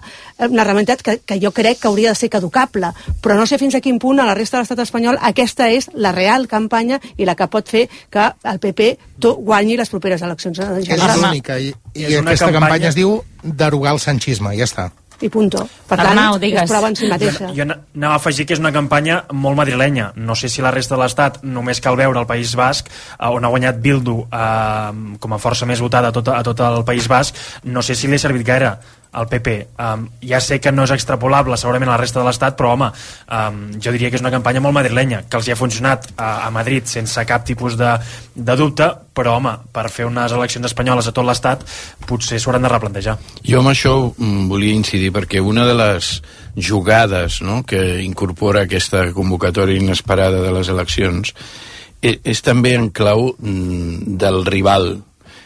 una rentabilitat que, que jo crec que hauria de ser caducable, però no sé fins a quin punt a la resta de l'estat espanyol aquesta és la real campanya i la que pot fer que el P P guanyi les properes eleccions. És l'única, i, i aquesta campanya... campanya es diu derogar el sanchisme, ja està. I punto. Per tant, Arnau, és prova en si mateixa. Jo, jo anava a afegir que és una campanya molt madrilenya. No sé si la resta de l'Estat, només cal veure el País Basc, on ha guanyat Bildu eh, com a força més votada a tot, a tot el País Basc, no sé si li ha servit gaire al P P. Um, ja sé que no és extrapolable segurament a la resta de l'Estat, però home, um, jo diria que és una campanya molt madrilenya, que els hi ha funcionat a, a Madrid sense cap tipus de, de dubte, però home, per fer unes eleccions espanyoles a tot l'Estat potser s'ho hauran de replantejar. Jo amb això mm, volia incidir perquè una de les jugades, no?, que incorpora aquesta convocatòria inesperada de les eleccions és, és també en clau mm, del rival.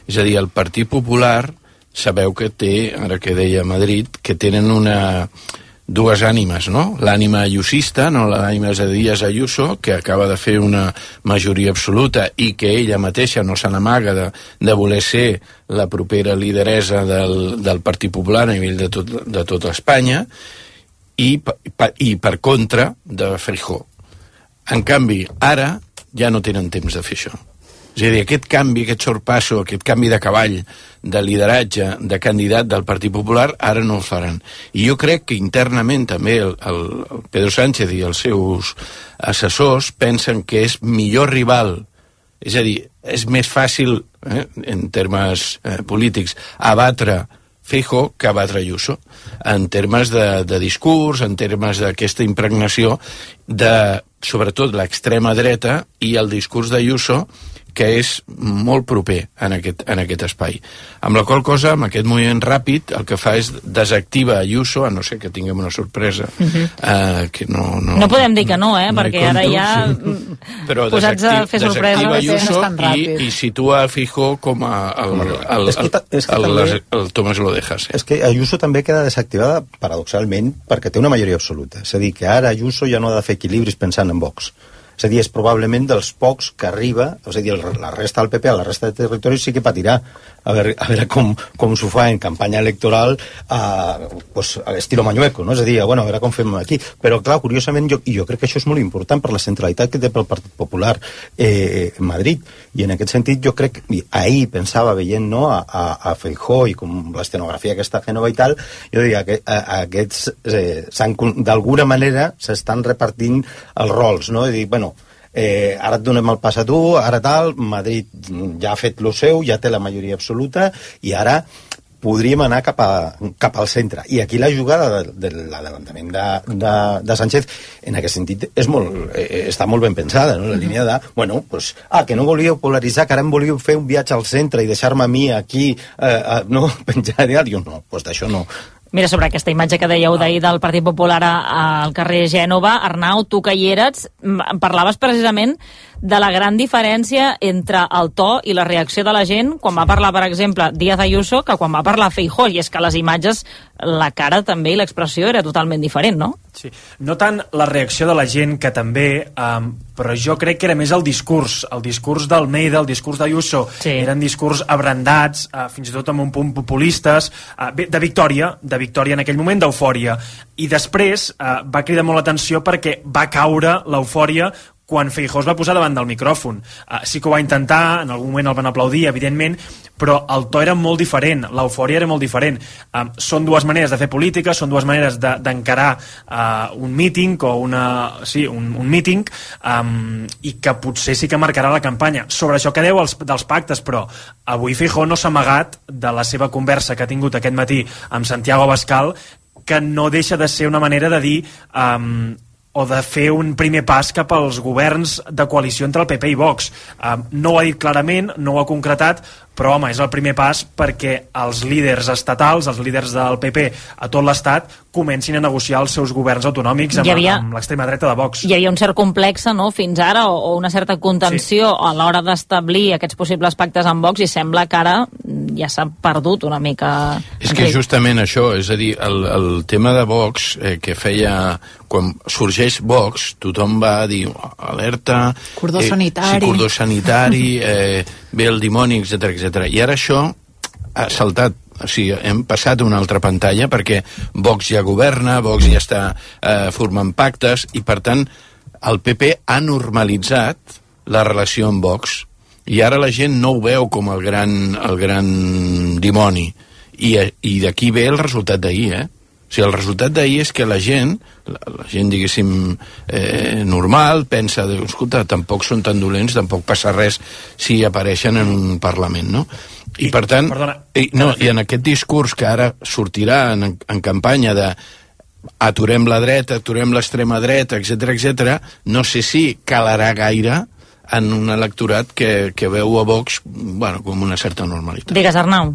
És a dir, el Partit Popular sabeu que té, ara que deia Madrid, que tenen una dues ànimes, no? L'ànima ayusista, no l'ànima de Díaz Ayuso, que acaba de fer una majoria absoluta i que ella mateixa no se n'amaga de, de voler ser la propera lideresa del, del Partit Popular a nivell de tot, de tota Espanya, i, pa, i per contra de Feijóo. En canvi, ara ja no tenen temps de fer això. És a dir, aquest canvi, aquest sorpasso, aquest canvi de cavall, de lideratge, de candidat del Partit Popular, ara no el faran. I jo crec que internament també el, el, el Pedro Sánchez i els seus assessors pensen que és millor rival, és a dir, és més fàcil, eh, en termes eh, polítics, abatre Feijóo que abatre Ayuso, en termes de, de discurs, en termes d'aquesta impregnació de, sobretot, l'extrema dreta i el discurs d'Ayuso, que és molt proper en aquest, en aquest espai. Amb la qual cosa, amb aquest moviment ràpid, el que fa és desactiva Ayuso, a no ser que tinguem una sorpresa, uh-huh. eh, que no... No, no podem dir que no, eh, no perquè ara ja sí. Però posats a fer sorpresa. Desactiva Ayuso i, i situa a Feijóo com a el, el, el, el, el, el, el, el Tomás Lodejas. Eh? És que Ayuso també queda desactivada, paradoxalment, perquè té una majoria absoluta. És a dir, que ara Ayuso ja no ha de fer equilibris pensant en Vox. És a dir, és probablement dels pocs que arriba, és a dir, la resta del P P, a la resta de territoris sí que patirà a veure, a veure com, com s'ho fa en campanya electoral a, pues, a l'estilo Mañueco, no? És a dir, bueno, a veure com fem aquí. Però, clar, curiosament, jo, i jo crec que això és molt important per la centralitat que té pel Partit Popular eh, Madrid, i en aquest sentit jo crec, i ahir pensava veient, no, a, a, a Feijóo i com l'escenografia que està fent i tal, jo diria que a, a aquests eh, d'alguna manera s'estan repartint els rols, no? És a dir, bueno, Eh, ara et donem el pas a tu, ara tal, Madrid ja ha fet lo seu, ja té la majoria absoluta i ara podríem anar cap, a, cap al centre. I aquí la jugada de, de l'adavantament de, de, de Sánchez en aquest sentit és molt, eh, està molt ben pensada, no? La línia de, bueno, pues, ah, que no volíeu polaritzar, que ara em volíeu fer un viatge al centre i deixar-me a mi aquí, eh, eh, no, penjar i jo no, pues d'això no. Mira, sobre aquesta imatge que dèieu d'ahir del Partit Popular al carrer Gènova, Arnau, tu que hi eres, parlaves precisament de la gran diferència entre el to i la reacció de la gent quan va parlar, per exemple, Díaz Ayuso, que quan va parlar Feijóo, i és que les imatges, la cara també i l'expressió era totalment diferent, no? Sí, no tant la reacció de la gent, que també, um, però jo crec que era més el discurs, el discurs d'Almeida, el discurs d'Ayuso, sí. Eren discurs abrandats, uh, fins i tot amb un punt populistes, uh, de victòria, de victòria en aquell moment, d'eufòria, i després uh, va cridar molt l'atenció perquè va caure l'eufòria quan Feijóo es va posar davant del micròfon. Uh, sí que ho va intentar, en algun moment el van aplaudir, evidentment, però el to era molt diferent, l'eufòria era molt diferent. Um, són dues maneres de fer política, són dues maneres d'encarar de, uh, un míting o una, sí, un, un míting, um, i que potser sí que marcarà la campanya. Sobre això que deu els, dels pactes, però avui Feijóo no s'ha amagat de la seva conversa que ha tingut aquest matí amb Santiago Abascal, que no deixa de ser una manera de dir... Um, o de fer un primer pas cap als governs de coalició entre el P P i Vox. Uh, no ho ha dit clarament, no ho ha concretat, però home, és el primer pas perquè els líders estatals, els líders del P P a tot l'estat, comencin a negociar els seus governs autonòmics amb, havia, amb l'extrema dreta de Vox. Hi havia un cert complex, no?, fins ara, o, o una certa contenció sí. a l'hora d'establir aquests possibles pactes amb Vox, i sembla que ara ja s'ha perdut una mica. És que justament això, és a dir, el, el tema de Vox, eh, que feia... Quan sorgeix Vox, tothom va dir alerta... Cordó eh, sanitari. Sí, cordó sanitari, eh, ve el dimoni, etcètera, etcètera. I ara això ha saltat, o sigui, hem passat a una altra pantalla perquè Vox ja governa, Vox ja està eh, formant pactes, i per tant el P P ha normalitzat la relació amb Vox, i ara la gent no ho veu com el gran, el gran dimoni, i, i d'aquí ve el resultat d'ahir, eh? O sigui, el resultat d'ahir és que la gent, la, la gent, diguéssim, eh, normal, pensa, escolta, tampoc són tan dolents, tampoc passa res si apareixen en un Parlament, no? I, I per tant, i, no, i en aquest discurs que ara sortirà en, en campanya de aturem la dreta, aturem l'extrema dreta, etcètera, etcètera, no sé si calarà gaire en un electorat que, que veu a Vox, bueno, com una certa normalitat. Digues, Arnau.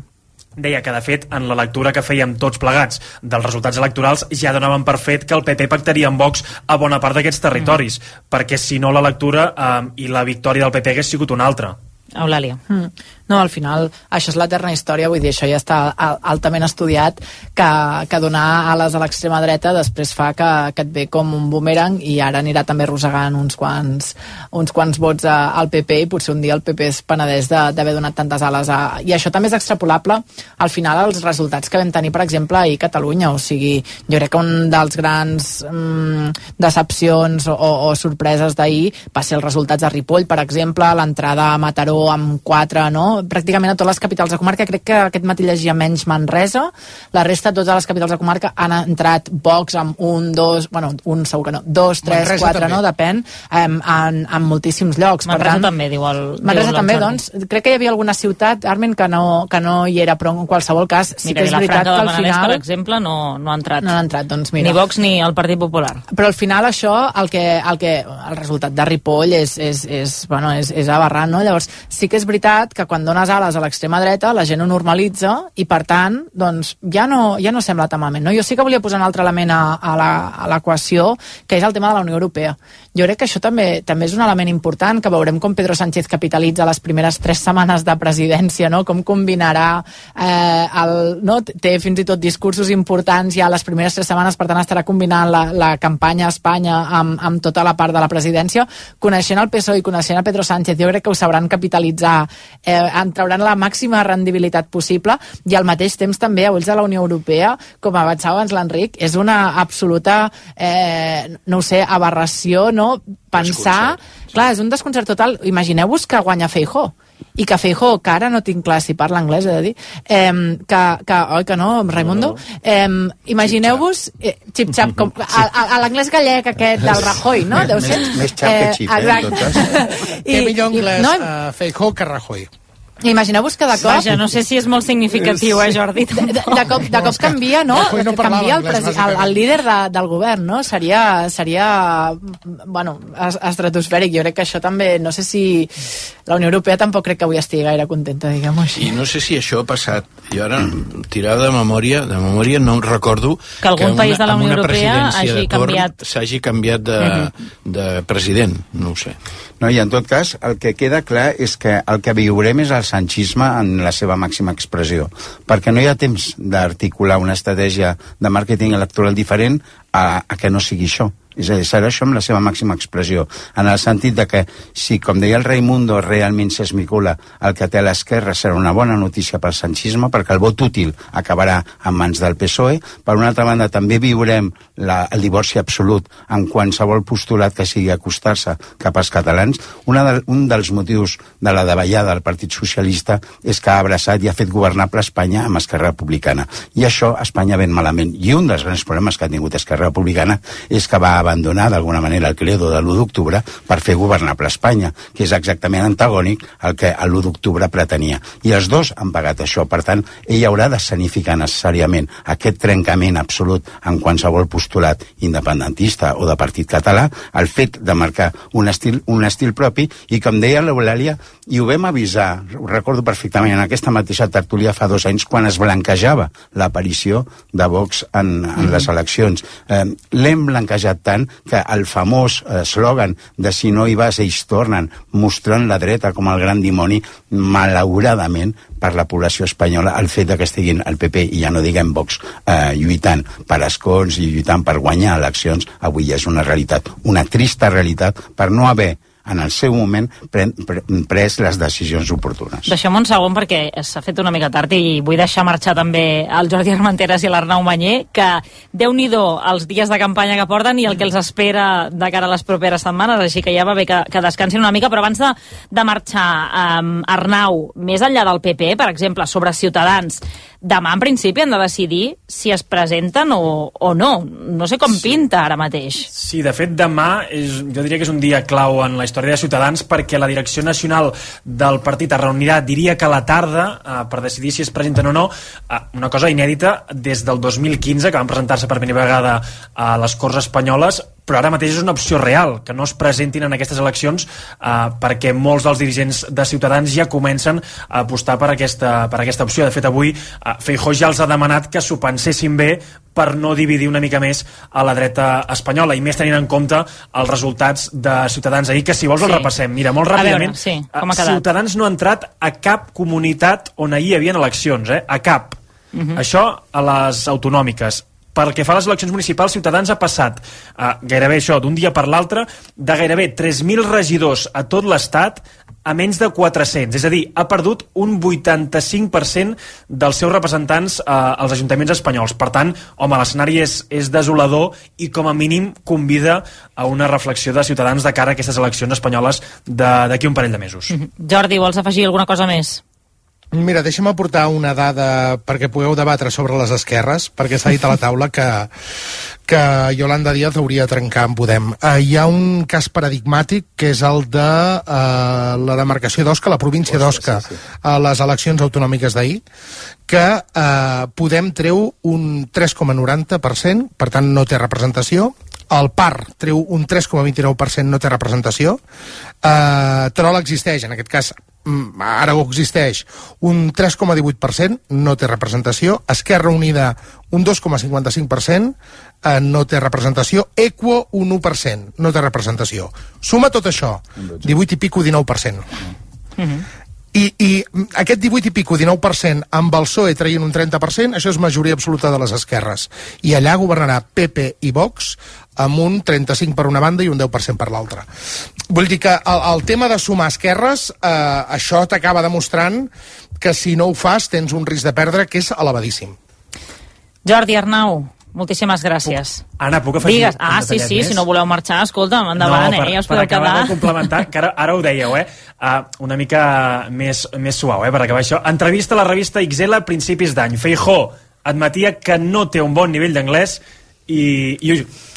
Deia que, de fet, en la lectura que fèiem tots plegats dels resultats electorals ja donaven per fet que el P P pactaria amb Vox a bona part d'aquests territoris, mm. perquè si no la lectura eh, i la victòria del P P hagués sigut una altra. Eulàlia. Mm. No, al final, això és l'eterna història, vull dir, això ja està altament estudiat, que, que donar ales a l'extrema dreta després fa que, que et ve com un boomerang, i ara anirà també arrossegant uns quants, uns quants vots a, al P P, i potser un dia el P P es penedeix d'haver donat tantes ales a... I això també és extrapolable al final als resultats que vam tenir, per exemple, ahir a Catalunya. O sigui, jo crec que un dels grans mm, decepcions o, o sorpreses d'ahir va ser els resultats de Ripoll, per exemple, l'entrada a Mataró amb quatre, no? Pràcticament a totes les capitals de comarca. Crec que aquest matí llegia menys Manresa, la resta de totes les capitals de comarca han entrat Vox amb un, dos, bueno, un segur que no, dos, tres, Manresa quatre, també. No? Depèn, en, en, en moltíssims llocs. Manresa per tant, també, diu el Manresa diu també, doncs, crec que hi havia alguna ciutat, Armin, que no, que no hi era, però en qualsevol cas sí mira, que és veritat que al final... per exemple, no, no ha entrat. No ha entrat, doncs mira. Ni Vox ni el Partit Popular. Però al final això, el que, el, que, el resultat de Ripoll és, és, és, bueno, és, és aberrant, no? Llavors, sí que és veritat que quan dones ales a l'extrema dreta, la gent ho normalitza, i per tant, doncs, ja no, ja no sembla tan malament, no? Jo sí que volia posar un altre element a, a l'equació, que és el tema de la Unió Europea. Jo crec que això també, també és un element important, que veurem com Pedro Sánchez capitalitza les primeres tres setmanes de presidència, no? Com combinarà eh, el, no? Té fins i tot discursos importants ja les primeres tres setmanes, per tant estarà combinant la, la campanya a Espanya amb, amb tota la part de la presidència. Coneixent el P S O E i coneixent a Pedro Sánchez, jo crec que ho sabran capitalitzar, eh, en trauran la màxima rendibilitat possible, i al mateix temps també a ulls de la Unió Europea, com avançava abans l'Enric, és una absoluta eh, no ho sé, aberració, no? Pensar, clar, és un desconcert total. Imagineu-vos que guanya Feijóo, i que Feijóo, que ara no tinc clar si parla anglès, he de dir, eh, que, que, oi que no, Raimundo? Eh, Imagineu-vos, eh, xip-xap, com a, a, a l'anglès gallec aquest del Rajoy, no? Deu ser? Més, més xap que xip, eh, en tot cas. Té millor anglès no? uh, Feijóo que Rajoy. Imagineu-vos que de cop... Vaja, no sé si és molt significatiu, eh, Jordi? De, de, de, cop, de cop canvia, no? no canvia el, presi, el, el líder de, del govern, no? Seria, seria bueno, estratosfèric. Jo crec que això també... No sé si... La Unió Europea tampoc crec que avui estigui gaire contenta, diguem-ho així. I no sé si això ha passat. Jo ara, tirada de memòria, de memòria no recordo... Que algun que una, país de la Unió Europea hagi canviat... S'hagi canviat de, mm-hmm. de president, no ho sé. No, i en tot cas, el que queda clar és que el que viurem és el sanchisme en la seva màxima expressió, perquè no hi ha temps d'articular una estratègia de màrqueting electoral diferent a, a que no sigui això. És a dir, serà això amb la seva màxima expressió, en el sentit de que si, com deia el Raimundo, realment s'esmicula el que té a l'esquerra, serà una bona notícia pel sanchisme, perquè el vot útil acabarà en mans del P S O E. Per una altra banda, també viurem la, el divorci absolut en qualsevol postulat que sigui acostar-se cap als catalans. Una de, un dels motius de la davallada del Partit Socialista és que ha abraçat i ha fet governable Espanya amb Esquerra Republicana. I això a Espanya ven malament. I un dels grans problemes que ha tingut Esquerra Republicana és que va abandonar d'alguna manera el credo de l'u d'octubre per fer governable Espanya, que és exactament antagònic al que l'u d'octubre pretenia. I els dos han pagat això. Per tant, ell haurà d'escenificar necessàriament aquest trencament absolut en qualsevol postulat independentista o de partit català, el fet de marcar un estil, un estil propi, i com deia l'Eulàlia, i ho vam avisar, ho recordo perfectament, en aquesta mateixa tertúlia fa dos anys, quan es blanquejava l'aparició de Vox en, en les eleccions. Eh, L'hem blanquejat tant que el famós eslògan de si no hi vas ells tornen, mostrant la dreta com el gran dimoni, malauradament per la població espanyola, el fet que estiguin el P P, i ja no diguem Vox, eh, lluitant per escons i lluitant per guanyar eleccions, avui és una realitat, una trista realitat, per no haver en el seu moment pre pre pres les decisions oportunes. Deixem un segon perquè s'ha fet una mica tard i vull deixar marxar també el Jordi Armenteres i l'Arnau Manyer, que déu-n'hi-do els dies de campanya que porten i el que els espera de cara a les properes setmanes, així que ja va bé que, que descansin una mica. Però abans de, de marxar, um, Arnau, més enllà del P P, per exemple, sobre Ciutadans, demà en principi han de decidir si es presenten o, o no. No sé com sí. pinta ara mateix. Sí, de fet demà és, jo diria que és un dia clau en la història de Ciutadans, perquè la direcció nacional del partit es reunirà, diria que a la tarda, eh, per decidir si es presenten o no, eh, una cosa inèdita des del dos mil quinze, que van presentar-se per primera vegada a les Corts Espanyoles, però ara mateix és una opció real, que no es presentin en aquestes eleccions, eh, perquè molts dels dirigents de Ciutadans ja comencen a apostar per aquesta, per aquesta opció. De fet, avui eh, Feijóo ja els ha demanat que s'ho pensessin bé per no dividir una mica més a la dreta espanyola, i més tenint en compte els resultats de Ciutadans ahir, que si vols sí. el repassem. Mira, molt ràpidament, veure, sí, com ha quedat. Ciutadans no ha entrat a cap comunitat on ahir hi havia eleccions, eh? a cap. Uh -huh. Això a les autonòmiques. Pel que fa a les eleccions municipals, Ciutadans ha passat eh, gairebé això, d'un dia per l'altre, de gairebé tres mil regidors a tot l'Estat a menys de quatre-cents. És a dir, ha perdut un vuitanta-cinc per cent dels seus representants eh, als ajuntaments espanyols. Per tant, home, l'escenari és, és desolador i com a mínim convida a una reflexió de Ciutadans de cara a aquestes eleccions espanyoles d'aquí un parell de mesos. Mm-hmm. Jordi, vols afegir alguna cosa més? Mira, deixa'm aportar una dada perquè pugueu debatre sobre les esquerres, perquè s'ha dit a la taula que, que Yolanda Díaz hauria de trencar amb Podem. Uh, hi ha un cas paradigmàtic que és el de uh, la demarcació d'Osca, la província d'Osca, sí, sí. a les eleccions autonòmiques d'ahir, que uh, Podem treu un tres coma noranta per cent, per tant no té representació. El P A R treu un tres coma vint-i-nou per cent, no té representació. Uh, Terol existeix, en aquest cas Aragó existeix, un tres coma divuit per cent, no té representació. Esquerra Unida, un dos coma cinquanta-cinc per cent, eh, no té representació. Equo, un u per cent, no té representació. Suma tot això, divuit i pico, dinou per cent. Mm-hmm. I, i aquest divuit i pico, dinou per cent amb el P S O E traient un trenta per cent, això és majoria absoluta de les esquerres. I allà governarà P P i Vox amb un trenta-cinc per una banda i un deu per cent per l'altra. Vull dir que el, el tema de sumar esquerres, eh, això t'acaba demostrant que si no ho fas tens un risc de perdre que és elevadíssim. Jordi, Arnau, moltíssimes gràcies. Anna, puc afegir Digues. Ah, sí, sí, més? Si no voleu marxar, escolta'm, endavant, no, per, eh? Ja us per podeu acabar quedar. de complementar, que ara, ara ho dèieu, eh? Uh, una mica més, més suau, eh? Per acabar això. Entrevista a la revista X L a principis d'any. Feijóo admetia que no té un bon nivell d'anglès i, i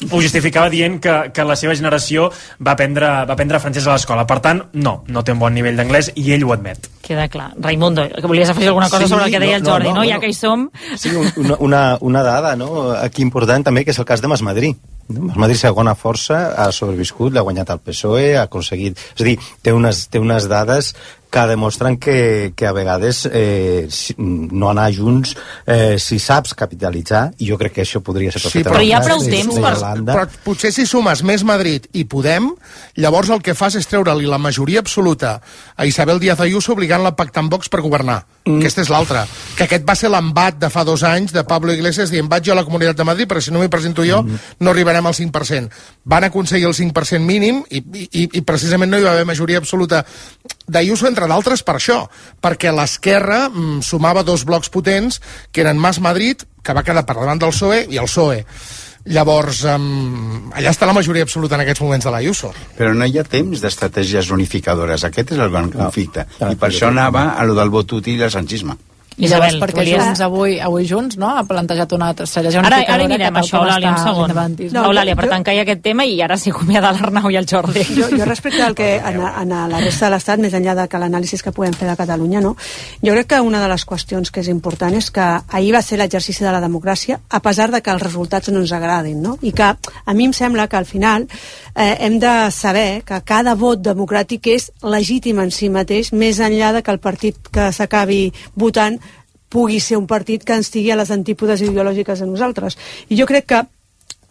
ho justificava dient que, que la seva generació va aprendre, va aprendre francès a l'escola. Per tant, no, no té un bon nivell d'anglès i ell ho admet. Queda clar. Raimundo, que volies afegir alguna cosa sí, sobre el que deia no, el Jordi, no? no, no ja no. que hi som... Sí, una, una, una dada, no?, aquí important també, que és el cas de Mas Madrid. Mas Madrid, segona força, ha sobreviscut, l'ha guanyat el P S O E, ha aconseguit... És a dir, té unes, té unes dades que demostren que, que a vegades eh, si, no anar junts eh, si saps capitalitzar, i jo crec que això podria ser sí, perfectament. però hi ha prou temps per... Però potser si sumes més Madrid i Podem, llavors el que fas és treure-li la majoria absoluta a Isabel Díaz Ayuso obligant-la a pactar amb Vox per governar. Mm. Aquesta és l'altra. Que aquest va ser l'embat de fa dos anys de Pablo Iglesias dient vaig jo a la Comunitat de Madrid, però si no m'hi presento jo mm. no arribarem al cinc per cent. Van aconseguir el cinc per cent mínim i, i, i precisament no hi va haver majoria absoluta d'Ayuso, entre d'altres per això, perquè l'esquerra mm, sumava dos blocs potents que eren Mas Madrid, que va quedar per davant del P S O E, i el P S O E. Llavors, um, allà està la majoria absoluta en aquests moments de l'Ayuso. Però no hi ha temps d'estratègies unificadores. Aquest és el gran conflicte. Ah, ah, I per això anava a lo del vot útil i el sanchisme. I llavors, Isabel, perquè volies... Junts avui, avui Junts, no?, ha plantejat una estratègia unificadora. Ara, ara hi mirem això, Eulàlia, un segon. No, Eulàlia, per tancar aquest tema, i ara s'hi acomiada l'Arnau i el Jordi. Jo, jo respecte al que en, en la resta de l'Estat, més enllà de que l'anàlisi que podem fer de Catalunya, no? Jo crec que una de les qüestions que és important és que ahir va ser l'exercici de la democràcia, a pesar de que els resultats no ens agradin, no? I que a mi em sembla que al final eh, hem de saber que cada vot democràtic és legítim en si mateix, més enllà de que el partit que s'acabi votant pugui ser un partit que ens estigui a les antípodes ideològiques de nosaltres. I jo crec que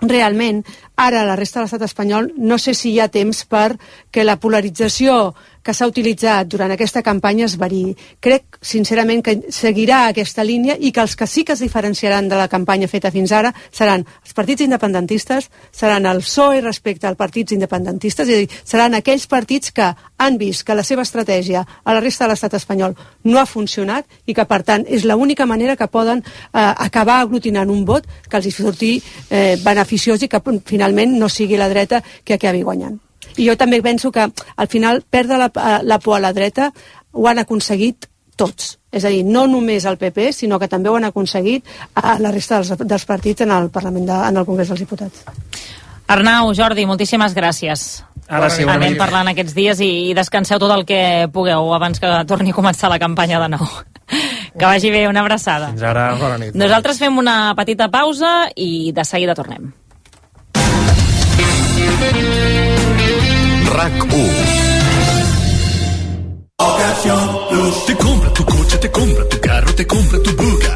realment ara la resta de l'estat espanyol no sé si hi ha temps per que la polarització que s'ha utilitzat durant aquesta campanya es variï. Crec, sincerament, que seguirà aquesta línia i que els que sí que es diferenciaran de la campanya feta fins ara seran els partits independentistes, seran el P S O E respecte als partits independentistes, és a dir, seran aquells partits que han vist que la seva estratègia a la resta de l'estat espanyol no ha funcionat i que, per tant, és l'única manera que poden eh, acabar aglutinant un vot que els hi surti eh, beneficiós i que finalment no sigui la dreta que acabi guanyant. I jo també penso que al final perdre la, la por a la dreta ho han aconseguit tots. És a dir, no només el P P, sinó que també ho han aconseguit a la resta dels, dels partits en el Parlament, de, en el Congrés dels Diputats. Arnau, Jordi, moltíssimes gràcies. Ara sí, anem parlant aquests dies i, i descanseu tot el que pugueu abans que torni a començar la campanya de nou. Que vagi bé, una abraçada. Fins ara, bona nit. Nosaltres fem una petita pausa i de seguida tornem. RAC u. Te compra tu coche, te compra tu carro, te compra tu buga.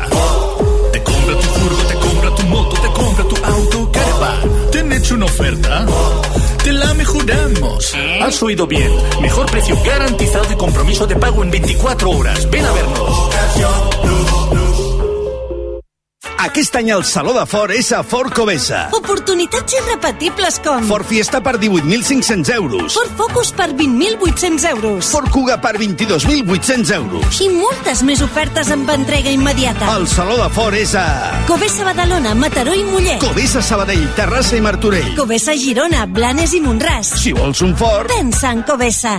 Te compra tu furgo, te compra tu moto, te compra tu auto, caravan. ¿Te han hecho una oferta? Te la mejoramos. Has oído bien. Mejor precio garantizado y compromiso de pago en veinticuatro horas. Ven a vernos. Aquest any el Saló de Ford és a Ford Covesa. Oportunitats irrepetibles com... Ford Fiesta per divuit mil cinc-cents euros. Ford Focus per vint mil vuit-cents euros. Ford Kuga per vint-i-dos mil vuit-cents euros. I moltes més ofertes amb entrega immediata. El Saló de Ford és a... Covesa Badalona, Mataró i Mollet. Covesa Sabadell, Terrassa i Martorell. Covesa Girona, Blanes i Montràs. Si vols un Ford... Pensa en Covesa.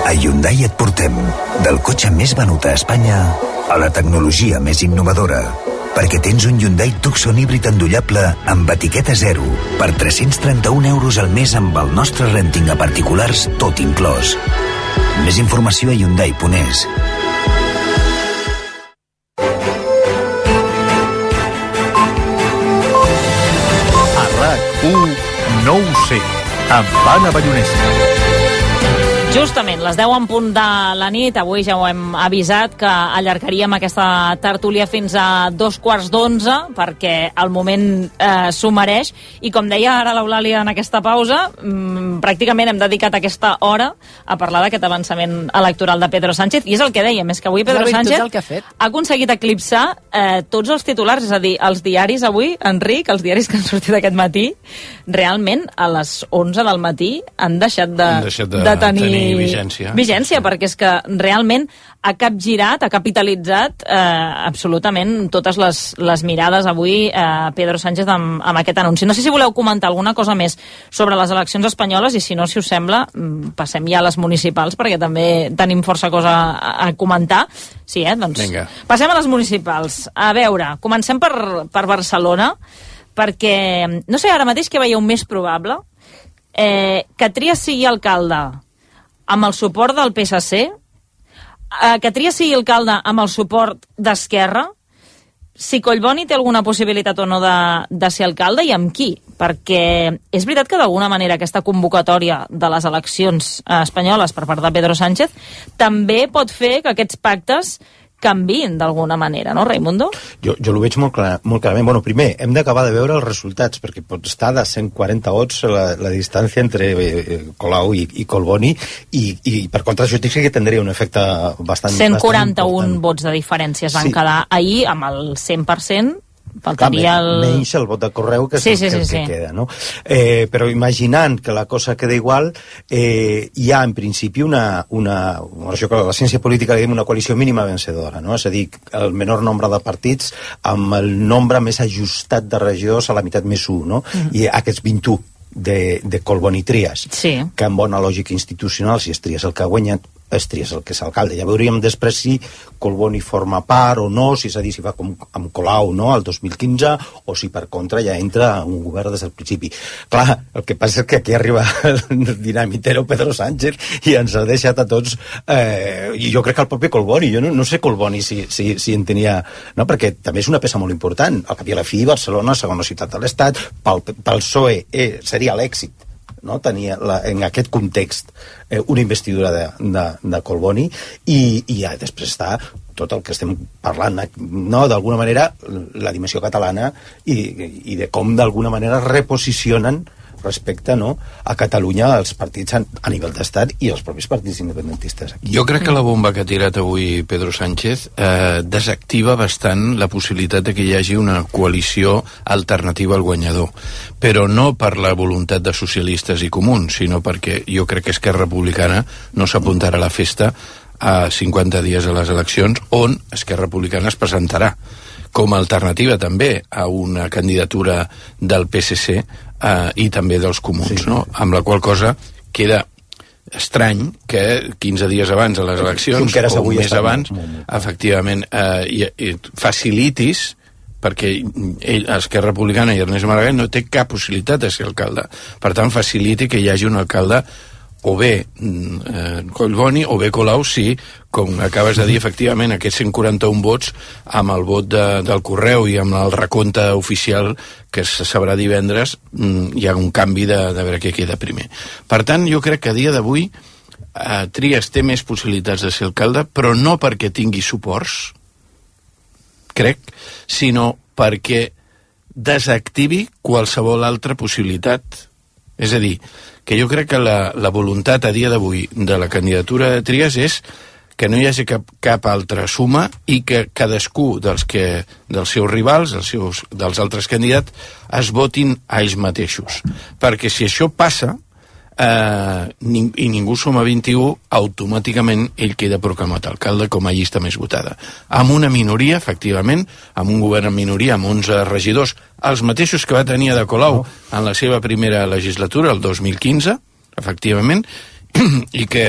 A Hyundai et portem del cotxe més venut a Espanya a la tecnologia més innovadora, perquè tens un Hyundai Tucson híbrid endollable amb etiqueta zero per tres-cents trenta-un euros al mes amb el nostre renting a particulars tot inclòs. Més informació a hyundai punt es. A RAC u, no ho sé, amb Anna Ballonesa. Justament, les deu en punt de la nit, avui ja ho hem avisat que allargaríem aquesta tertúlia fins a dos quarts d'onze perquè el moment eh, s'ho mereix i com deia ara l'Eulàlia en aquesta pausa, mmm, pràcticament hem dedicat aquesta hora a parlar d'aquest avançament electoral de Pedro Sánchez i és el que dèiem, és que avui Pedro Sánchez ha, ha aconseguit eclipsar eh, tots els titulars, és a dir, els diaris avui, Enric, els diaris que han sortit aquest matí, realment a les onze del matí han deixat de, han deixat de, de tenir vigència. vigència, perquè és que realment ha capgirat, ha capitalitzat eh, absolutament totes les, les mirades avui eh, Pedro Sánchez amb, amb aquest anunci. No sé si voleu comentar alguna cosa més sobre les eleccions espanyoles i si no, si us sembla, passem ja a les municipals perquè també tenim força cosa a, a comentar. Sí, eh? Doncs Vinga. Passem a les municipals. A veure, comencem per, per Barcelona perquè, no sé, ara mateix que veieu més probable eh, que Trias sigui alcalde amb el suport del P S C, eh, que Trias sigui alcalde amb el suport d'Esquerra, si Collboni té alguna possibilitat o no de, de ser alcalde i amb qui, perquè és veritat que d'alguna manera aquesta convocatòria de les eleccions espanyoles per part de Pedro Sánchez també pot fer que aquests pactes canviïn d'alguna manera, no, Raimundo? Jo, jo ho veig molt, clar, molt clarament. Bueno, primer, hem d'acabar de veure els resultats, perquè pot estar de cent quaranta vots la, la distància entre eh, Colau i, i Collboni, i, i per contra això sí que tindria un efecte bastant... cent quaranta-un vots de diferència es van sí. quedar ahir amb el cent per cent. Faltaria el... menys el vot de Correu que és sí, el sí, que, sí, que sí. queda, no? Eh, però imaginant que la cosa queda igual, eh, hi ha en principi una, una, això que la ciència política diguem una coalició mínima vencedora, no? És a dir, el menor nombre de partits amb el nombre més ajustat de regidors a la meitat més un, no? Mm. I aquests vint-i-u de, de Collboni i Trias, sí. que en bona lògica institucional, si és Trias el que ha guanyat, es tries el que és alcalde. Ja veuríem després si Collboni forma part o no, si és a dir, si va com amb Colau, no?, el dos mil quinze, o si per contra ja entra un govern des del principi. Clar, el que passa és que aquí arriba el dinamitero Pedro Sánchez i ens ha deixat a tots, eh, i jo crec que el propi Collboni, jo no, no sé Collboni si, si, si en tenia, no?, perquè també és una peça molt important. Al cap i a la fi, Barcelona, segona ciutat de l'Estat, pel, pel P S O E eh, seria l'èxit, no? Tenia la, en aquest context eh, una investidura de, de, de Collboni i, i ja després està tot el que estem parlant, no? D'alguna manera la dimensió catalana i, i de com d'alguna manera reposicionen respecte, no?, a Catalunya els partits a, a nivell d'estat i els propis partits independentistes aquí. Jo crec que la bomba que ha tirat avui Pedro Sánchez eh, desactiva bastant la possibilitat de que hi hagi una coalició alternativa al guanyador, però no per la voluntat de socialistes i comuns, sinó perquè jo crec que Esquerra Republicana no s'apuntarà a la festa a cinquanta dies a les eleccions, on Esquerra Republicana es presentarà com a alternativa també a una candidatura del P S C eh, i també dels comuns, sí, no? Amb la qual cosa queda estrany que quinze dies abans de les eleccions o un mes abans, molt, molt, molt. efectivament, eh, i, i facilitis, perquè ell, Esquerra Republicana i Ernest Maragall no té cap possibilitat de ser alcalde. Per tant, faciliti que hi hagi un alcalde o bé eh, Collboni o bé Colau, si, com acabes de dir, efectivament, aquests cent quaranta-un vots amb el vot de, del correu i amb el recompte oficial que se sabrà divendres, hi ha un canvi de, de veure què queda primer. Per tant, jo crec que a dia d'avui eh, Trias té més possibilitats de ser alcalde, però no perquè tingui suports, crec, sinó perquè desactivi qualsevol altra possibilitat. És a dir, que jo crec que la, la voluntat a dia d'avui de la candidatura de Trias és que no hi hagi cap, cap altra suma i que cadascú dels, que, dels seus rivals, dels, seus, dels altres candidats, es votin a ells mateixos. Perquè si això passa, eh, ning i ningú suma vint-i-u, automàticament ell queda proclamat alcalde com a llista més votada. Amb una minoria, efectivament, amb un govern en minoria, amb onze regidors, els mateixos que va tenir Ada Colau en la seva primera legislatura, el dos mil quinze, efectivament, i que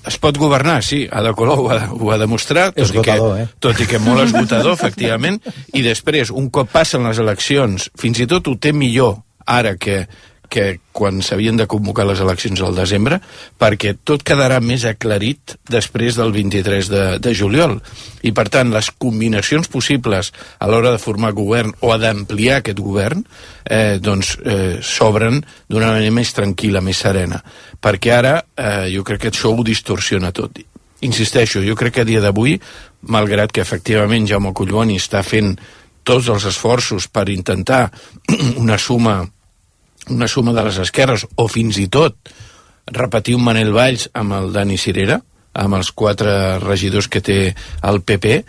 es pot governar, sí, Ada Colau ho ha, ho ha demostrat, tot, esgotador, i que, eh? tot i que molt esgotador, efectivament, i després, un cop passen les eleccions, fins i tot ho té millor ara que, que quan s'havien de convocar les eleccions al desembre, perquè tot quedarà més aclarit després del vint-i-tres de, de juliol. I, per tant, les combinacions possibles a l'hora de formar govern o d'ampliar aquest govern, eh, doncs, eh, s'obren d'una manera més tranquil·la, més serena. Perquè ara, eh, jo crec que això ho distorsiona tot. Insisteixo, jo crec que a dia d'avui, malgrat que efectivament Jaume Collboni està fent tots els esforços per intentar una suma una suma de les esquerres, o fins i tot repetir un Manel Valls amb el Dani Cirera, amb els quatre regidors que té el P P,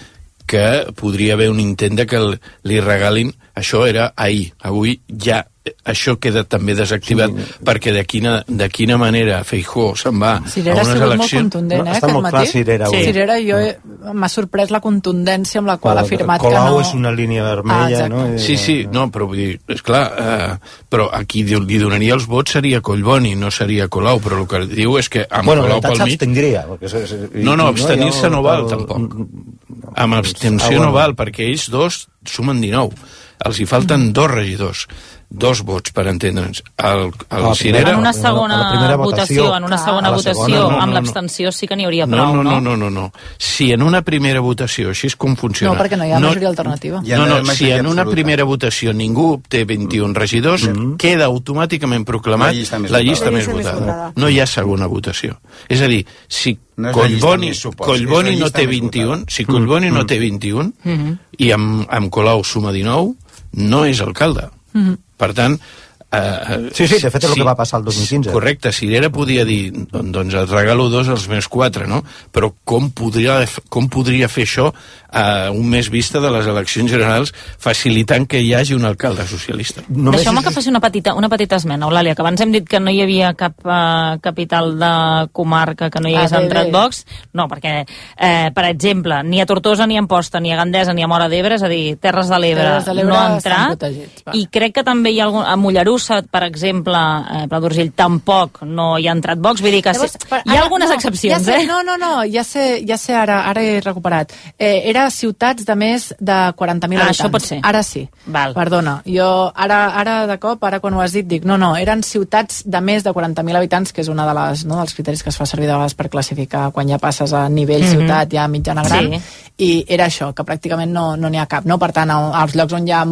que podria haver un intent de que li regalin. Això era ahir, avui ja això queda també desactivat, sí, perquè de quina, de quina manera Feijóo se'n va Cirera a unes eleccions... Cirera ha sigut molt contundent, eh, aquest matí. Clar, Cirera, sí. Cirera, jo he... m'ha sorprès la contundència amb la qual ha afirmat que no... Colau és una línia vermella, ah, no? Sí, sí, no, però vull dir, esclar, eh, però a qui li donaria els vots seria Collboni, no seria Colau, però el que diu és que amb bueno, Colau pel mig... s'abstindria. No, no, abstenir-se no val, tampoc. Amb abstenció no val, perquè ells dos sumen dinou. Els hi falten dos regidors, dos vots, per entendre'ns. El, el Cirera... En una segona votació, votació, en una segona votació, segona, no, no, amb l'abstenció sí que n'hi hauria no, prou, no? No, no, no, no. Si en una primera votació, així és com funciona... No, perquè no hi ha no, majoria alternativa. No, no, no si en una primera votació ningú obté vint-i-un regidors, mm-hmm. queda automàticament proclamat la llista més, la llista més votada. No hi ha segona votació. És a dir, si no Collboni, Collboni no té vint-i-un, si Collboni no té vint-i-un, mm-hmm. i amb, amb Colau suma dinou, no és alcalde. Mm-hmm. Per tant... Eh, sí, sí, de fet és sí, el que va passar el dos mil quinze. Correcte, Cirera podia dir, doncs et regalo dos als meus quatre, no? Però com podria, com podria fer això a un mes vista de les eleccions generals, facilitant que hi hagi un alcalde socialista. Deixeu-me que faci una petita, una petita esmena, Eulàlia, que abans hem dit que no hi havia cap uh, capital de comarca que no hi hagués Ah, bé, entrat bé. Vox. No, perquè, eh, per exemple, ni a Tortosa, ni a Amposta, ni a Gandesa, ni a Móra d'Ebre, és a dir, Terres de l'Ebre Terres de l'Ebre no ha estan entrat. protegits, va. I crec que també hi ha algun... A Mollerussa, per exemple, eh, Pla d'Urgell, tampoc no hi ha entrat Vox. Vull dir que Llavors, sí, per- hi ha ara- algunes no, excepcions, ja sé, eh? No, no, no, ja sé, ja sé ara, ara he recuperat. Eh, era ciutats de més de quaranta mil Ah, habitants. això pot ser. Ara sí. Val. Perdona, jo ara, ara de cop, ara quan ho has dit, dic, no, no, eren ciutats de més de quaranta mil habitants, que és una de les, no, dels criteris que es fa servir de vegades per classificar quan ja passes a nivell Mhm. ciutat, ja mitjana gran, Sí. i era això, que pràcticament no no n'hi ha cap, no? Per tant, al- als llocs on hi ha,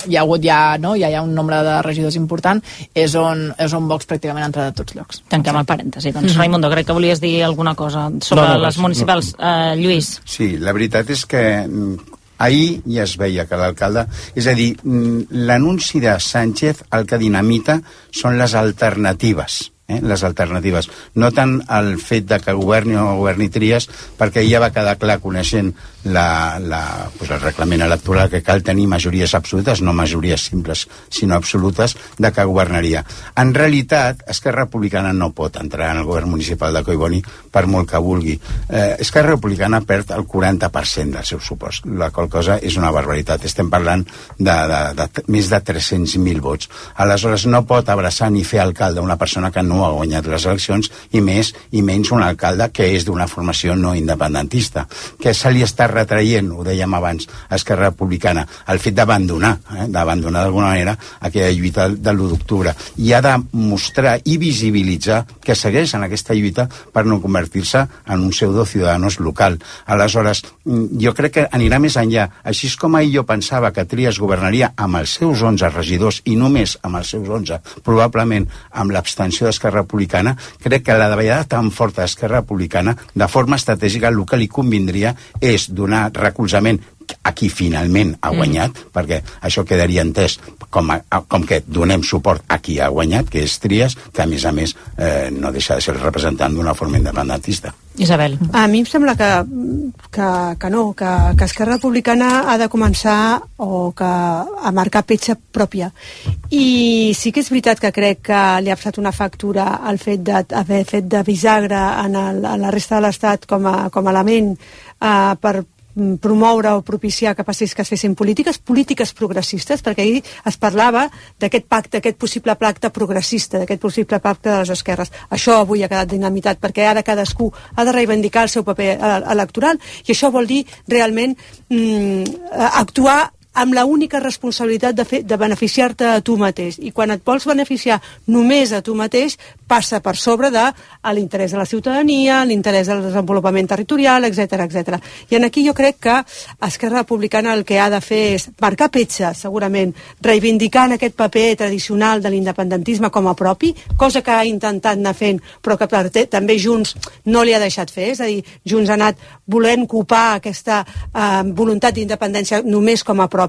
hi ha hagut ja, no, ja hi ha un nombre de regidors important, és on, és on Vox pràcticament ha entrat a tots llocs. Tanquem el parèntesi. Doncs, Mhm. Raimundo, crec que volies dir alguna cosa sobre No, no, les no, municipals. Eh, Lluís. Sí, la veritat és que mm, ahir ja es veia que l'alcalde... És a dir, mm, l'anunci de Sánchez el que dinamita són les alternatives. Eh, les alternatives. No tant el fet de que governi o governi Trias, perquè ja va quedar clar, coneixent la, la, pues el reglament electoral, que cal tenir majories absolutes, no majories simples, sinó absolutes, de que governaria. En realitat, Esquerra Republicana no pot entrar en el govern municipal de Collboni per molt que vulgui. Eh, Esquerra Republicana perd el quaranta per cent del seu supost, la qual cosa és una barbaritat. Estem parlant de, de, de, de més de tres-cents mil vots. Aleshores, no pot abraçar ni fer alcalde una persona que no ha guanyat les eleccions, i més i menys un alcalde que és d'una formació no independentista, que se li està retraient, ho dèiem abans, a Esquerra Republicana, el fet d'abandonar, eh, d'abandonar d'alguna manera aquella lluita de l'u d'octubre, i ha de mostrar i visibilitzar que segueix en aquesta lluita per no convertir-se en un pseudo ciudadanos local. Aleshores, jo crec que anirà més enllà. Així és com ahir jo pensava que Trias governaria amb els seus onze regidors, i només amb els seus onze, probablement amb l'abstenció d'Esquerra Republicana, crec que la davallada tan forta d'Esquerra Republicana, de forma estratègica, el que li convindria és donar recolzament a qui finalment ha guanyat, mm. perquè això quedaria entès com, a, com que donem suport a qui ha guanyat, que és Trias, que a més a més eh, no deixa de ser el representant d'una forma independentista. Isabel. A mi em sembla que, que, que no, que, que Esquerra Republicana ha de començar o que a marcar petja pròpia. I sí que és veritat que crec que li ha passat una factura al fet d'haver fet de bisagra en, el, en la resta de l'Estat com a, com a element eh, per promoure o propiciar que passés que es fessin polítiques, polítiques progressistes, perquè ahir es parlava d'aquest pacte, aquest possible pacte progressista, d'aquest possible pacte de les esquerres. Això avui ha quedat dinamitat, perquè ara cadascú ha de reivindicar el seu paper electoral, i això vol dir realment mm, actuar amb la única responsabilitat de, fer, de beneficiar-te a tu mateix. I quan et vols beneficiar només a tu mateix, passa per sobre de l'interès de la ciutadania, l'interès del desenvolupament territorial, etcètera, etcètera. I en aquí jo crec que Esquerra Republicana el que ha de fer és marcar petja, segurament, reivindicant aquest paper tradicional de l'independentisme com a propi, cosa que ha intentat anar fent, però que també Junts no li ha deixat fer. És a dir, Junts ha anat volent copar aquesta eh, voluntat d'independència només com a propi,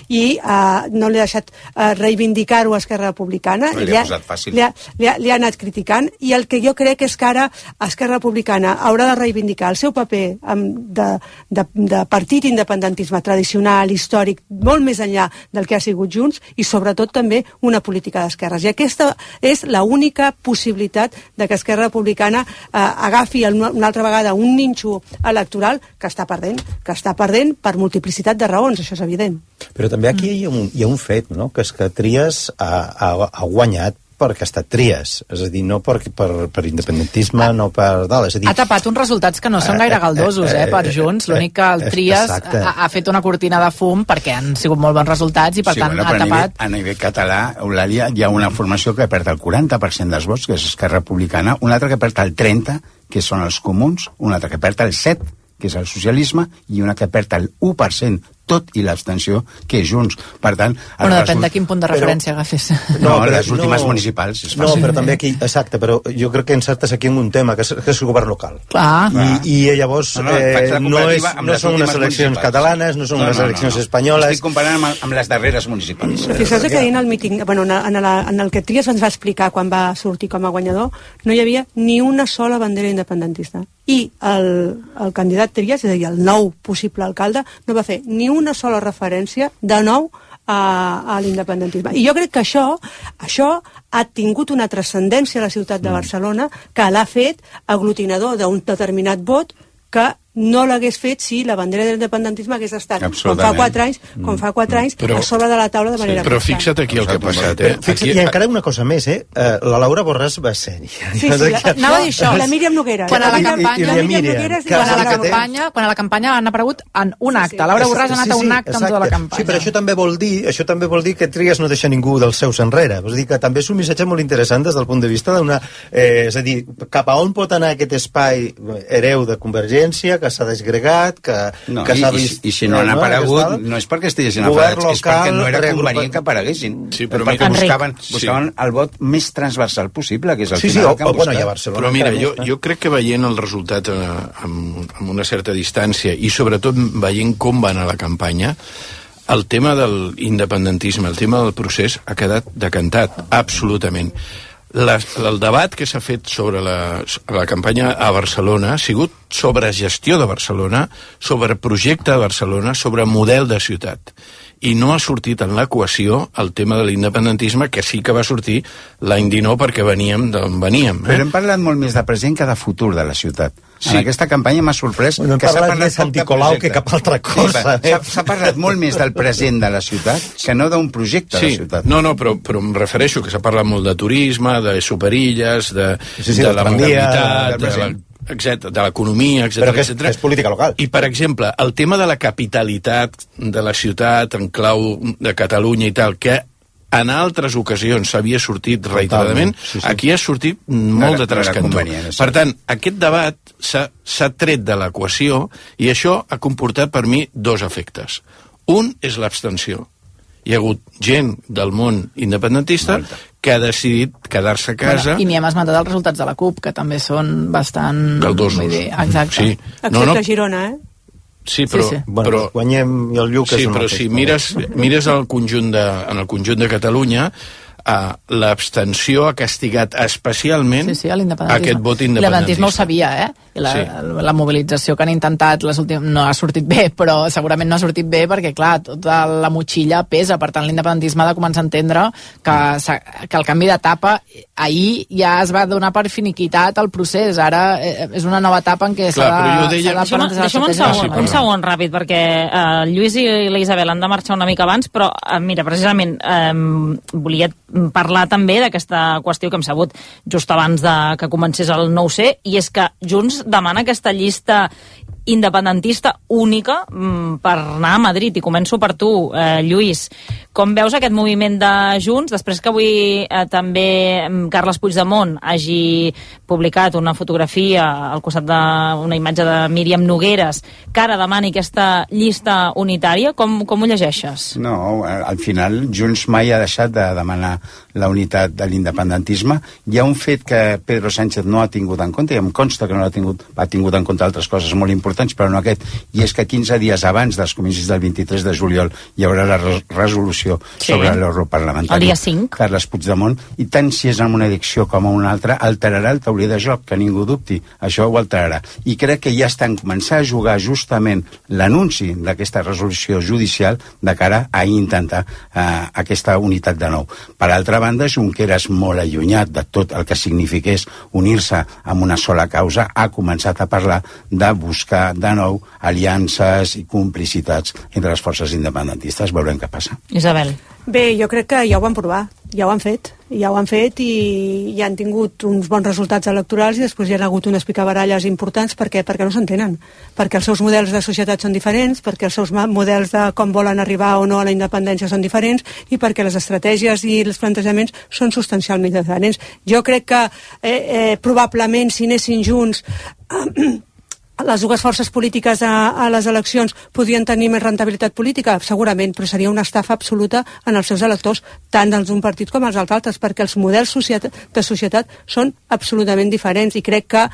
i uh, no li ha deixat uh, reivindicar-ho a Esquerra Republicana. No li ha posat fàcil. Li ha, li, ha, li ha anat criticant, i el que jo crec és que ara Esquerra Republicana haurà de reivindicar el seu paper um, de, de, de partit independentisme tradicional, històric, molt més enllà del que ha sigut Junts, i sobretot també una política d'esquerres. I aquesta és l'única possibilitat de que Esquerra Republicana uh, agafi el, una altra vegada un nínxol electoral que està perdent, que està perdent per multiplicitat de raons, això és evident. Però també aquí hi ha un, hi ha un fet, no?, que és que Trias ha, ha, ha guanyat perquè ha estat Trias, és a dir, no per, per, per independentisme, no per dalt, és a dir... Ha tapat uns resultats que no són gaire galdosos, eh, per Junts. L'únic que el Trias ha, ha fet una cortina de fum perquè han sigut molt bons resultats i, per sí, tant, bueno, ha a tapat... Nivell, a nivell català, Eulàlia, hi ha una formació que perd el quaranta per cent dels vots, que és Esquerra Republicana, una altra que perd el trenta per cent, que són els comuns, una altra que perd el set per cent, que és el socialisme, i una que perd el u per cent, tot i l'abstenció, que és Junts. Per tant... Bueno, depèn result... de quin punt de referència però... agafes. No, no les últimes no... municipals és fàcil. No, però també aquí, exacte, però jo crec que encertes aquí en un tema, que és, que és el govern local. Clar. I, i llavors no, no, eh, no, és, no són unes eleccions catalanes, no són no, unes no, eleccions no, no. espanyoles... Estic comparant amb, amb les darreres municipals. Fixeu-vos que ahir en el míting, bueno, en, la, en el que Trias ens va explicar quan va sortir com a guanyador, no hi havia ni una sola bandera independentista. i el, el candidat Trias, és a dir, el nou possible alcalde, no va fer ni una sola referència de nou a, a l'independentisme. I jo crec que això, això ha tingut una transcendència a la ciutat de Barcelona que l'ha fet aglutinador d'un determinat vot que no l'hagués fet si la bandera de l'independentisme hagués estat, com fa quatre anys, com fa quatre anys, però, a sobre de la taula de manera sí, però fixa't aquí el que ha passat, eh? Fixa't, aquí... I encara una cosa més, eh? Uh, la Laura Borràs va sèria. Sí, sí, la, anava a dir això. La Míriam Noguera. Quan a la campanya, la Míriam Noguera, quan a la campanya, quan a la campanya han aparegut en un acte. Laura Borràs ha anat a un acte amb tota la campanya. Sí, però això també vol dir, això també vol dir que Trias no deixa ningú dels seus enrere. Vull dir que també és un missatge molt interessant des del punt de vista d'una... Eh, és a dir, cap a on pot anar aquest espai hereu de Convergència, que s'ha desgregat, que, no, que i, s'ha vist... I, i si no han aparegut, no és perquè estiguessin afectats, és perquè no era convenient que apareguessin. Sí, però perquè mira, buscaven, buscaven sí. el vot més transversal possible, que és el sí, final sí, o, que han o, bueno, buscat. a Barcelona. Però mira, jo, jo crec que veient els resultats eh, amb, amb una certa distància i sobretot veient com va anar la campanya, el tema de l'independentisme, el tema del procés ha quedat decantat, absolutament. La, el debat que s'ha fet sobre la, la campanya a Barcelona ha sigut sobre gestió de Barcelona, sobre projecte de Barcelona, sobre model de ciutat. I no ha sortit en l'equació el tema de l'independentisme, que sí que va sortir l'any dinou perquè veníem d'on veníem. Eh? Però hem parlat molt més de present que de futur de la ciutat. Sí. En aquesta campanya m'ha sorprès bueno, que s'ha parlat més Sant Nicolau que cap altra cosa. Sí, s'ha parlat molt més del present de la ciutat que no d'un projecte sí. de la ciutat. No, no, però, però em refereixo que s'ha parlat molt de turisme, de superilles, de, sí, sí, de la mobilitat, de, la, etcètera, de l'economia, etcètera. Però que és, és política local. I, per exemple, el tema de la capitalitat de la ciutat en clau de Catalunya i tal, que en altres ocasions s'havia sortit reiteradament, sí, sí. Aquí ha sortit molt no, de trascantó. No per tant, aquest debat s'ha tret de l'equació i això ha comportat per mi dos efectes. Un és l'abstenció. Hi ha hagut gent del món independentista Molta. que ha decidit quedar-se a casa... Bueno, I n'hi hem esmentat els resultats de la CUP, que també són bastant... Galdosos. Exacte. Sí. Excepte no, no. Girona, eh? Sí, però, sí, sí. Bueno, però guanyem i el Lluc sí, és una però si mires, mires el conjunt de, en el conjunt de Catalunya, Uh, l'abstenció ha castigat especialment sí, sí, aquest vot independentista. L'independentisme ho sabia, eh? La, sí. la, la mobilització que han intentat les últimes, no ha sortit bé, però segurament no ha sortit bé perquè, clar, tota la motxilla pesa, per tant l'independentisme ha de començar a entendre que, que el canvi d'etapa ahir ja es va donar per finiquitat el procés, ara és una nova etapa en què s'ha de, deia... de plantejar... Deixa'm un segon, sí, un segon ràpid, perquè uh, Lluís i la Isabel han de marxar una mica abans, però uh, mira, precisament um, volia parlar també d'aquesta qüestió que hem sabut just abans de que comencés el nou C, i és que Junts demana aquesta llista independentista única mm, per anar a Madrid. I començo per tu, eh, Lluís. Com veus aquest moviment de Junts, després que avui eh, també Carles Puigdemont hagi publicat una fotografia al costat d'una imatge de Míriam Nogueres, que ara demani aquesta llista unitària, com, com ho llegeixes? No, al final Junts mai ha deixat de demanar la unitat de l'independentisme. Hi ha un fet que Pedro Sánchez no ha tingut en compte, i em consta que no l'ha tingut, ha tingut en compte altres coses molt importants, però no aquest, i és que quinze dies abans dels comicis del vint-i-tres de juliol hi haurà la re resolució sí. sobre l'europarlamentari. El dia cinc. Carles Puigdemont, i tant si és en una edició com en una altra, alterarà el tauler de joc, que ningú dubti, això ho alterarà. I crec que ja estan començant a jugar justament l'anunci d'aquesta resolució judicial de cara a intentar eh, aquesta unitat de nou. Per altra banda, Junqueras, molt allunyat de tot el que signifiqués unir-se amb una sola causa, ha començat a parlar de buscar de nou aliances i complicitats entre les forces independentistes. Veurem què passa. Isabel. Bé, jo crec que ja ho van provar, ja ho han fet, ja ho han fet i ja han tingut uns bons resultats electorals i després hi ha hagut unes picabaralles importants perquè, perquè no s'entenen, perquè els seus models de societat són diferents, perquè els seus models de com volen arribar o no a la independència són diferents i perquè les estratègies i els plantejaments són substancialment diferents. Jo crec que eh, eh, probablement si anessin junts eh, les dues forces polítiques a, a les eleccions podrien tenir més rentabilitat política? Segurament, però seria una estafa absoluta en els seus electors, tant dels d'un partit com els altres, perquè els models societat, de societat són absolutament diferents i crec que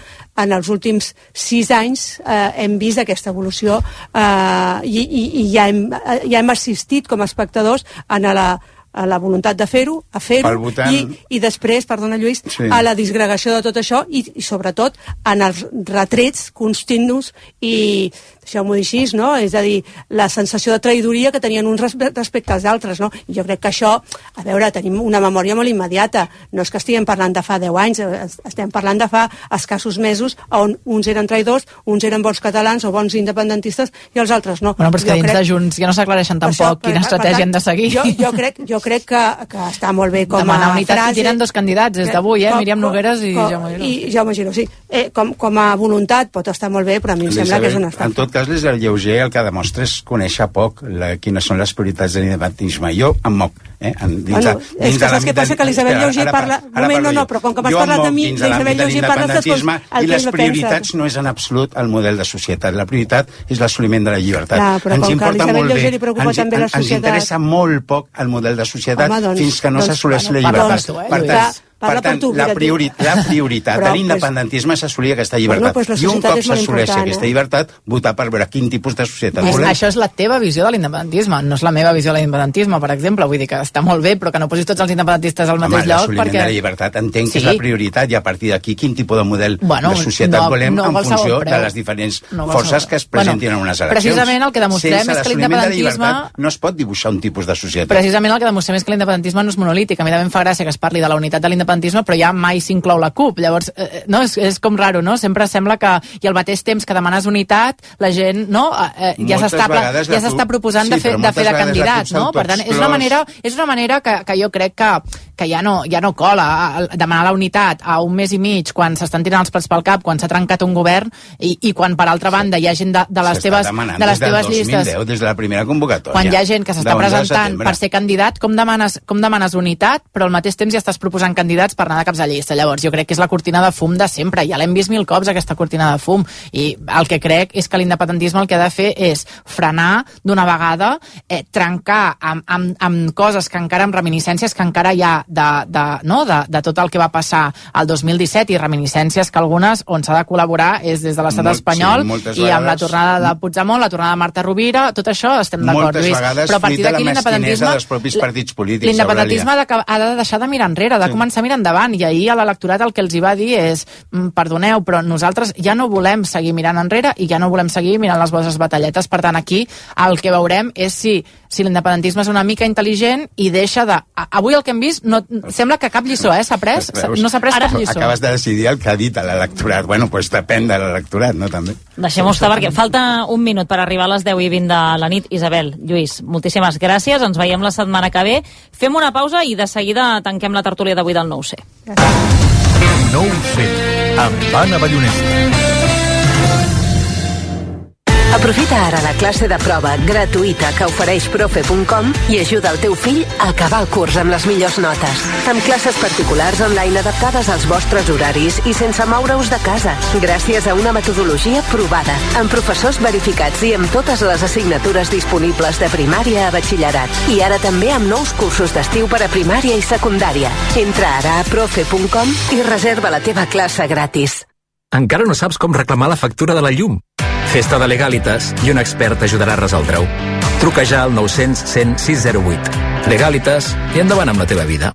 en els últims sis anys eh, hem vist aquesta evolució eh, i, i, i ja, hem, ja hem assistit com a espectadors en la a la voluntat de fer-ho, a fer-ho, votant... i, i després, perdona Lluís, sí. a la disgregació de tot això i, i sobretot en els retrets continus i, deixeu-m'ho dir així, no? És a dir, la sensació de traïdoria que tenien uns respecte als altres, no? I jo crec que això, a veure, tenim una memòria molt immediata, no és que estiguem parlant de fa deu anys, estem parlant de fa escassos mesos on uns eren traïdors, uns eren bons catalans o bons independentistes i els altres no. Bueno, però és que jo dins crec... de Junts ja no s'aclareixen tampoc quina estratègia hem de seguir. Jo, jo, crec, jo crec que, que està molt bé com Demanar a unitat frase... i tiren dos candidats des d'avui, eh? Com, Míriam Nogueres i com, Jaume Giró. I Jaume Giró, sí. Eh, com, com a voluntat pot estar molt bé, però a mi em sembla que és una estafa. En tot cas, l'Isabel Lleuger el que demostra és conèixer poc la, quines són les prioritats de l'independentisme. Jo em moc. Eh? En, dins bueno, de, dins és que saps què passa? Que l'Isabel Lleuger parla... Un moment, no, no, però com que m'has parlat de mi, l'Isabel Lleuger parla de tot i les prioritats no és en absolut el model de societat. La prioritat és l'assoliment de la llibertat. Clar, però ens com que a l'Isabel Lleuger li preocupa ens, també la societat... Ens interessa molt poc el model de societat Home, doncs, fins que no doncs, s'assoleix bueno, la llibertat. Doncs, per tant, Parla per tant, tu, la, priori tu. la prioritat Però, de l'independentisme és assolir aquesta llibertat. Bueno, pues la I un societat cop és molt s'assoleixi important, aquesta eh? llibertat, votar per veure quin tipus de societat És, volem. això és la teva visió de l'independentisme, no és la meva visió de l'independentisme, per exemple. Vull dir que està molt bé, però que no posis tots els independentistes al mateix Home, lloc. L'assoliment perquè... de la llibertat entenc que Sí. és la prioritat i a partir d'aquí quin tipus de model Bueno, de societat no- volem no en qualsevol funció preu. de les diferents No forces qualsevol. que es presentin Bueno, en unes eleccions. precisament el que demostrem Sense és que l'assoliment de la l'independentisme- llibertat no es pot dibuixar un tipus de societat. Precisament el que demostrem és que l'independentisme no és monolític. A mi també em fa gràcia que es parli de la unitat de l'independentisme, però ja mai s'inclou la CUP. Llavors, eh, no, és, és com raro, no? Sempre sembla que, i al mateix temps que demanes unitat, la gent, no? Eh, ja Moltes s'està vegades la ja s'està CUP- proposant sí, de fer, però de fer de moltes vegades la candidat, CUP no? s'autoexclòs. Per tant, és una manera, és una manera que, que jo crec que, que ja no, ja no cola a- a demanar la unitat a un mes i mig quan s'estan tirant els plats pel cap, quan s'ha trencat un govern i, i quan, per altra banda, hi ha gent de, de les S'està teves, demanant de les des del teves dos mil deu, llistes... des de la primera convocatòria. Quan hi ha gent que s'està de onze de presentant setembre. per ser candidat, com demanes, com demanes unitat, però al mateix temps ja estàs proposant candidats per anar de caps de llista. Llavors, jo crec que és la cortina de fum de sempre. Ja l'hem vist mil cops, aquesta cortina de fum. I el que crec és que l'independentisme el que ha de fer és frenar d'una vegada, eh, trencar amb, amb, amb coses que encara, amb reminiscències que encara hi ha de, de, no? de, de tot el que va passar al dos mil disset i reminiscències que algunes on s'ha de col·laborar és des de l'estat Molt- espanyol sí, moltes i amb la vegades- tornada de Puigdemont, la tornada de Marta Rovira, tot això estem d'acord, Moltes Lluís. vegades Però a partir fruit de la d'aquí mesquinesa l'independentisme... dels propis partits polítics, L'independentisme ha Eulàlia. de, ha de deixar de mirar enrere, ha de Sí. començar a mirar endavant, i ahir a l'electorat el que els hi va dir és mm, perdoneu, però nosaltres ja no volem seguir mirant enrere i ja no volem seguir mirant les vostres batalletes. Per tant, aquí el que veurem és si, si l'independentisme és una mica intel·ligent i deixa de... A- Avui el que hem vist no, sembla que cap lliçó, eh? S'ha pres, Veus? no s'ha pres cap lliçó. Acabes de decidir el que ha dit a l'electorat. Bueno, doncs pues depèn de l'electorat, no? També. Deixem-ho estar, perquè falta un minut per arribar a les deu i vint de la nit. Isabel, Lluís, moltíssimes gràcies. Ens veiem la setmana que ve. Fem una pausa i de seguida tanquem la tertúlia d'avui del nou C. nou C, amb Anna Ballonesta. Aprofita ara la classe de prova gratuïta que ofereix profe punt com i ajuda el teu fill a acabar el curs amb les millors notes. Amb classes particulars online adaptades als vostres horaris i sense moure-us de casa, gràcies a una metodologia provada, amb professors verificats i amb totes les assignatures disponibles de primària a batxillerat. I ara també amb nous cursos d'estiu per a primària i secundària. Entra ara a profe punt com i reserva la teva classe gratis. Encara no saps com reclamar la factura de la llum? Festa de Legalitas i un expert t'ajudarà a resoldre-ho. Truca ja al nou cents cent sis zero vuit. Legalitas i endavant amb la teva vida.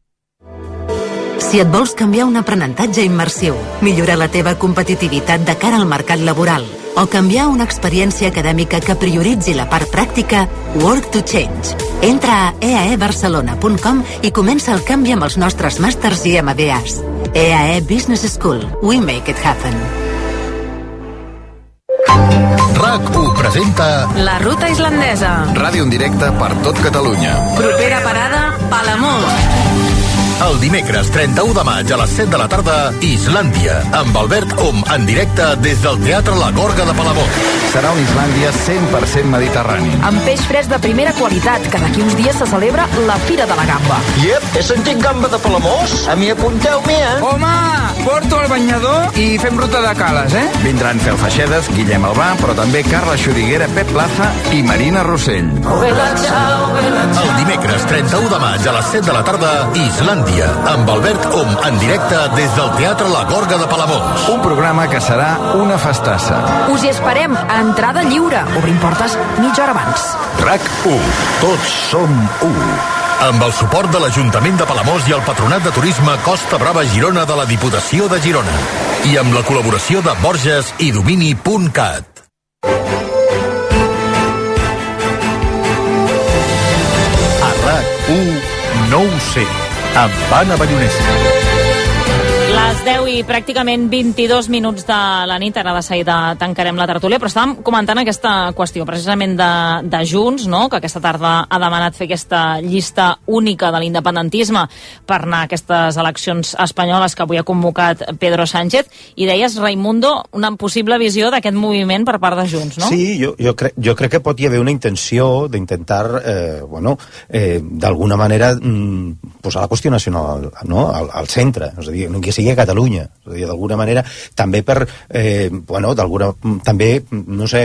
Si et vols canviar un aprenentatge immersiu, millorar la teva competitivitat de cara al mercat laboral o canviar una experiència acadèmica que prioritzi la part pràctica, Work to Change. Entra a e a e barcelona punt com i comença el canvi amb els nostres màsters i M B As. E A E Business School. We make it happen. RAC u presenta La ruta islandesa. Ràdio en directe per tot Catalunya. Propera parada, Palamós. El dimecres trenta-u de maig a les set de la tarda, Islàndia, amb Albert Om en directe des del Teatre La Gorga de Palamós. Serà una Islàndia cent per cent mediterrani. Amb peix fresc de primera qualitat, que d'aquí uns dies se celebra la Fira de la Gamba. Iep, he sentit gamba de Palamós. A mi apunteu-m'hi, eh? Home, porto el banyador i fem ruta de cales, eh? Vindran Fel Feixedes, Guillem Albà, però també Carla Xuriguera, Pep Plaza i Marina Rossell. El dimecres trenta-u de maig a les set de la tarda, Islàndia, amb Albert Om en directe des del Teatre La Gorga de Palamós. Un programa que serà una festassa. Us hi esperem a entrada lliure. Obrim portes mitja hora abans. RAC u. Tots som u. amb el suport de l'Ajuntament de Palamós i el Patronat de Turisme Costa Brava Girona de la Diputació de Girona. I amb la col·laboració de Borges i Domini punt cat. A RAC u no ho sé, amb Anna Ballonesa. Les deu i pràcticament vint-i-dos minuts de la nit, ara de seguida tancarem la tertúlia, però estàvem comentant aquesta qüestió precisament de, de Junts, no? Que aquesta tarda ha demanat fer aquesta llista única de l'independentisme per anar a aquestes eleccions espanyoles que avui ha convocat Pedro Sánchez, i deies, Raimundo, una possible visió d'aquest moviment per part de Junts, no? Sí, jo, jo, crec, jo crec que pot hi haver una intenció d'intentar, eh, bueno, eh, d'alguna manera mm, posar la qüestió nacional, no? al, al centre, és a dir, que sigui a Catalunya, és a dir, d'alguna manera, també per, eh, bueno, d'alguna, també, no sé,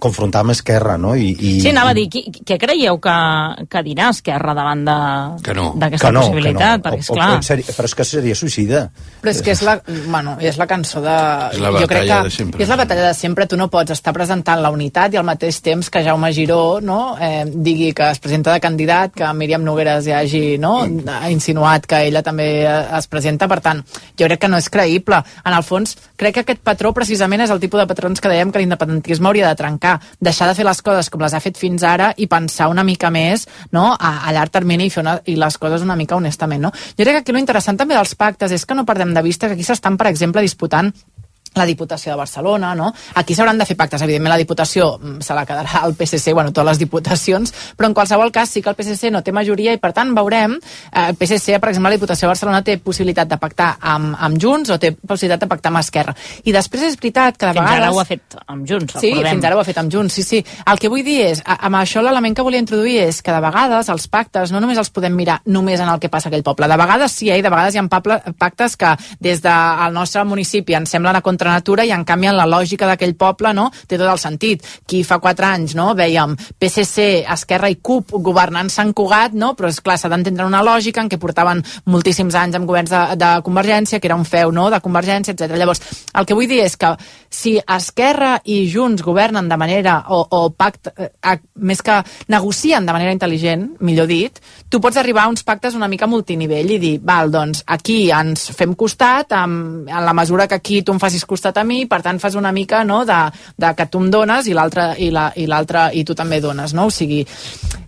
confrontar amb Esquerra, no? I, i... Sí, anava a dir, qui, què creieu que, que dirà Esquerra davant d'aquesta no. no, possibilitat? No. Perquè, o, esclar... o, seri... Però és que seria suïcida. Però és que és la, bueno, és la cançó de... És la jo crec batalla que de sempre. És la batalla de sempre. Tu no pots estar presentant la unitat i al mateix temps que Jaume Giró, no, eh, digui que es presenta de candidat, que Míriam Nogueras ja hagi, no, ha insinuat que ella també es presenta. Per tant, jo crec que no és creïble. En el fons, crec que aquest patró precisament és el tipus de patrons que dèiem que l'independentisme hauria de trencar. Deixar de fer les coses com les ha fet fins ara i pensar una mica més, no, a, a llarg termini i fer una, i les coses una mica honestament, no? Jo crec que aquí l'interessant també dels pactes és que no perdem de vista que aquí s'estan, per exemple, disputant la Diputació de Barcelona, no? Aquí s'hauran de fer pactes. Evidentment, la Diputació se la quedarà al P S C, bueno, totes les diputacions, però en qualsevol cas sí que el P S C no té majoria i, per tant, veurem, eh, el P S C, per exemple, la Diputació de Barcelona té possibilitat de pactar amb, amb Junts o té possibilitat de pactar amb Esquerra. I després és veritat que de fins vegades... Fins ara ho ha fet amb Junts, sí, recordem. fins ara ho ha fet amb Junts, sí, sí. El que vull dir és, amb això l'element que volia introduir és que de vegades els pactes no només els podem mirar només en el que passa a aquell poble. De vegades sí, eh? De vegades hi ha pactes que des del nostre municipi ens semblen a contranatura i en canvi en la lògica d'aquell poble, no, té tot el sentit. Qui fa quatre anys, no, vèiem P S C, Esquerra i C U P governant Sant Cugat, no, però és clar, s'ha d'entendre una lògica en què portaven moltíssims anys amb governs de, de Convergència, que era un feu, no, de Convergència, etcètera. Llavors, el que vull dir és que si Esquerra i Junts governen de manera, o, o pacte, eh, més que negocien de manera intel·ligent, millor dit, tu pots arribar a uns pactes una mica multinivell i dir, val, doncs aquí ens fem costat, amb, en la mesura que aquí tu em facis costat a mi, per tant fas una mica, no, de, de que tu em dones i l'altre i la, i l'altre i tu també dones, no? O sigui,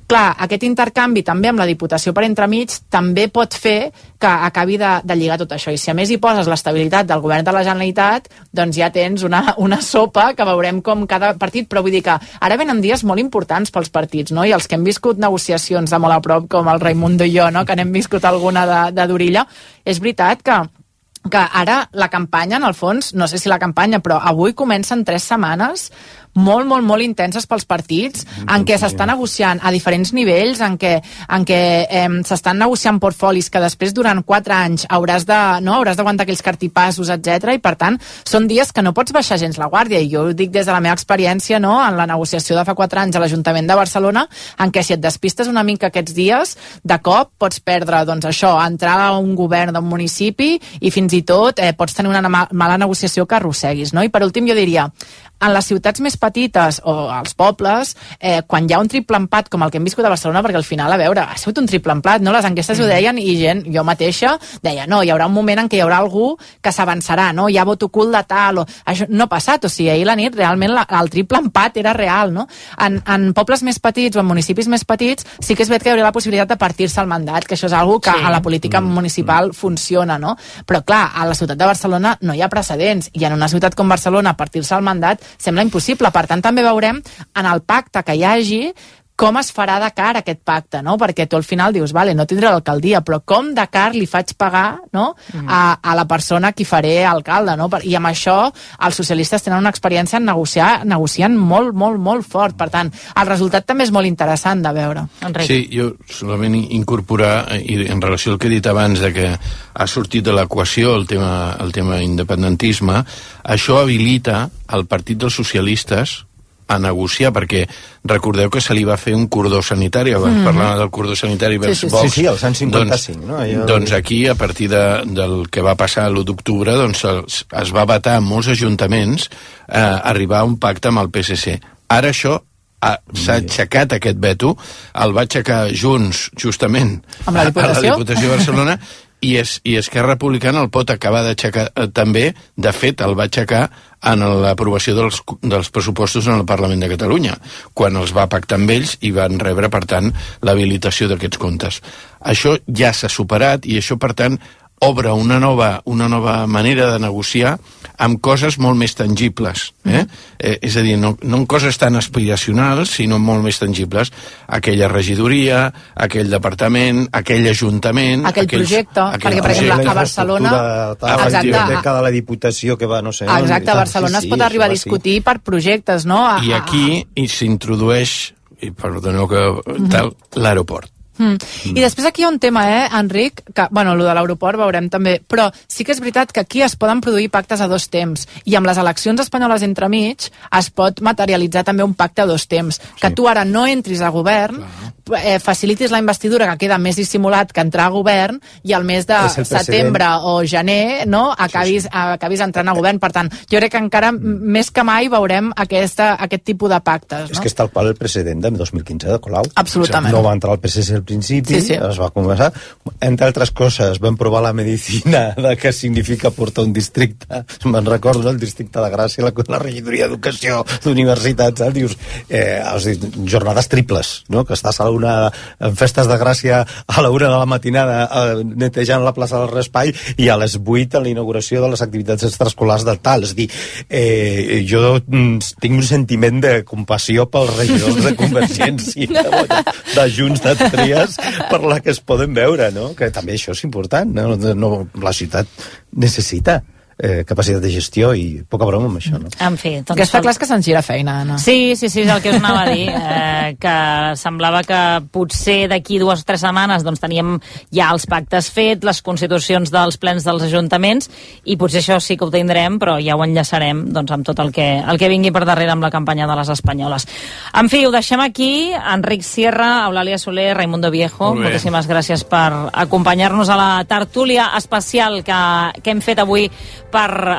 clar, aquest intercanvi també amb la Diputació per entremig també pot fer que acabi de, de lligar tot això. I si a més hi poses l'estabilitat del govern de la Generalitat, doncs ja tens una, una sopa que veurem com cada partit, però vull dir que ara venen dies molt importants pels partits, no? I els que hem viscut negociacions de molt a prop, com el Raimundo i jo, no? Que n'hem viscut alguna de, de Dorilla, és veritat que que ara la campanya, en el fons, no sé si la campanya, però avui comencen tres setmanes molt, molt, molt intenses pels partits, en què s'està negociant a diferents nivells, en què, en què eh, s'estan negociant portfolis que després durant quatre anys hauràs de, no, hauràs d'aguantar aquells cartipassos, etcètera. I per tant, són dies que no pots baixar gens la guàrdia, i jo ho dic des de la meva experiència, no, en la negociació de fa quatre anys a l'Ajuntament de Barcelona, en què si et despistes una mica aquests dies, de cop pots perdre, doncs això, entrar a un govern d'un municipi i fins i tot eh, pots tenir una mala negociació que arrosseguis, no? I per últim jo diria, en les ciutats més petites o als pobles, eh, quan hi ha un triple empat com el que hem viscut a Barcelona, perquè al final, a veure, ha sigut un triple empat, no? Les enquestes mm. ho deien i gent, jo mateixa, deia, no, hi haurà un moment en què hi haurà algú que s'avançarà, no? Hi ha vot ocult de tal, o... Això no ha passat, o sigui, ahir la nit realment la, el triple empat era real, no? En, en pobles més petits o en municipis més petits sí que és veritat que hi hauria la possibilitat de partir-se el mandat, que això és algo que sí. a la política mm. municipal mm. funciona, no? Però clar, a la ciutat de Barcelona no hi ha precedents, i en una ciutat com Barcelona partir-se el mandat sembla impossible. Per tant, també veurem en el pacte que hi hagi com es farà de car aquest pacte, no? Perquè tu al final dius, vale, no tindré l'alcaldia, però com de car li faig pagar, no? Mm. a, a la persona a qui faré alcalde, no? I amb això els socialistes tenen una experiència en negociar, negociant molt, molt, molt fort. Per tant, el resultat també és molt interessant de veure. Enric. Sí, jo solament incorporar, i en relació al que he dit abans, de que ha sortit de l'equació el tema, el tema independentisme, això habilita el Partit dels Socialistes a negociar, perquè recordeu que se li va fer un cordó sanitari, abans mm-hmm. parlant del cordó sanitari vers sí, sí, Vox. Sí, sí, el cent cinquanta-cinc, doncs, no? Allò... Doncs aquí, a partir de, del que va passar l'u d'octubre, doncs es, es va vetar en molts ajuntaments eh, arribar a un pacte amb el P S C. Ara això s'ha aixecat aquest veto, el va aixecar Junts, justament, amb la Diputació, a la Diputació de Barcelona, i, es, i Esquerra Republicana el pot acabar d'aixecar eh, també, de fet, el va aixecar en l'aprovació dels, dels pressupostos en el Parlament de Catalunya, quan els va pactar amb ells i van rebre, per tant, l'habilitació d'aquests comptes. Això ja s'ha superat i això, per tant, obre una nova, una nova manera de negociar amb coses molt més tangibles. Eh? Eh, és a dir, no, no en coses tan aspiracionals, sinó molt més tangibles. Aquella regidoria, aquell departament, aquell ajuntament... Aquell aquells, projecte, aquell perquè, per exemple, a Barcelona... Exacte. De la Diputació que va, no sé... Exacte, a Barcelona sí, sí, es pot arribar a discutir sí. per projectes, no? A, I aquí s'introdueix, i perdoneu que tal, l'aeroport. Mm. I després aquí hi ha un tema, eh, Enric, que, bueno, el de l'aeroport veurem també, però sí que és veritat que aquí es poden produir pactes a dos temps, i amb les eleccions espanyoles entremig es pot materialitzar també un pacte a dos temps, que sí. tu ara no entris a govern, eh, facilitis la investidura, que queda més dissimulat que entrar a govern, i al mes de setembre o gener, no, acabis, sí, sí. acabis entrant a govern. Per tant, jo crec que encara mm. més que mai veurem aquesta, aquest tipus de pactes. No? És que és tal qual el precedent de dos mil quinze de Colau. Absolutament. No va entrar el P S C al principi, sí, sí. es va començar, entre altres coses vam provar la medicina de què significa portar un districte, me'n recordo, el districte de Gràcia, la, la regidoria d'educació d'universitats, eh? Dius, eh, dius, jornades triples, no? Que estàs a una, en festes de Gràcia a la una de la matinada eh, netejant la plaça del Raspall i a les vuit a la inauguració de les activitats extraescolars del tal, és a dir, eh, jo mm, tinc un sentiment de compassió pels regidors de Convergència, de, de Junts, de Trias, per la que es poden veure, no? Que també això és important, no? No, la ciutat necessita eh, capacitat de gestió i poca broma amb això, no? En fi, doncs... Que està clar que se'ns gira feina, Anna. Sí, sí, sí, és el que us anava a dir, eh, que semblava que potser d'aquí dues o tres setmanes doncs teníem ja els pactes fets, les constitucions dels plens dels ajuntaments, i potser això sí que ho tindrem, però ja ho enllaçarem doncs, amb tot el que, el que vingui per darrere amb la campanya de les espanyoles. En fi, ho deixem aquí. Enric Sierra, Eulàlia Soler, Raimundo Viejo, Molt moltíssimes gràcies per acompanyar-nos a la tertúlia especial que, que hem fet avui per eh,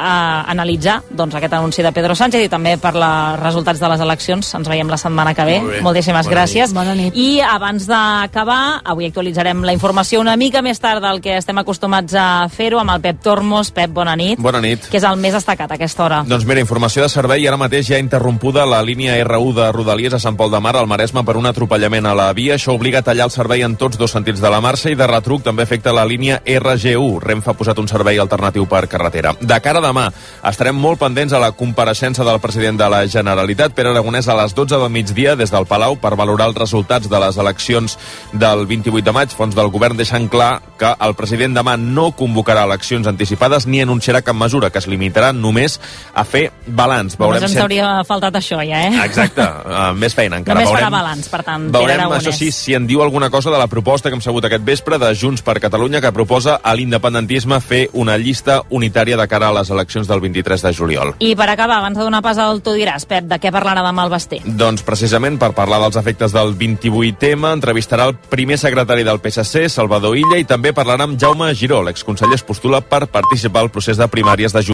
analitzar doncs, aquest anunci de Pedro Sánchez i també per els resultats de les eleccions. Ens veiem la setmana que ve. Molt Moltíssimes Bona gràcies. Nit. Bona nit. I abans d'acabar, avui actualitzarem la informació una mica més tard del que estem acostumats a fer-ho amb el Pep Tormos. Pep, bona nit. Bona nit. Que és el més destacat a aquesta hora. Doncs mira, informació de servei. Ara mateix ja interrompuda la línia R u de Rodalies a Sant Pol de Mar, al Maresme, per un atropellament a la via. Això obliga a tallar el servei en tots dos sentits de la marxa i de retruc també afecta la línia R G u. Renfe ha posat un servei alternatiu per carretera. De cara a demà, estarem molt pendents a la compareixença del president de la Generalitat, Pere Aragonès, a les dotze del migdia des del Palau per valorar els resultats de les eleccions del vint-i-vuit de maig. Fons del govern deixant clar que el president demà no convocarà eleccions anticipades ni anunciarà cap mesura, que es limitarà només a fer balanç. Només ens hauria faltat això ja, eh? Exacte, uh, més feina encara. Només veurem, farà balanç, per tant, veurem, Pere Aragonès. Això sí, si en diu alguna cosa de la proposta que hem sabut aquest vespre de Junts per Catalunya, que proposa a l'independentisme fer una llista unitària de cara a les eleccions del vint-i-tres de juliol. I per acabar, abans de donar pas al Tu diràs, Pep, de què parlarà demà el Basté? Doncs precisament per parlar dels efectes del vint-i-vuit ema, entrevistarà el primer secretari del P S C, Salvador Illa, i també parlarà amb Jaume Giró, l'exconseller es postula per participar al procés de primàries de juliol.